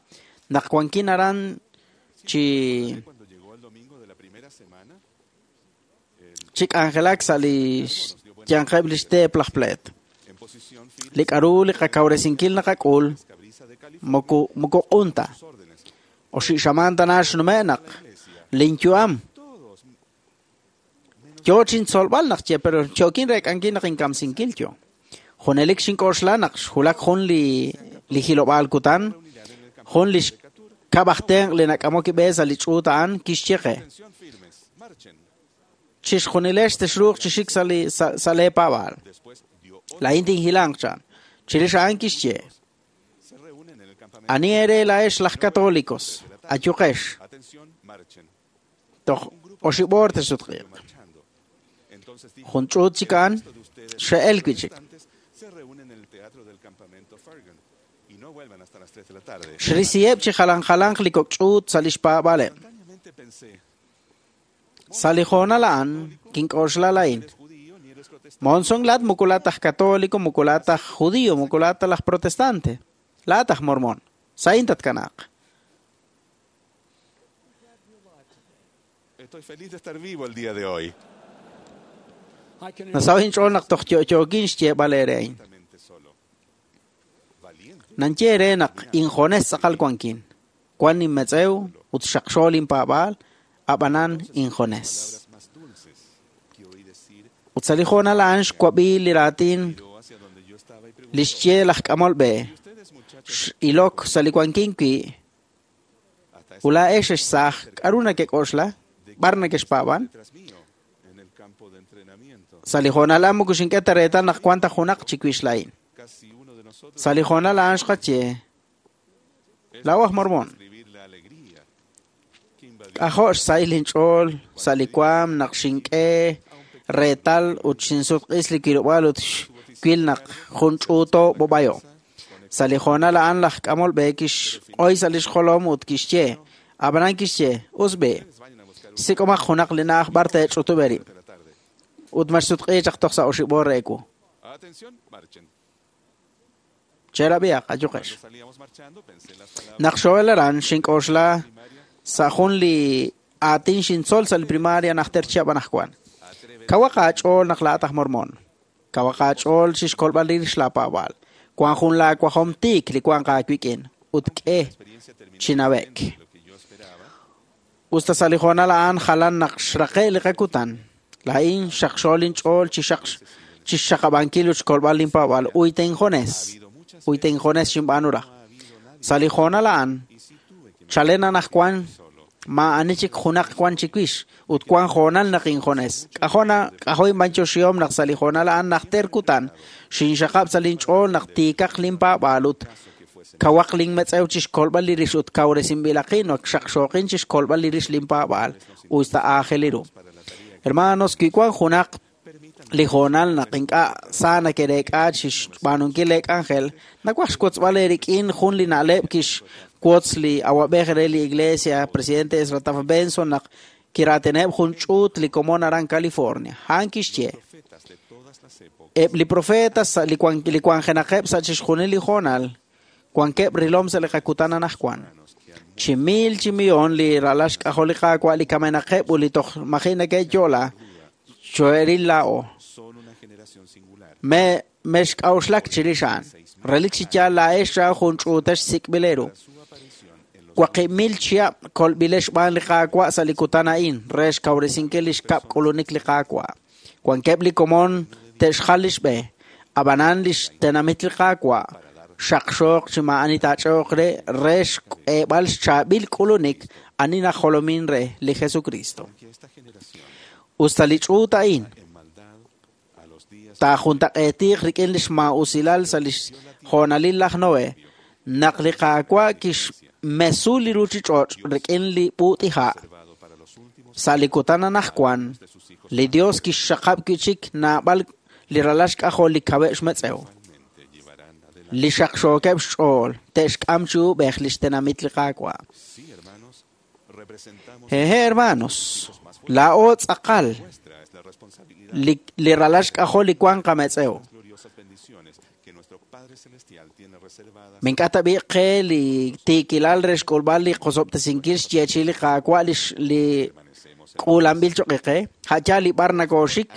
naq wankin aran chi k'anjelak sa' li xyanqeb' li xteep laj pleet. Li k'aru li qakawresinkil naqak'ul moko q'un ta. Oxi' xamaan tana xnume' naq linyu'am yo chintzolb'al naq ye pero yookin reek'ankil naq inkamsinkil yo. Junelik xink'oxla naq xwulak jun li hilob'aal kutan, jun li xkab'aj tenq' li nak'amok b'e sa' li ch'uut a'an kixye qe. Chixjunilex texruuq chi xik sa' leepaab'aal. Laa'in tinhilanq chan. Chirix a'an kixye. Ani ere laa'ex laj católicos, ayuqex. Toj oxib'oor texsutq'iiq. Jun ch'uut chik a'an xe'el wi' chik. Xrisiheb' chi jalan jalanq li kok' ch'uut sa' li xpaab'aaleb'. Sa' li hoonal a'an kink'oxla laa'in. Monson laat moko laat aj católico, moko laat aj judío, moko laat laj protestante. Laat aj mormón. Sa'in tatkanaaq. Estoy feliz de estar vivo el día de hoy. Nasaw inch'ool naq toj yo'yookin xyeeb'al eere a'in. Nanye eere naq injones tz'aqal wankin. Wan inmetz'ew ut xaqxo linpaab'aal, ab'anan injones. Ut sa' li hoonal a'an xwab'i li raatin li xye laj k'amol b'e. X'ilok sa' li wankin wi' ut laa'ex xsaaj k'aru nakek'oxla? B'ar nakexpaab'an? Sa' li hoonal a'an moko xink'e ta reetal naq wan ta junaq chiwix laa'in. Sa' li hoonal a'an xqaye laa'o aj mormón. K'ajo' xsahil inch'ool sa' li waam naq xink'e reetal ut xinsutq'is li wilob'aal ut xwil naq jun ch'uuto b'ob'ayo. Sa' li hoonal a'an laj k'amol b'e kixq'oy sa' li xjolom ut kixye, ab'anan kixye, us b'e, sik'omaq junaq li na'aj b'ar teech'utub' eerib'. Ut maxsutq'i chaq toj sa' oxib'oor re ewu. Cherab'ihaq, ayuqex. Naq xo'el aran xink'oxla sa' jun li aatin xintzol sa' li primaria najter chihab' anaqwan. Kawaq aach'ool naq laa'at aj mormón. Kawaq aach'ool chixkolb'al rix laapaab'aal. Wan jun laawajom tiik li wanq aawik'in ut k'e chinawek. Usta sa' li hoonal a'an jalan naq xraqe' li qakutan. Laa'in xaqxool inch'ool chixxaqab'ankil ut xkolb'al linpaab'aal. Uyta injones. Uyta injones xinb'aanu raj. Sa' li hoonal a'an chalen anaqwan maa'ani chik junaq wan chiwix ut wan hoonal naq injones. K'ajo' inb'anyoxihom naq sa' li hoonal a'an najter kutan xinxaqab' sa' linch'ool naq tiikaq linpaab'aal ut kawaq linmetz'ew chixkolb'al li rix ut kawresinb'ilaqin naq xaqxooqin chixkolb'al li rix linpaab'aal usta aajel ru. Hermanos, wi wan junaq li hoonal naq ink'a' sa nake'reek'a chixb'aanunkil leek'anjel, nawaj xwotzb'al eerik'in jun li na'leb' kixwotz li awab'ej re li iglesia, presidente Ezra Taft Benson, naq kiraatineb' jun ch'uut li komon aran California. A'an kixye, eb' li profetas sa' li wanjenaqeb' sa' chixjunil li hoonal, wankeb' rilom sa' li qakutan anaqwan. Chi mil chi millón li ralal xk'ajol li Qaawa' li kamenaqeb' ut li toj maji' neke'yo'la, xo'eril laa'o. Mexk'a'uxlak chirix a'an. Relik chi yaal laa'ex ra jun ch'uutex sik'b'il eeru. 8,000 chihab' kolb'ilex xb'aan li Qaawa' sa' li kutan a'in re xkawresinkil li xkab' k'ulunik li Qaawa'. Wankeb' li komon te'xjal li xb'e, ab'anan li xtenamit li Qaawa' xaqxooq chi maa'ani taach'ooq re re xk'eeb'al xchaab'il k'ulunik ani najolomin re li Jesucristo. Usta li ch'uut a'in taajuntaq'eetiq rik'in li xmaa'usilal sa' li xjoonalil laj Noé, naq li Qaawa' kixmesu li ruuchich'och' rik'in li b'uut'iha'. Sa' li kutan anaqwan, li Dios kixxaqab' wi' chik naab'al li ralal xk'ajol li kaweb' xmetz'ew. Li xaqxookeb' xch'ool te'xk'am chi uub'ej li xtenamit li Qaawa'. Hehe, hermanos, laa'o tz'aqal li ralal xk'ajol li wank qametz'ew. Mink'a' tab'i' qe li tiikilal re xk'ulb'al li qosob'tesinkil xyeechi'i li Qaawa' li k'uulanb'il choq' qe, a' li b'ar nakooxik,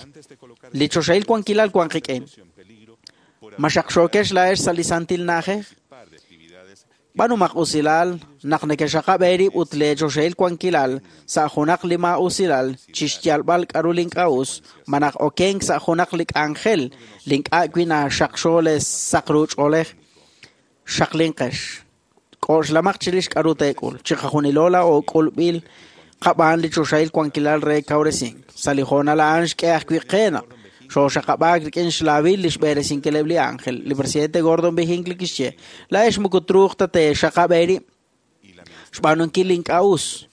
li choxahil wankilal wank qik'in. Ma xaqxookex laa'ex sa' li santil na'ajej? B'anumaq usilal naq nekexaqab' eerib' ut leechoxahil wankilal sa' junaq li maa'usilal chi xyalb'al k'aru li ink'a' us, malaj okenk sa' junaq li k'anjel li ink'a' wi' naxaqxo le saq ru ch'oolej. Xaqlinqex. K'oxlamaq chirix k'aru teek'ul. Chiqajunilo laa'o k'ulb'il qab'aan li choxahil wankilal re kawresink. Sa' li hoonal a'an xk'e ajwi' qe naq xooxaqab'aak rik'in xlaawil li xb'eresinkileb' li ángel. Li presidente Gordon B. Hinckley kixye, laa'ex moko truuq ta teexaqab' eerib' xb'aanunkil li ink'a' us.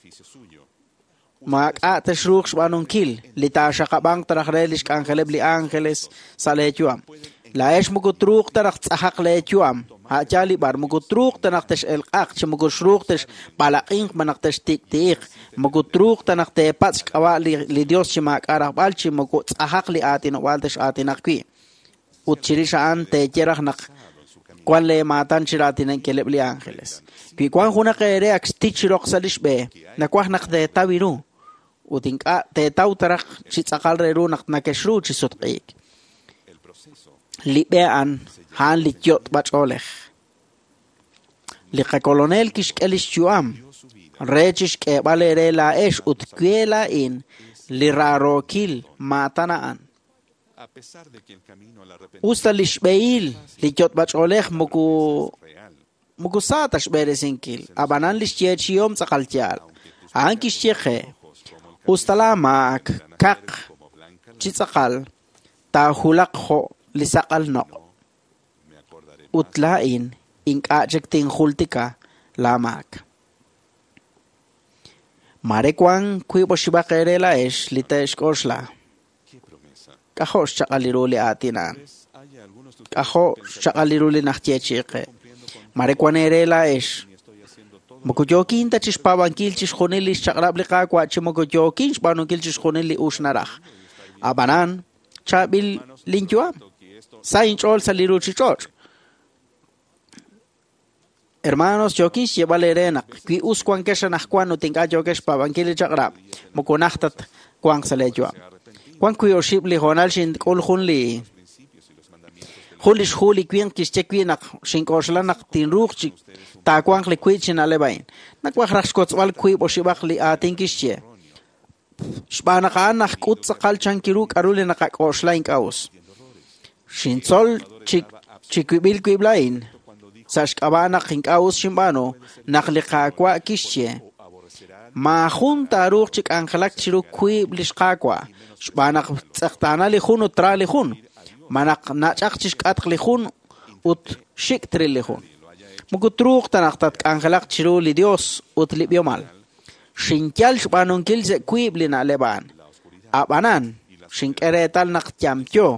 Maak'a' texruuq xb'aanunkil li taaxaqab'anq taraj re li xk'anjeleb' li ángeles sa' leeyu'am. Laa'ex moko truuq ta naq tz'ajaq leeyu'am. A' yaal li b'ar moko truuq ta naq tex'elq'aq chi moko xruuq texb'alaq'inq malaj textik'ti'iq. Moko truuq ta naq teepatz' xk'ab'a' li Dios chi maak'a' rajb'al chi moko tz'ajaq li aatinob'aal tex'aatinaq wi'. Ut chirix a'an teeye raj naq wan leemaatan chi raatinankileb' li ángeles. Wi wan junaq eere ak xtich roq sa' li xb'e, nawaj naq teetaw ru ut ink'a' teetaw taraj chi tz'aqal re ru naq nakexru chi sutq'iik. Li b'e a'an, a'an li yot'b'ach'oolej. Li qakolonel kixk'e li xyu'am re chi xk'eeb'al eere laa'ex ut we laa'in li raarookil maatan a'an. Usta li xb'ehil li yot'b'ach'oolej moko sa ta xb'eresinkil, ab'anan li xyeechihom tz'aqal yaal. A'an kixye qe, usta laamaak kaq chi tz'aqal taajulaq jo' li saqal noq'. Ut laa'in ink'a' chik tinjultika laamaak. Mare wan wiib' oxib'aq eere laa'ex li te'xk'oxla. K'ajo' xchaq'al ru li aatin a'an. K'ajo' xchaq'al ru li najyeechi'i qe. Mare wan eere laa'ex. Moko yookin ta chi xpaab'ankil chixjunil li xchaq'rab' li Qaawa' chi moko yookin xb'aanunkil chixjunil li ux naraj. Ab'anan, chaab'il linyu'am. Sa inch'ool sa' li ruuchich'och'. Hermanos, yookin xyeeb'al eere naq wi us wankex anaqwan ut ink'a' yookex xpaab'ankil li chaq'rab', moko najt tat wanq sa' leeyu'am. Wan wi' oxib' li hoonal xink'ul jun li xhu li winq kixye wi' naq xink'oxla naq tinruuq chi taawanq li wi' chi na'leb' a'in. Nawaj raj xkotzb'al wiib' oxib'aq li aatin kixye. Xb'aan naq a'an najk'ut tz'aqal chankiru k'aru li naqak'oxla ink'a' us. Xintzol chi wib'il wib' laa'in sa' xk'ab'a' naq ink'a' us xinb'aanu naq li Qaawa' kixye. Maajun taaruuq chi k'anjelak chiru wiib' li xQaawa' xb'aan naq tz'eqtaana li jun ut tra li jun, malaj nach'aq chi xk'atq li jun ut xik' tril li jun. Moko truuq ta naq tatk'anjelaq chiru li Dios ut li b'ihomal. Xinyal xb'aanunkil sa' wiib' li na'leb' a'an. Ab'anan, xink'e reetal naq yamyo,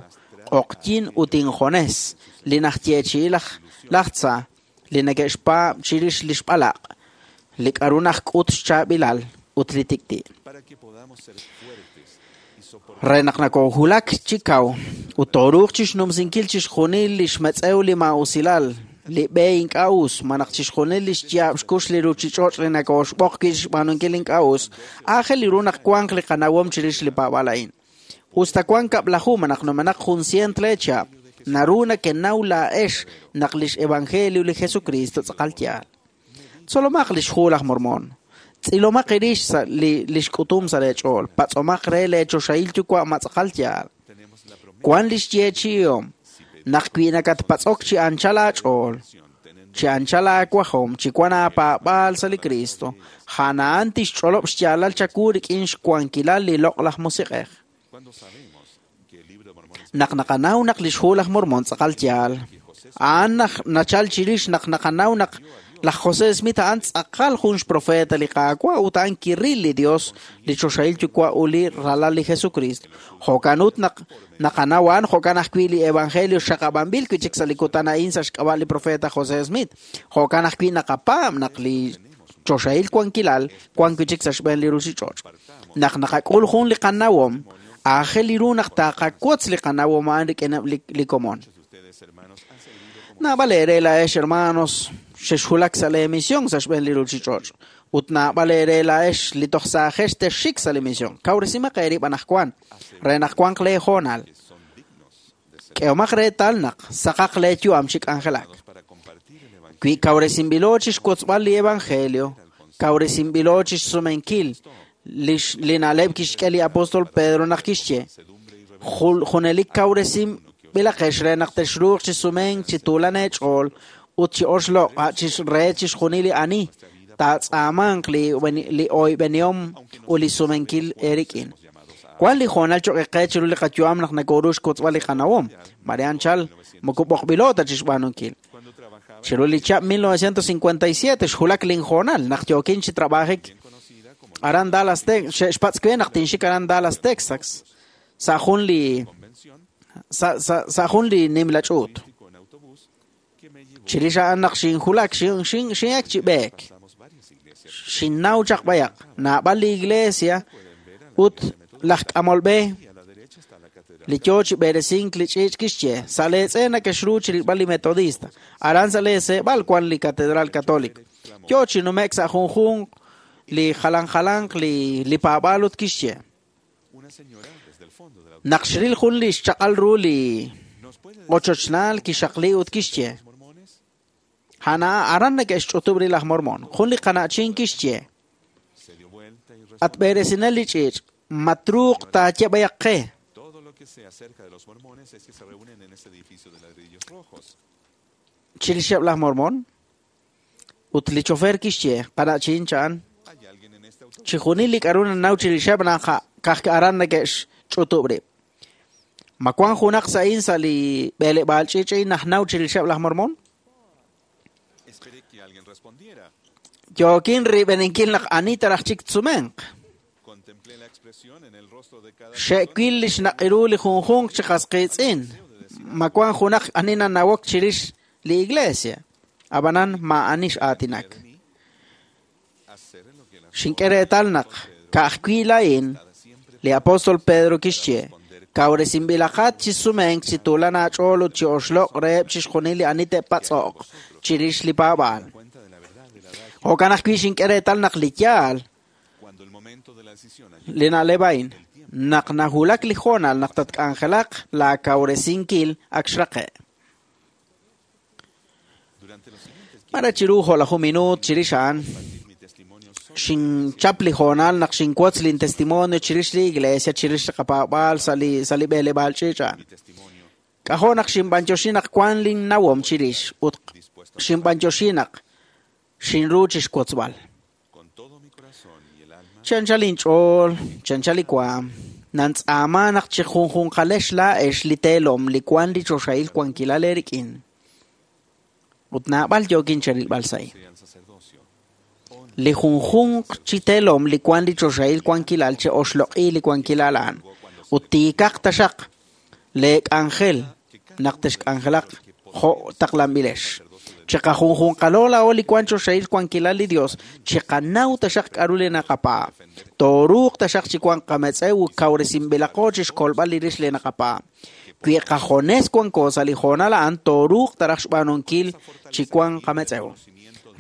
q'oqyin ut injones li najyeechi'i laj tza li neke'xpaab' chirix li xb'alaq', li k'aru najk'ut xchaab'ilal ut li tik'ti'. Re naq nakoohulak chi kaw ut tooruuq chixnumsinkil chixjunil li xmetz'ew li maa'usilal, li b'e ink'a' us, malaj chixjunil li xyaab' xkux li ruuchich'och' li nakooxb'oq wi' xb'aanunkil ink'a' us, aajel ru naq wanq li qanawom chirix li paab'aal a'in. Usta wank kab'laju malaj numenaq jun cient leechihab', naru nakenaw laa'ex naq lix evangelio li Jesucristo tz'aqal yaal. Tzolomaq lix Hu laj Mormon. Tz'ilomaq eerix sa' li xk'utum sa' leech'ool. Patz'omaq re leechoxahil yuwa' ma tz'aqal yaal. Wan lix yeechi'ihom naq wi nakatpatz'ok chi anchal aach'ool, chi anchal aawajom, chi wan aapaab'aal sa' li Kristo, a'an tixch'olob' xyaalal chawu rik'in xwankilal li loq'laj musiq'ej. Naq naqanaw naq lix Hu laj Mormon tz'aqal yaal, a'an nachal chirix naq naqanaw naq laj José Smith a'an tz'aqal jun xprofeta li Qaawa' ut a'an kiril li Dios, li choxahil yuwa' ut li ralal li Jesucristo. Jo'kan ut naq naqanaw a'an jo'kan ajwi' li Evangelio xaqab'anb'il wi' chik sa' li kutan a'in sa' xk'ab'a' li profeta José Smith. Jo'kan ajwi' naqapaab' naq li choxahil wankilal wan wi' chik sa' xb'een li ruuchich'och'. Naq naqak'ul jun li qanawom, aajel ru naq taqawotz li qanawom a'an rik'ineb' li komon. Naab'al eere laa'ex hermanos xexwulak sa' la misión sa' xb'een li ruuchich'och'. Ut naab'al eere laa'ex li toj saajex texxik sa' li misión. Kawresimaq eerib' anaqwan re naq wanq leehoonal. K'ehomaq reetal naq saqaq leeyu'am chi k'anjelak. Wi kawresinb'ilo chi xwotzb'al li Evangelio, kawresinb'ilo chi xsumenkil li na'leb' kixk'e li apóstol Pedro naq kixye. Junelik kawresinb'ilaqex re naq texruuq chi sumenk chi tuulan eech'ool ut chi oxloq' re chixjunil li ani taatz'aamanq li oyb'enihom ut li sumenkil eerik'in. Wan li hoonal cho'q qe chiru li qayu'am naq nakoru xkotzb'al li qanawom. Mare anchal moko b'oqb'ilo ta chixb'aanunkil. Chiru li chihab' 1957 xwulak linhoonal naq yookin chi trabajik aran Dallas, Texas, xpatz' we naq tinxik aran Dallas, Texas, sa' jun li sa' jun li nimla ch'uut. Chirix a'an naq xinwulak xin'ek chi b'eek. Xinnaw chaq b'ayaq naab'al li iglesia ut laj k'amol b'e li yoo chi b'eresink li ch'iich' kixye sa' leetz'e nakexru chi rilb'al li metodista aran sa' leeseeb'al wan li catedral católico. Yoo chi nume'k sa' junjunq li jalan jalanq li paab'aal ut kixye. Naq xril jun li xchaq'al ru li ochochnaal kixaqli ut kixye. Hana aran neke'xch'utub' ri laj Mormon. Jun li qana'chin kixye. At b'eresinel li ch'iich' matruuq taaye b'ayaq qe. Chirixeb' laj Mormon ut li chofer kixye qana'chin cha'an. Chijunil li k'a'ru nanaw chirixeb' naq ka'aj aran neke'xch'utub' rib'. Ma wan junaq sa'in sa' li b'eleb'aal ch'iich' a'in najnaw chirixeb' laj Mormon? Yookin rib'eninkil naq ani taraj chik tsumenq. Xe'wil li xnaq'iru li junjunq chi qas qiitz'in. Ma wan junaq ani nanawok chirix li iglesia. Ab'anan ma ani x'aatinak. Xink'e reetal naq ka'ajwi' laa'in li apóstol Pedro kixye kawresinb'ilaqat chi sumenk chi tuulan aach'ool ut chi oxloq' reheb' chixjunil li ani te'patz'oq chirix li paab'aal. Jo'kan ajwi' xink'e reetal naq li yaal li na'leb' a'in naq nawulak li hoonal naq tatk'anjelaq laakawresinkil ak xraqe'. Mare chiru jo'laju minuut chirix a'an xinchap li hoonal naq xinwotz lin testimonio chirix li iglesia chirix li qapaab'aal sa' li b'eleb'aal ch'iich' a'an. K'ajo' naq xinb'anyoxi naq wan linnawom chirix ut xinb'anyoxi naq xinru chixwotzb'al. Chanchal linch'ool, chanchal li waam, nantz'aama naq chi junjunqalex laa'ex li teelom li wan li choxahil wankilal eerik'in. Ut naab'al yookin cherilb'al sa'i. Li junjunq chi teelom li wan li choxahil wankilal che oxloq'i li wankilal a'an. Ut tiikaq taxaq leek'anjel naq texk'anjelaq jo' taqlanb'ilex. Chiqajunjunqalo laa'o li wan choxahil wankilal li Dios, chiqanaw taxaq k'a'ru li naqapaab'. Tooruuq taxaq chi wan qametz'ew ut kawresinb'ilaqo chixkolb'al li rix li naqapaab'. Wi qajones wanko sa' li hoonal a'an tooruuq taraj xb'aanunkil chi wan qametz'ew.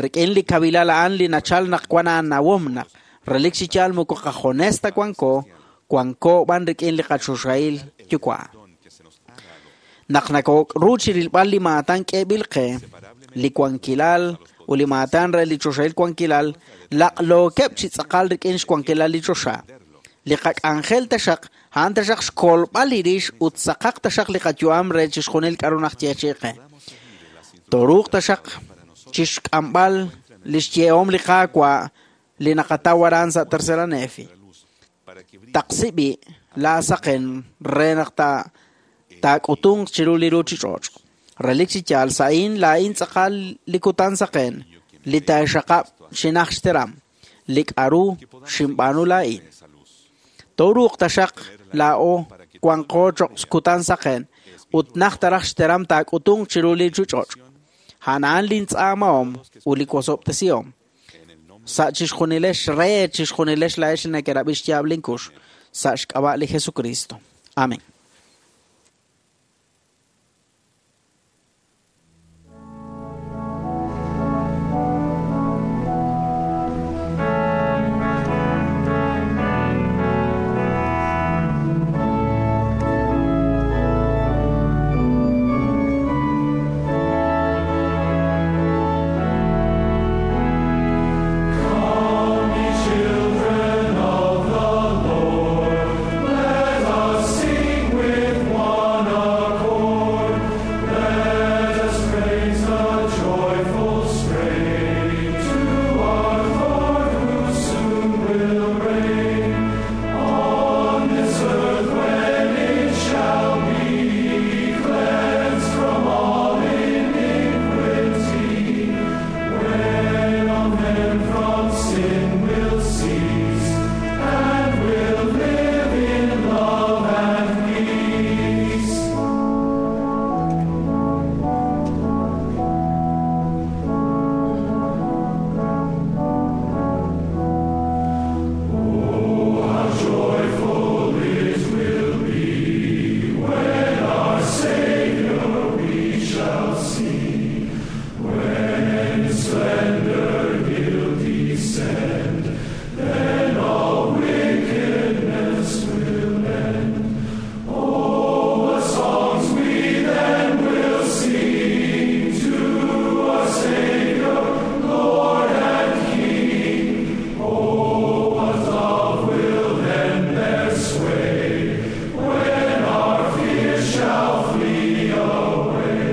Rik'in li kabilal a'an li nachal naq wan aanawom naq relik chi yaal moko qajones ta wanko, wanko b'an rik'in li qachoxahil yuwa'. Naq nakokru chi rilb'al li maatan k'eeb'il qe, li wankilal ut li maatan re li choxahil wankilal, laq'lookeb' chi tz'aqal rik'in xwankilal li choxa. Li qak'anjel taxaq, a'an taxaq xkolb'al li rix ut saqaq taxaq li qayu'am re chixjunil k'a'ru najyeechi'i qe. Toruuq taxaq chixk'amb'al li xyeehom li Qaawa' li naqataw aran sa' Tercera Nefi. Taqsi b'i' laa saqen re naq taak'utunq chiru li ruuchich'och'. Relik chi yaal sa'in laa'in tz'aqal li kutan saqen, li taaxaqab' xinaj xteram, li k'a'ru xinb'aanu laa'in. Toruuq taxaq laa'o wanqo choq' kutan saqen, ut naj taraj xteram taak'utunq chiru li ruuchich'och'. A'an lintz'aamahom ut li wosob'tesihom. Sa' chixjunilex re chixjunilex laa'ex li nekerab'i xyaab' linkux sa' xk'ab'a' li Jesucristo. Amén. Come, ye children of the Lord, let us sing with one accord. Let us raise a joyful strain to our Lord who soon will reign on this earth when it shall be cleansed from all iniquity. When all men from sin will cease and will live in love and peace. Oh, how joyful it will be when our Savior we shall see. When in splendor he'll descend, then all wickedness will end. Oh, what songs we then will sing to our Savior, Lord and King. Oh, what love will then bear sway when our fears shall flee away.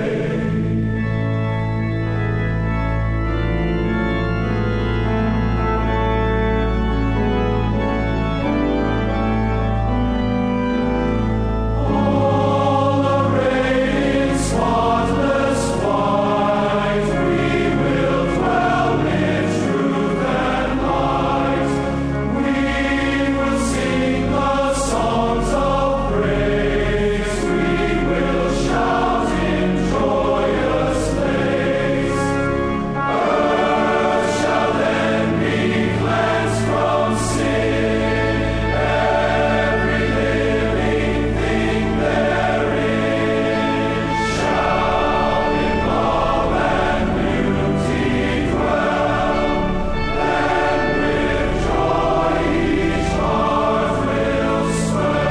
All arrayed in spotless white, we will dwell in truth and light. We will sing the songs of praise. We will shout in joyous lays. Earth shall then be cleansed from sin. Every living thing therein shall in love and beauty dwell. Then with joy each heart will swell.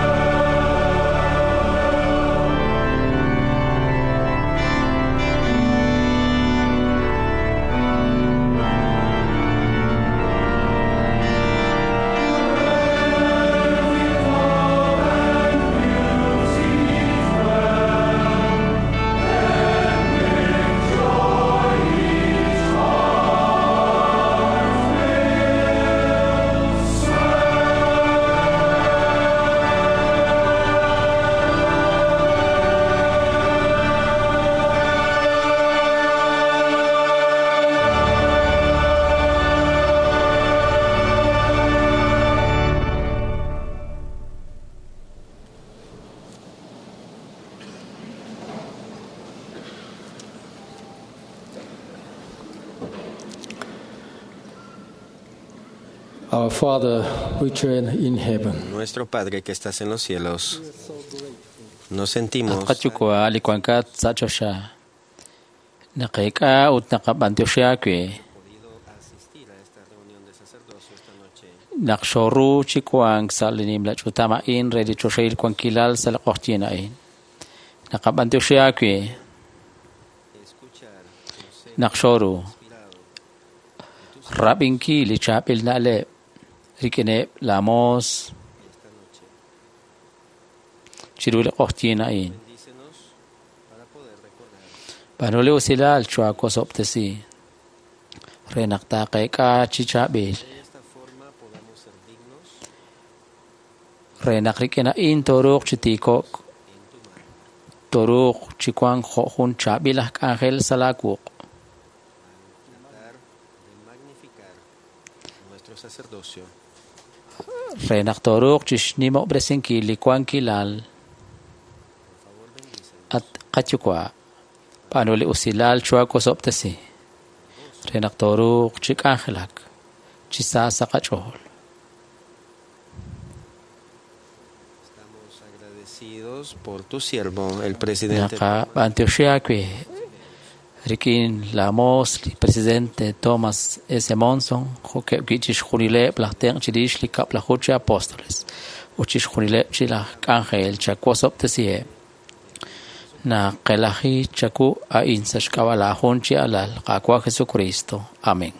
Our Father, which art in heaven, Nuestro Padre que estás en los cielos, nos sentimos At qayuwa' li wankat sa' choxa. Naqeek'a ut naqab'antioxi aawe. Naq xooru chi wank sa' li nimla ch'utam a'in re li choxahil wankilal sa' li q'oqyink a'in. Naqab'antioxi aawe naq xooru rab'inkil li chaab'il na'leb' rik'ineb' laa moos chiru li q'oqyink a'in. B'aanu li usilal choohawosob'tesi re naq taaqeek'a chi chaab'il re naq rik'in a'in tooruuq chi tiiko'k, tooruuq chi wank jo' jun chaab'il aj k'anjel sa' laa wuq'. Nuestro sacerdocio. Re naq tooruuq chixnimob'resinkil li wankilal at qayuwa', b'aanu li usilal choohawosob'tesi re naq tooruuq chi k'anjelak chi sa sa' qach'ool. Estamos agradecidos por tu siervo, el presidente. Naqab'antioxi aawe rik'in laa moos li presidente Thomas S. Monson, jo'keb' wi' chixjunileb' laj tenq' chirix li kab'laju chi apóstoles ut chixjunileb' chi laj k'anjel chawosob'tesiheb'. Naqelaji chawu a'in sa' xk'ab'a' laa jun chi alal, Qaawa' Jesucristo. Amén.